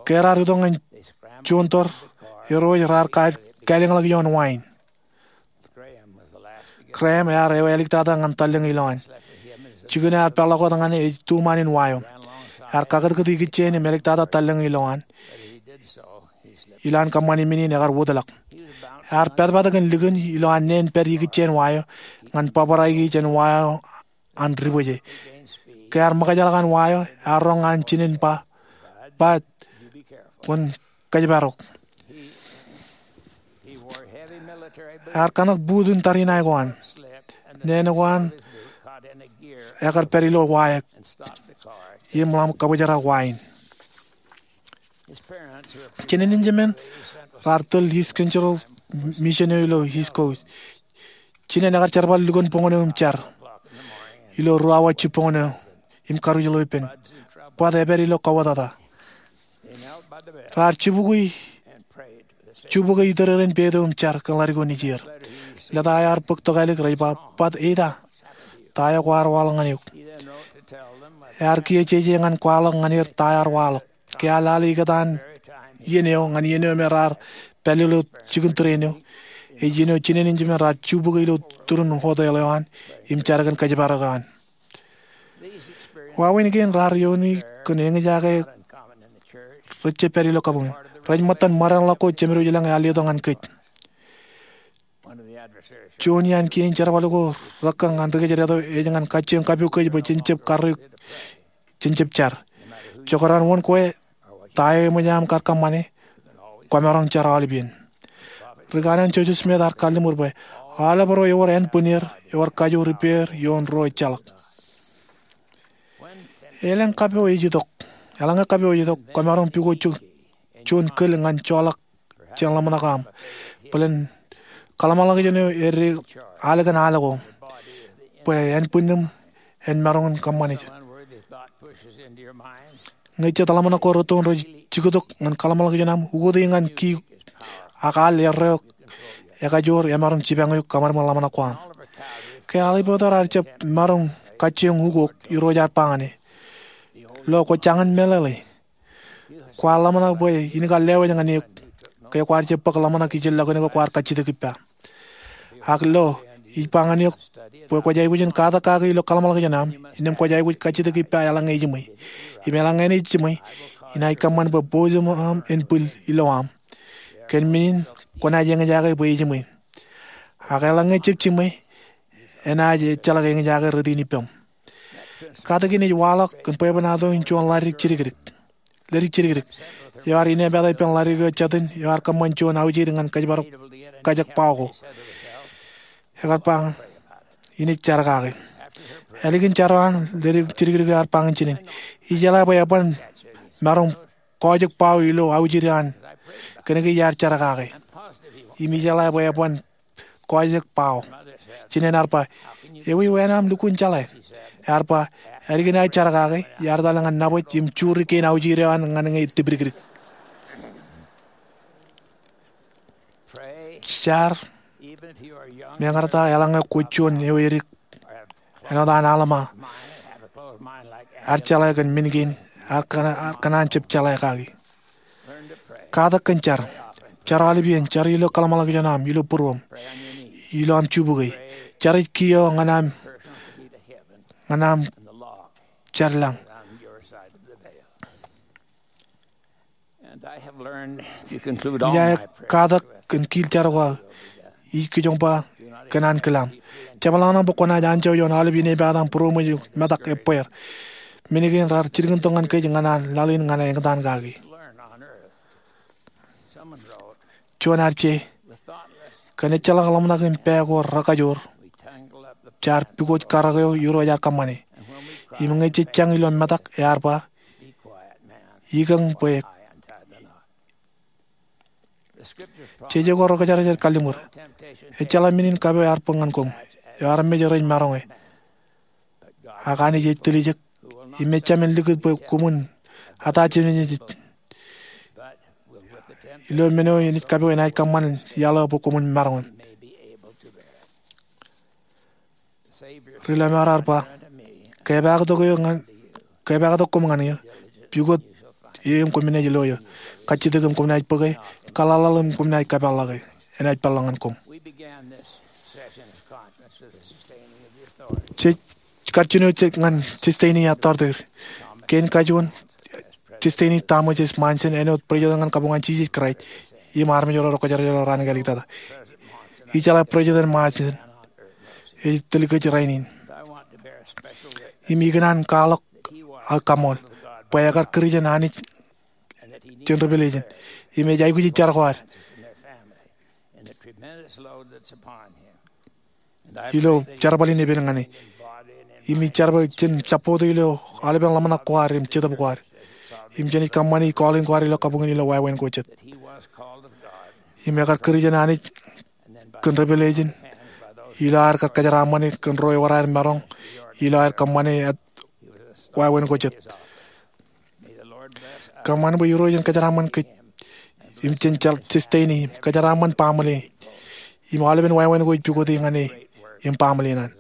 Ke raar itok ñan juon tōr, irooj raar ka-, kālōñḷọk ioon wain. Graham ear eo āliktata ñan tallōñ ilowaan. Jikin eo ear peḷḷọk wōt ñan e ej tuṃaan in wa eo. Ear kakūtkūt ikijjien im āliktata tallōñ ilowaan ilo an kōṃṃani men in ekar wōtlọk. Ear pātpat kōn likin ilo an neen pād ikijjien wa eo ñan bōbraiki jān wa eo an ribwāje. Ke ear ṃōkajḷọk an wa eo, ear roñ an jinen ba, "Bud, kwōn kōjparok." Ear kanōk buut in tariṇae ko an. Neen ko an ekar pād ilo wa eo im ḷak kabōjrak wa in. Jinen in jemān raar tōl East Central Mission eo ilo East Coast. Jinen ekar jerbal lukkuun boñōn eo im jar ilo ruo awa jibboñōn eo im karuj ilo ippān. Bud epād ilo kauwōtata. Raar jibukwi, jibukwi itōrōrōn peid eo im jar kōn ḷadik eo nejier. Lōta eo ear bōk tokālik rej ba, "Bud, eita, ta eo kwaar waḷọk ñan eok?" Ear kiiō jeje ñan kwaḷọk ñan er ta eo ear waḷọk. Ke ear lale ikōtaan iien eo ñan iien eo me raar pād ilo jikin tūrin eo, ej iien eo jinen in jemān raar jibukwi ilo turin hotel eo an im jar kōn kōjparok eo an. Wāween kein raar iiooni kōn eñjake rej jab pād ilo kabuñ in. Rej ṃōttan ṃōdeañ ḷọk ko jemedwōj ilañ ear letok ñan kōj. Juon iaan kien jerbal ko rekōñ an ri-kōjdat eo ej ñan kajjioñ kapukwej bwe jen jab karreoik, jen jab jar. Jekdọọn wōn kwe ta eo eṃōj aṃ kar kōṃṃane, kwōmaroñ jar aolep iien. Ri-kanoin Joseph Smith ear kalliṃur bwe aolep ro ewōr ānbwinnier ewōr kajoor ippāer ioon ro ejjeḷọk. Elōñ kapo ej itok, eḷaññe kapo ej itok, kwōmaroñ pukot juon kōl ñan joḷọk jān ḷōmṇak eo aṃ bōlen kōḷmānḷọkjeṇ eo eddek alikin al ko bwe ānbwinnim en maroñ in kōṃṃane. Ñe jet ḷōmṇak ko rūttoon rej jiktok ñan kōḷmānḷọkjeṇ aṃ, ukoti ñan ki ak al erreo ekajoor emaroñ jipañ eok kōṃadṃōd ḷōmṇak ko aṃ. Ke aolep eo raar jab maroñ kajjioñ ukok, Irooj ear ba ñan e, "Lo kwō jañin meḷeḷe. Kwaar ḷōmṇak bwe in kar lewōj ñan eok ke kwaar jab bōk ḷōmṇak ijellọkin ko kwaar kajjitōk ippa. Ak lo, ij ba ñan eok bwe kwōj aikuj in katak kaki ilo kōḷmānḷọkjeṇ aṃ, innām kwōj aikuj kajjitōk ippa eḷaññe ijiṃwe. Im eḷaññe enaaj jiṃwe, inaaj kōṃṃan bwe boojūṃ aṃ en bwil ilowaan aṃ. Kōn men in kwōnaaj eñjake bwe ijiṃwe. Ak eḷaññe jab jiṃwe, enaaj ejjeḷọk eñjake rot in ippaṃ." Katak in ej waḷọk kōn bwebwenato in juon ḷadik jidikdik. Ḷadik jidikdik eo ear inepata ippān ḷadik eo jet in eo ear kōṃṃan juon aujid ñan kōjparok kajek bao ko. Ekar ba ñan e, "Inaaj jar kake." Ālikin jar eo an, ḷadik jidikdik eo ear ba ñan jinen, "Ijeḷā bwe eban maroñ kọọjek bao ilo aujid eo an kōnke iar jar kake. Im ijeḷā bwe eban kọọjek bao." Jinen ear ba, "Ewi wāween aṃ lukkuun jeḷā?" Ear ba, "Ālikin aō jar kake, iar etal ñan nabōj im juri kein aujid eo an ñan ñe tipdikdik." Jar, meñe ta eḷaññe kwōj juon eo edik, āinwōt an Alma, ear jeḷā kōn men kein, ear kōṇaan, ear kōṇaan jab jeḷā kaki. Katak kōn jar. Jar aolep iien, jar ilo kōḷmānḷọkjeṇ aṃ, ilo būruōṃ, ilo aṃ jibukwi. Jar ej kiiō ñan aṃ, ñan aṃ jar lañ. Ij katak kōn kiil jar ko aō, ij kijoñ ba kōn ankilaaṃ. Jepḷañḷọk bwe kwōnaaj anjọ ioon aolep inepata im būroṃōj im metak ebbeer. Men kein raar jilkintok ñan kōj ñan an laḷ in ñan eñtaan kaki. Juon ear je, kōn ejjeḷọk ḷōmṇak im pā ko rekajoor, jaar pukot karōk eo Irooj ear kōṃṃane. Im ñe jej jañ ilo metak, ear ba, "Ikōñ bwe." Jeje ko Rekajerjer kalliṃur, "Ejjeḷọk men in kapo ear bōk ñan koṃ, eo armej rej maroñe. Ak Anij ej tiljek, im ejjab men likūt bwe koṃwin ata jemān Anij. Ilo men eo Anij kapo enaaj kōṃṃan iaḷ eo bwe koṃwin maroñ." Ri Lamar ear ba, "Kepaaktok eo ñan, kepaaktok koṃ ñan eō, pukot eō im koṃ naaj lo eō. Kajjitōk im koṃ naaj bōke, kaḷaḷḷaḷ im koṃ naaj kapeḷḷọke. Enaaj peḷḷọk ñan koṃ." Jej kar jino jej ñan Sustaining Authority. Kein kajuon Sustaining Thomas S. Monson, āinwōt President ñan kabuñ an Jisōs Kraist im armej ro Rekajerjer ilo raan kāālōt tata. Ijeḷā President Monson ej tiljek rainin. Im ikōṇaan kwaḷọk ak kaṃool bwe ekar kūr jān Anij jān Revelation. Im ej aikuj jar ko ad ilo jerbal in epen ñan e. Im ij jar bwe jen jab bōktok ilo aolepen ḷōmṇak ko ad im jetōb ko ad, im jen ej kōṃṃani calling ko ad ilo kabuñ in ilo wāween ko jet. Im ekar kūr jān Anij kōn Revelation, ilo aer kar kōjeraaṃṃane kōn ro ewōr aer maroñ, ilo aer kōṃṃane wāween ko jet. Kōṃṃan bwe Irooj en kōjeraaṃṃan kōj im jān Sustaining, im kōjeraaṃṃan baaṃle, im aolepen wāween ko ej pukoti ñan e im baaṃle in an,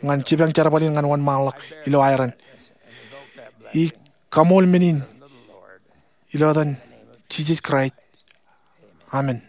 ñan jipañ jerbal in ñan wōnṃaanḷọk ilo aeran. Ij kaṃool men in ilo etan Jisōs Kraist. Amen.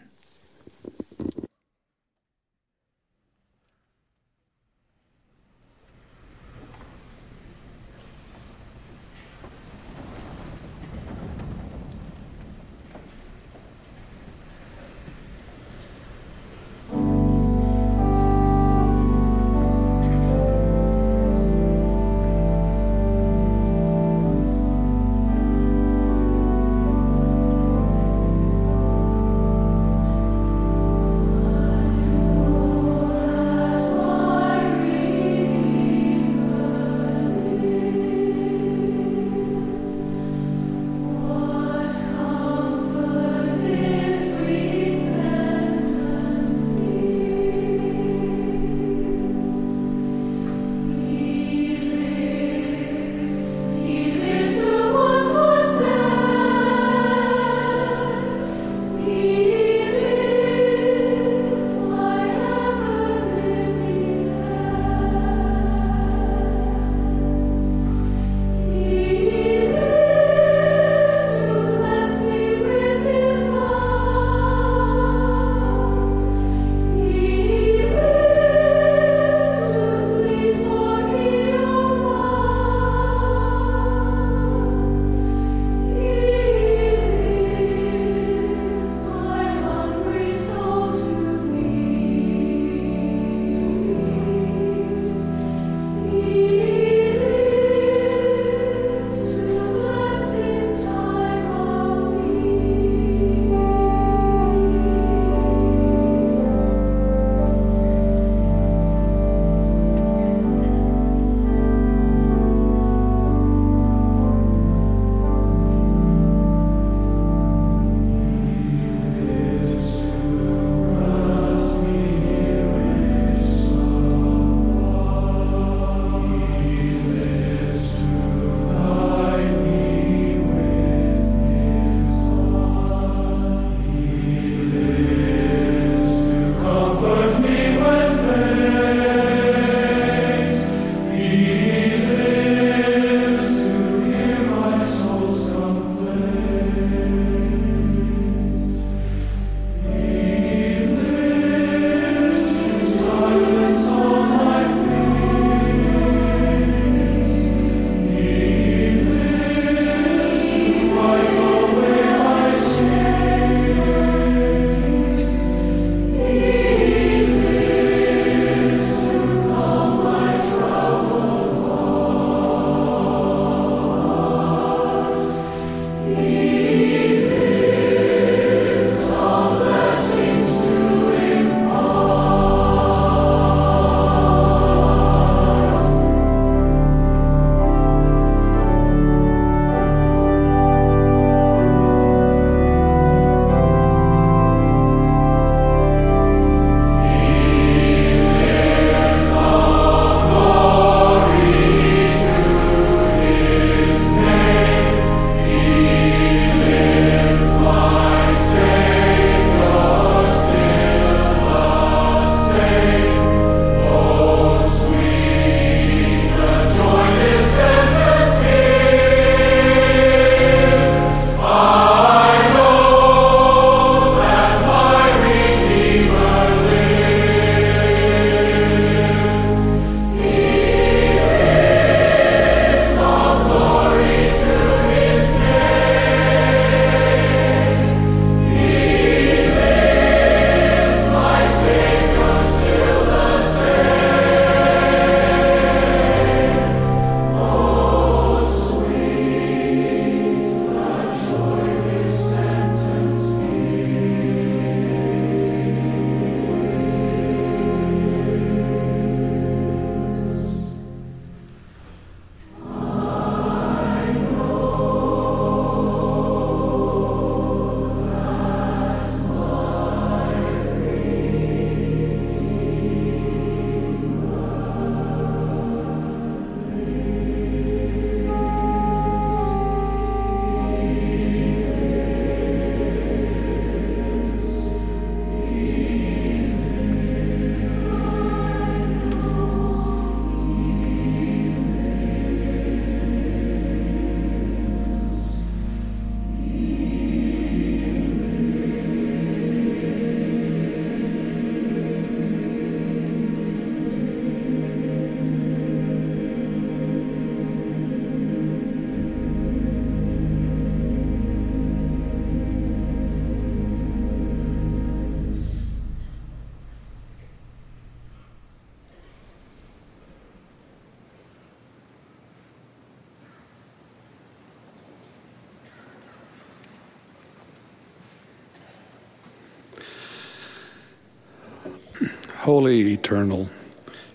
Holy, eternal,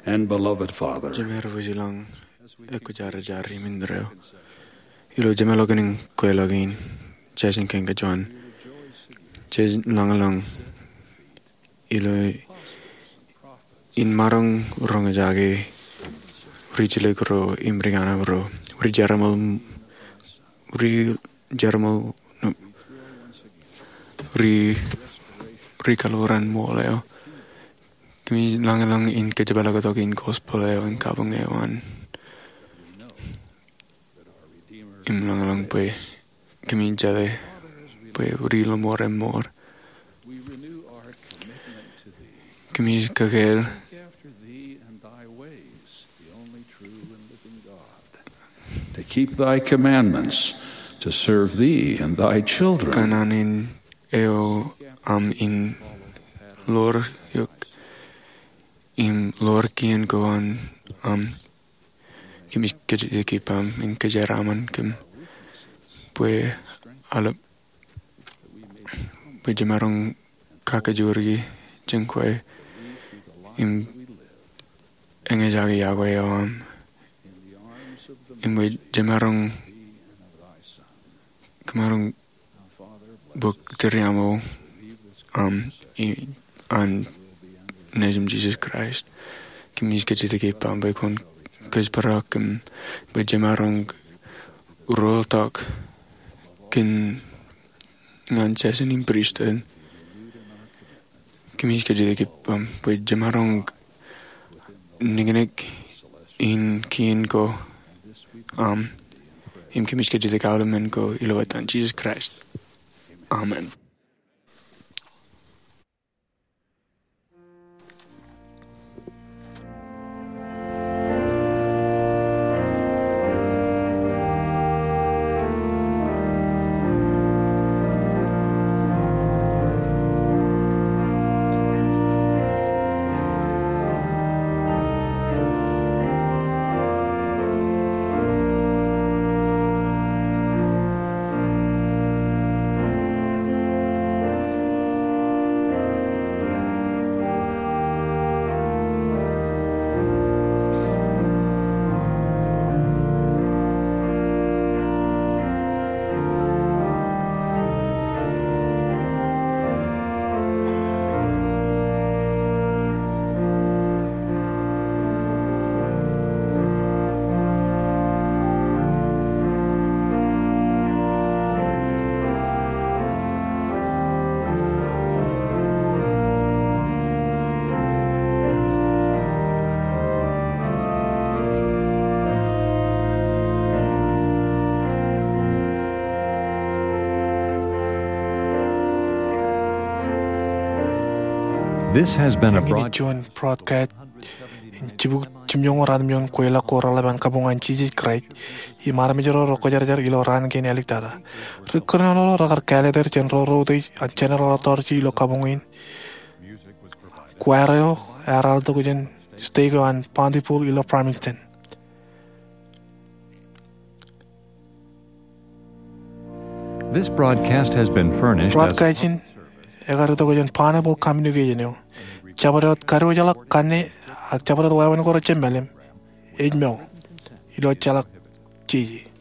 and beloved Father. Jemān ri-bwijlañ, ekwōjarjar im indeeo. Ilo jemeḷọkin kweilọk in, jān kōn kōjwōj, jej lañlōñ ilo in maroñ roñjake ri-jilōk ro im ri-kaṇab ro, ri-jeramel, ri-jeramel, no, ri, ri-kaḷoran ṃool eo. Kōmij lañlōñ in kōjepḷaaktok in gospel eo im kabuñ eo an. Im lañlōñ bwe kōmij jeḷā bwe ri-lọmọọr eṃṃool. Kōmij kakāāl to keep thy commandments, to serve thee and thy children. Kōṇaan in eo aṃ in ḷoor eok im ḷoor kien ko an aṃ. Kōmij kōjatdikdik ippaṃ im kōjeraaṃṃan kōm bwe aḷap, bwe jemaroñ kakajoor jān kwe im eñjake iọkwe eo aṃ, im bwe jemaroñ, kōmaroñ bōk tūriaṃo aṃ, i, an Nejūṃ Jisōs Kraist. Kōmij kōjatdikdik ippaṃ bwe kwōn kōjparok kōm bwe jemaroñ ruo tok kōn ñan jān in pristut. Kōmij kōjatdikdik ippaṃ bwe jemaroñ niknik in kien ko aṃ, im kōmij kōjatdikdik aolep men ko ilo etan Jisōs Kraist. Amen. This has been a broad- Eñin juon broadcast in jibukwi jimjuonñoul ratimjuon kweilọk ko reḷap an kabuñ an Jisōs Kraist, im armej ro rekwōjarjar ilo raan kein āliktata. Ri-kōnono ro rekar kāālōt er jān ro reutiej an General Authority ilo kabuñ in. Choir eo ear al tok jān stage ko an Bountiful ilo Farmington. This broadcast has been furnished as Broadcast in ekar itok jān Pineapple Communication eo. Jabdewōt kadiwōjḷọk kanne ak jabdewōt wāween ko rejjab mālim, ej mour ilo ejjeḷọk jeje.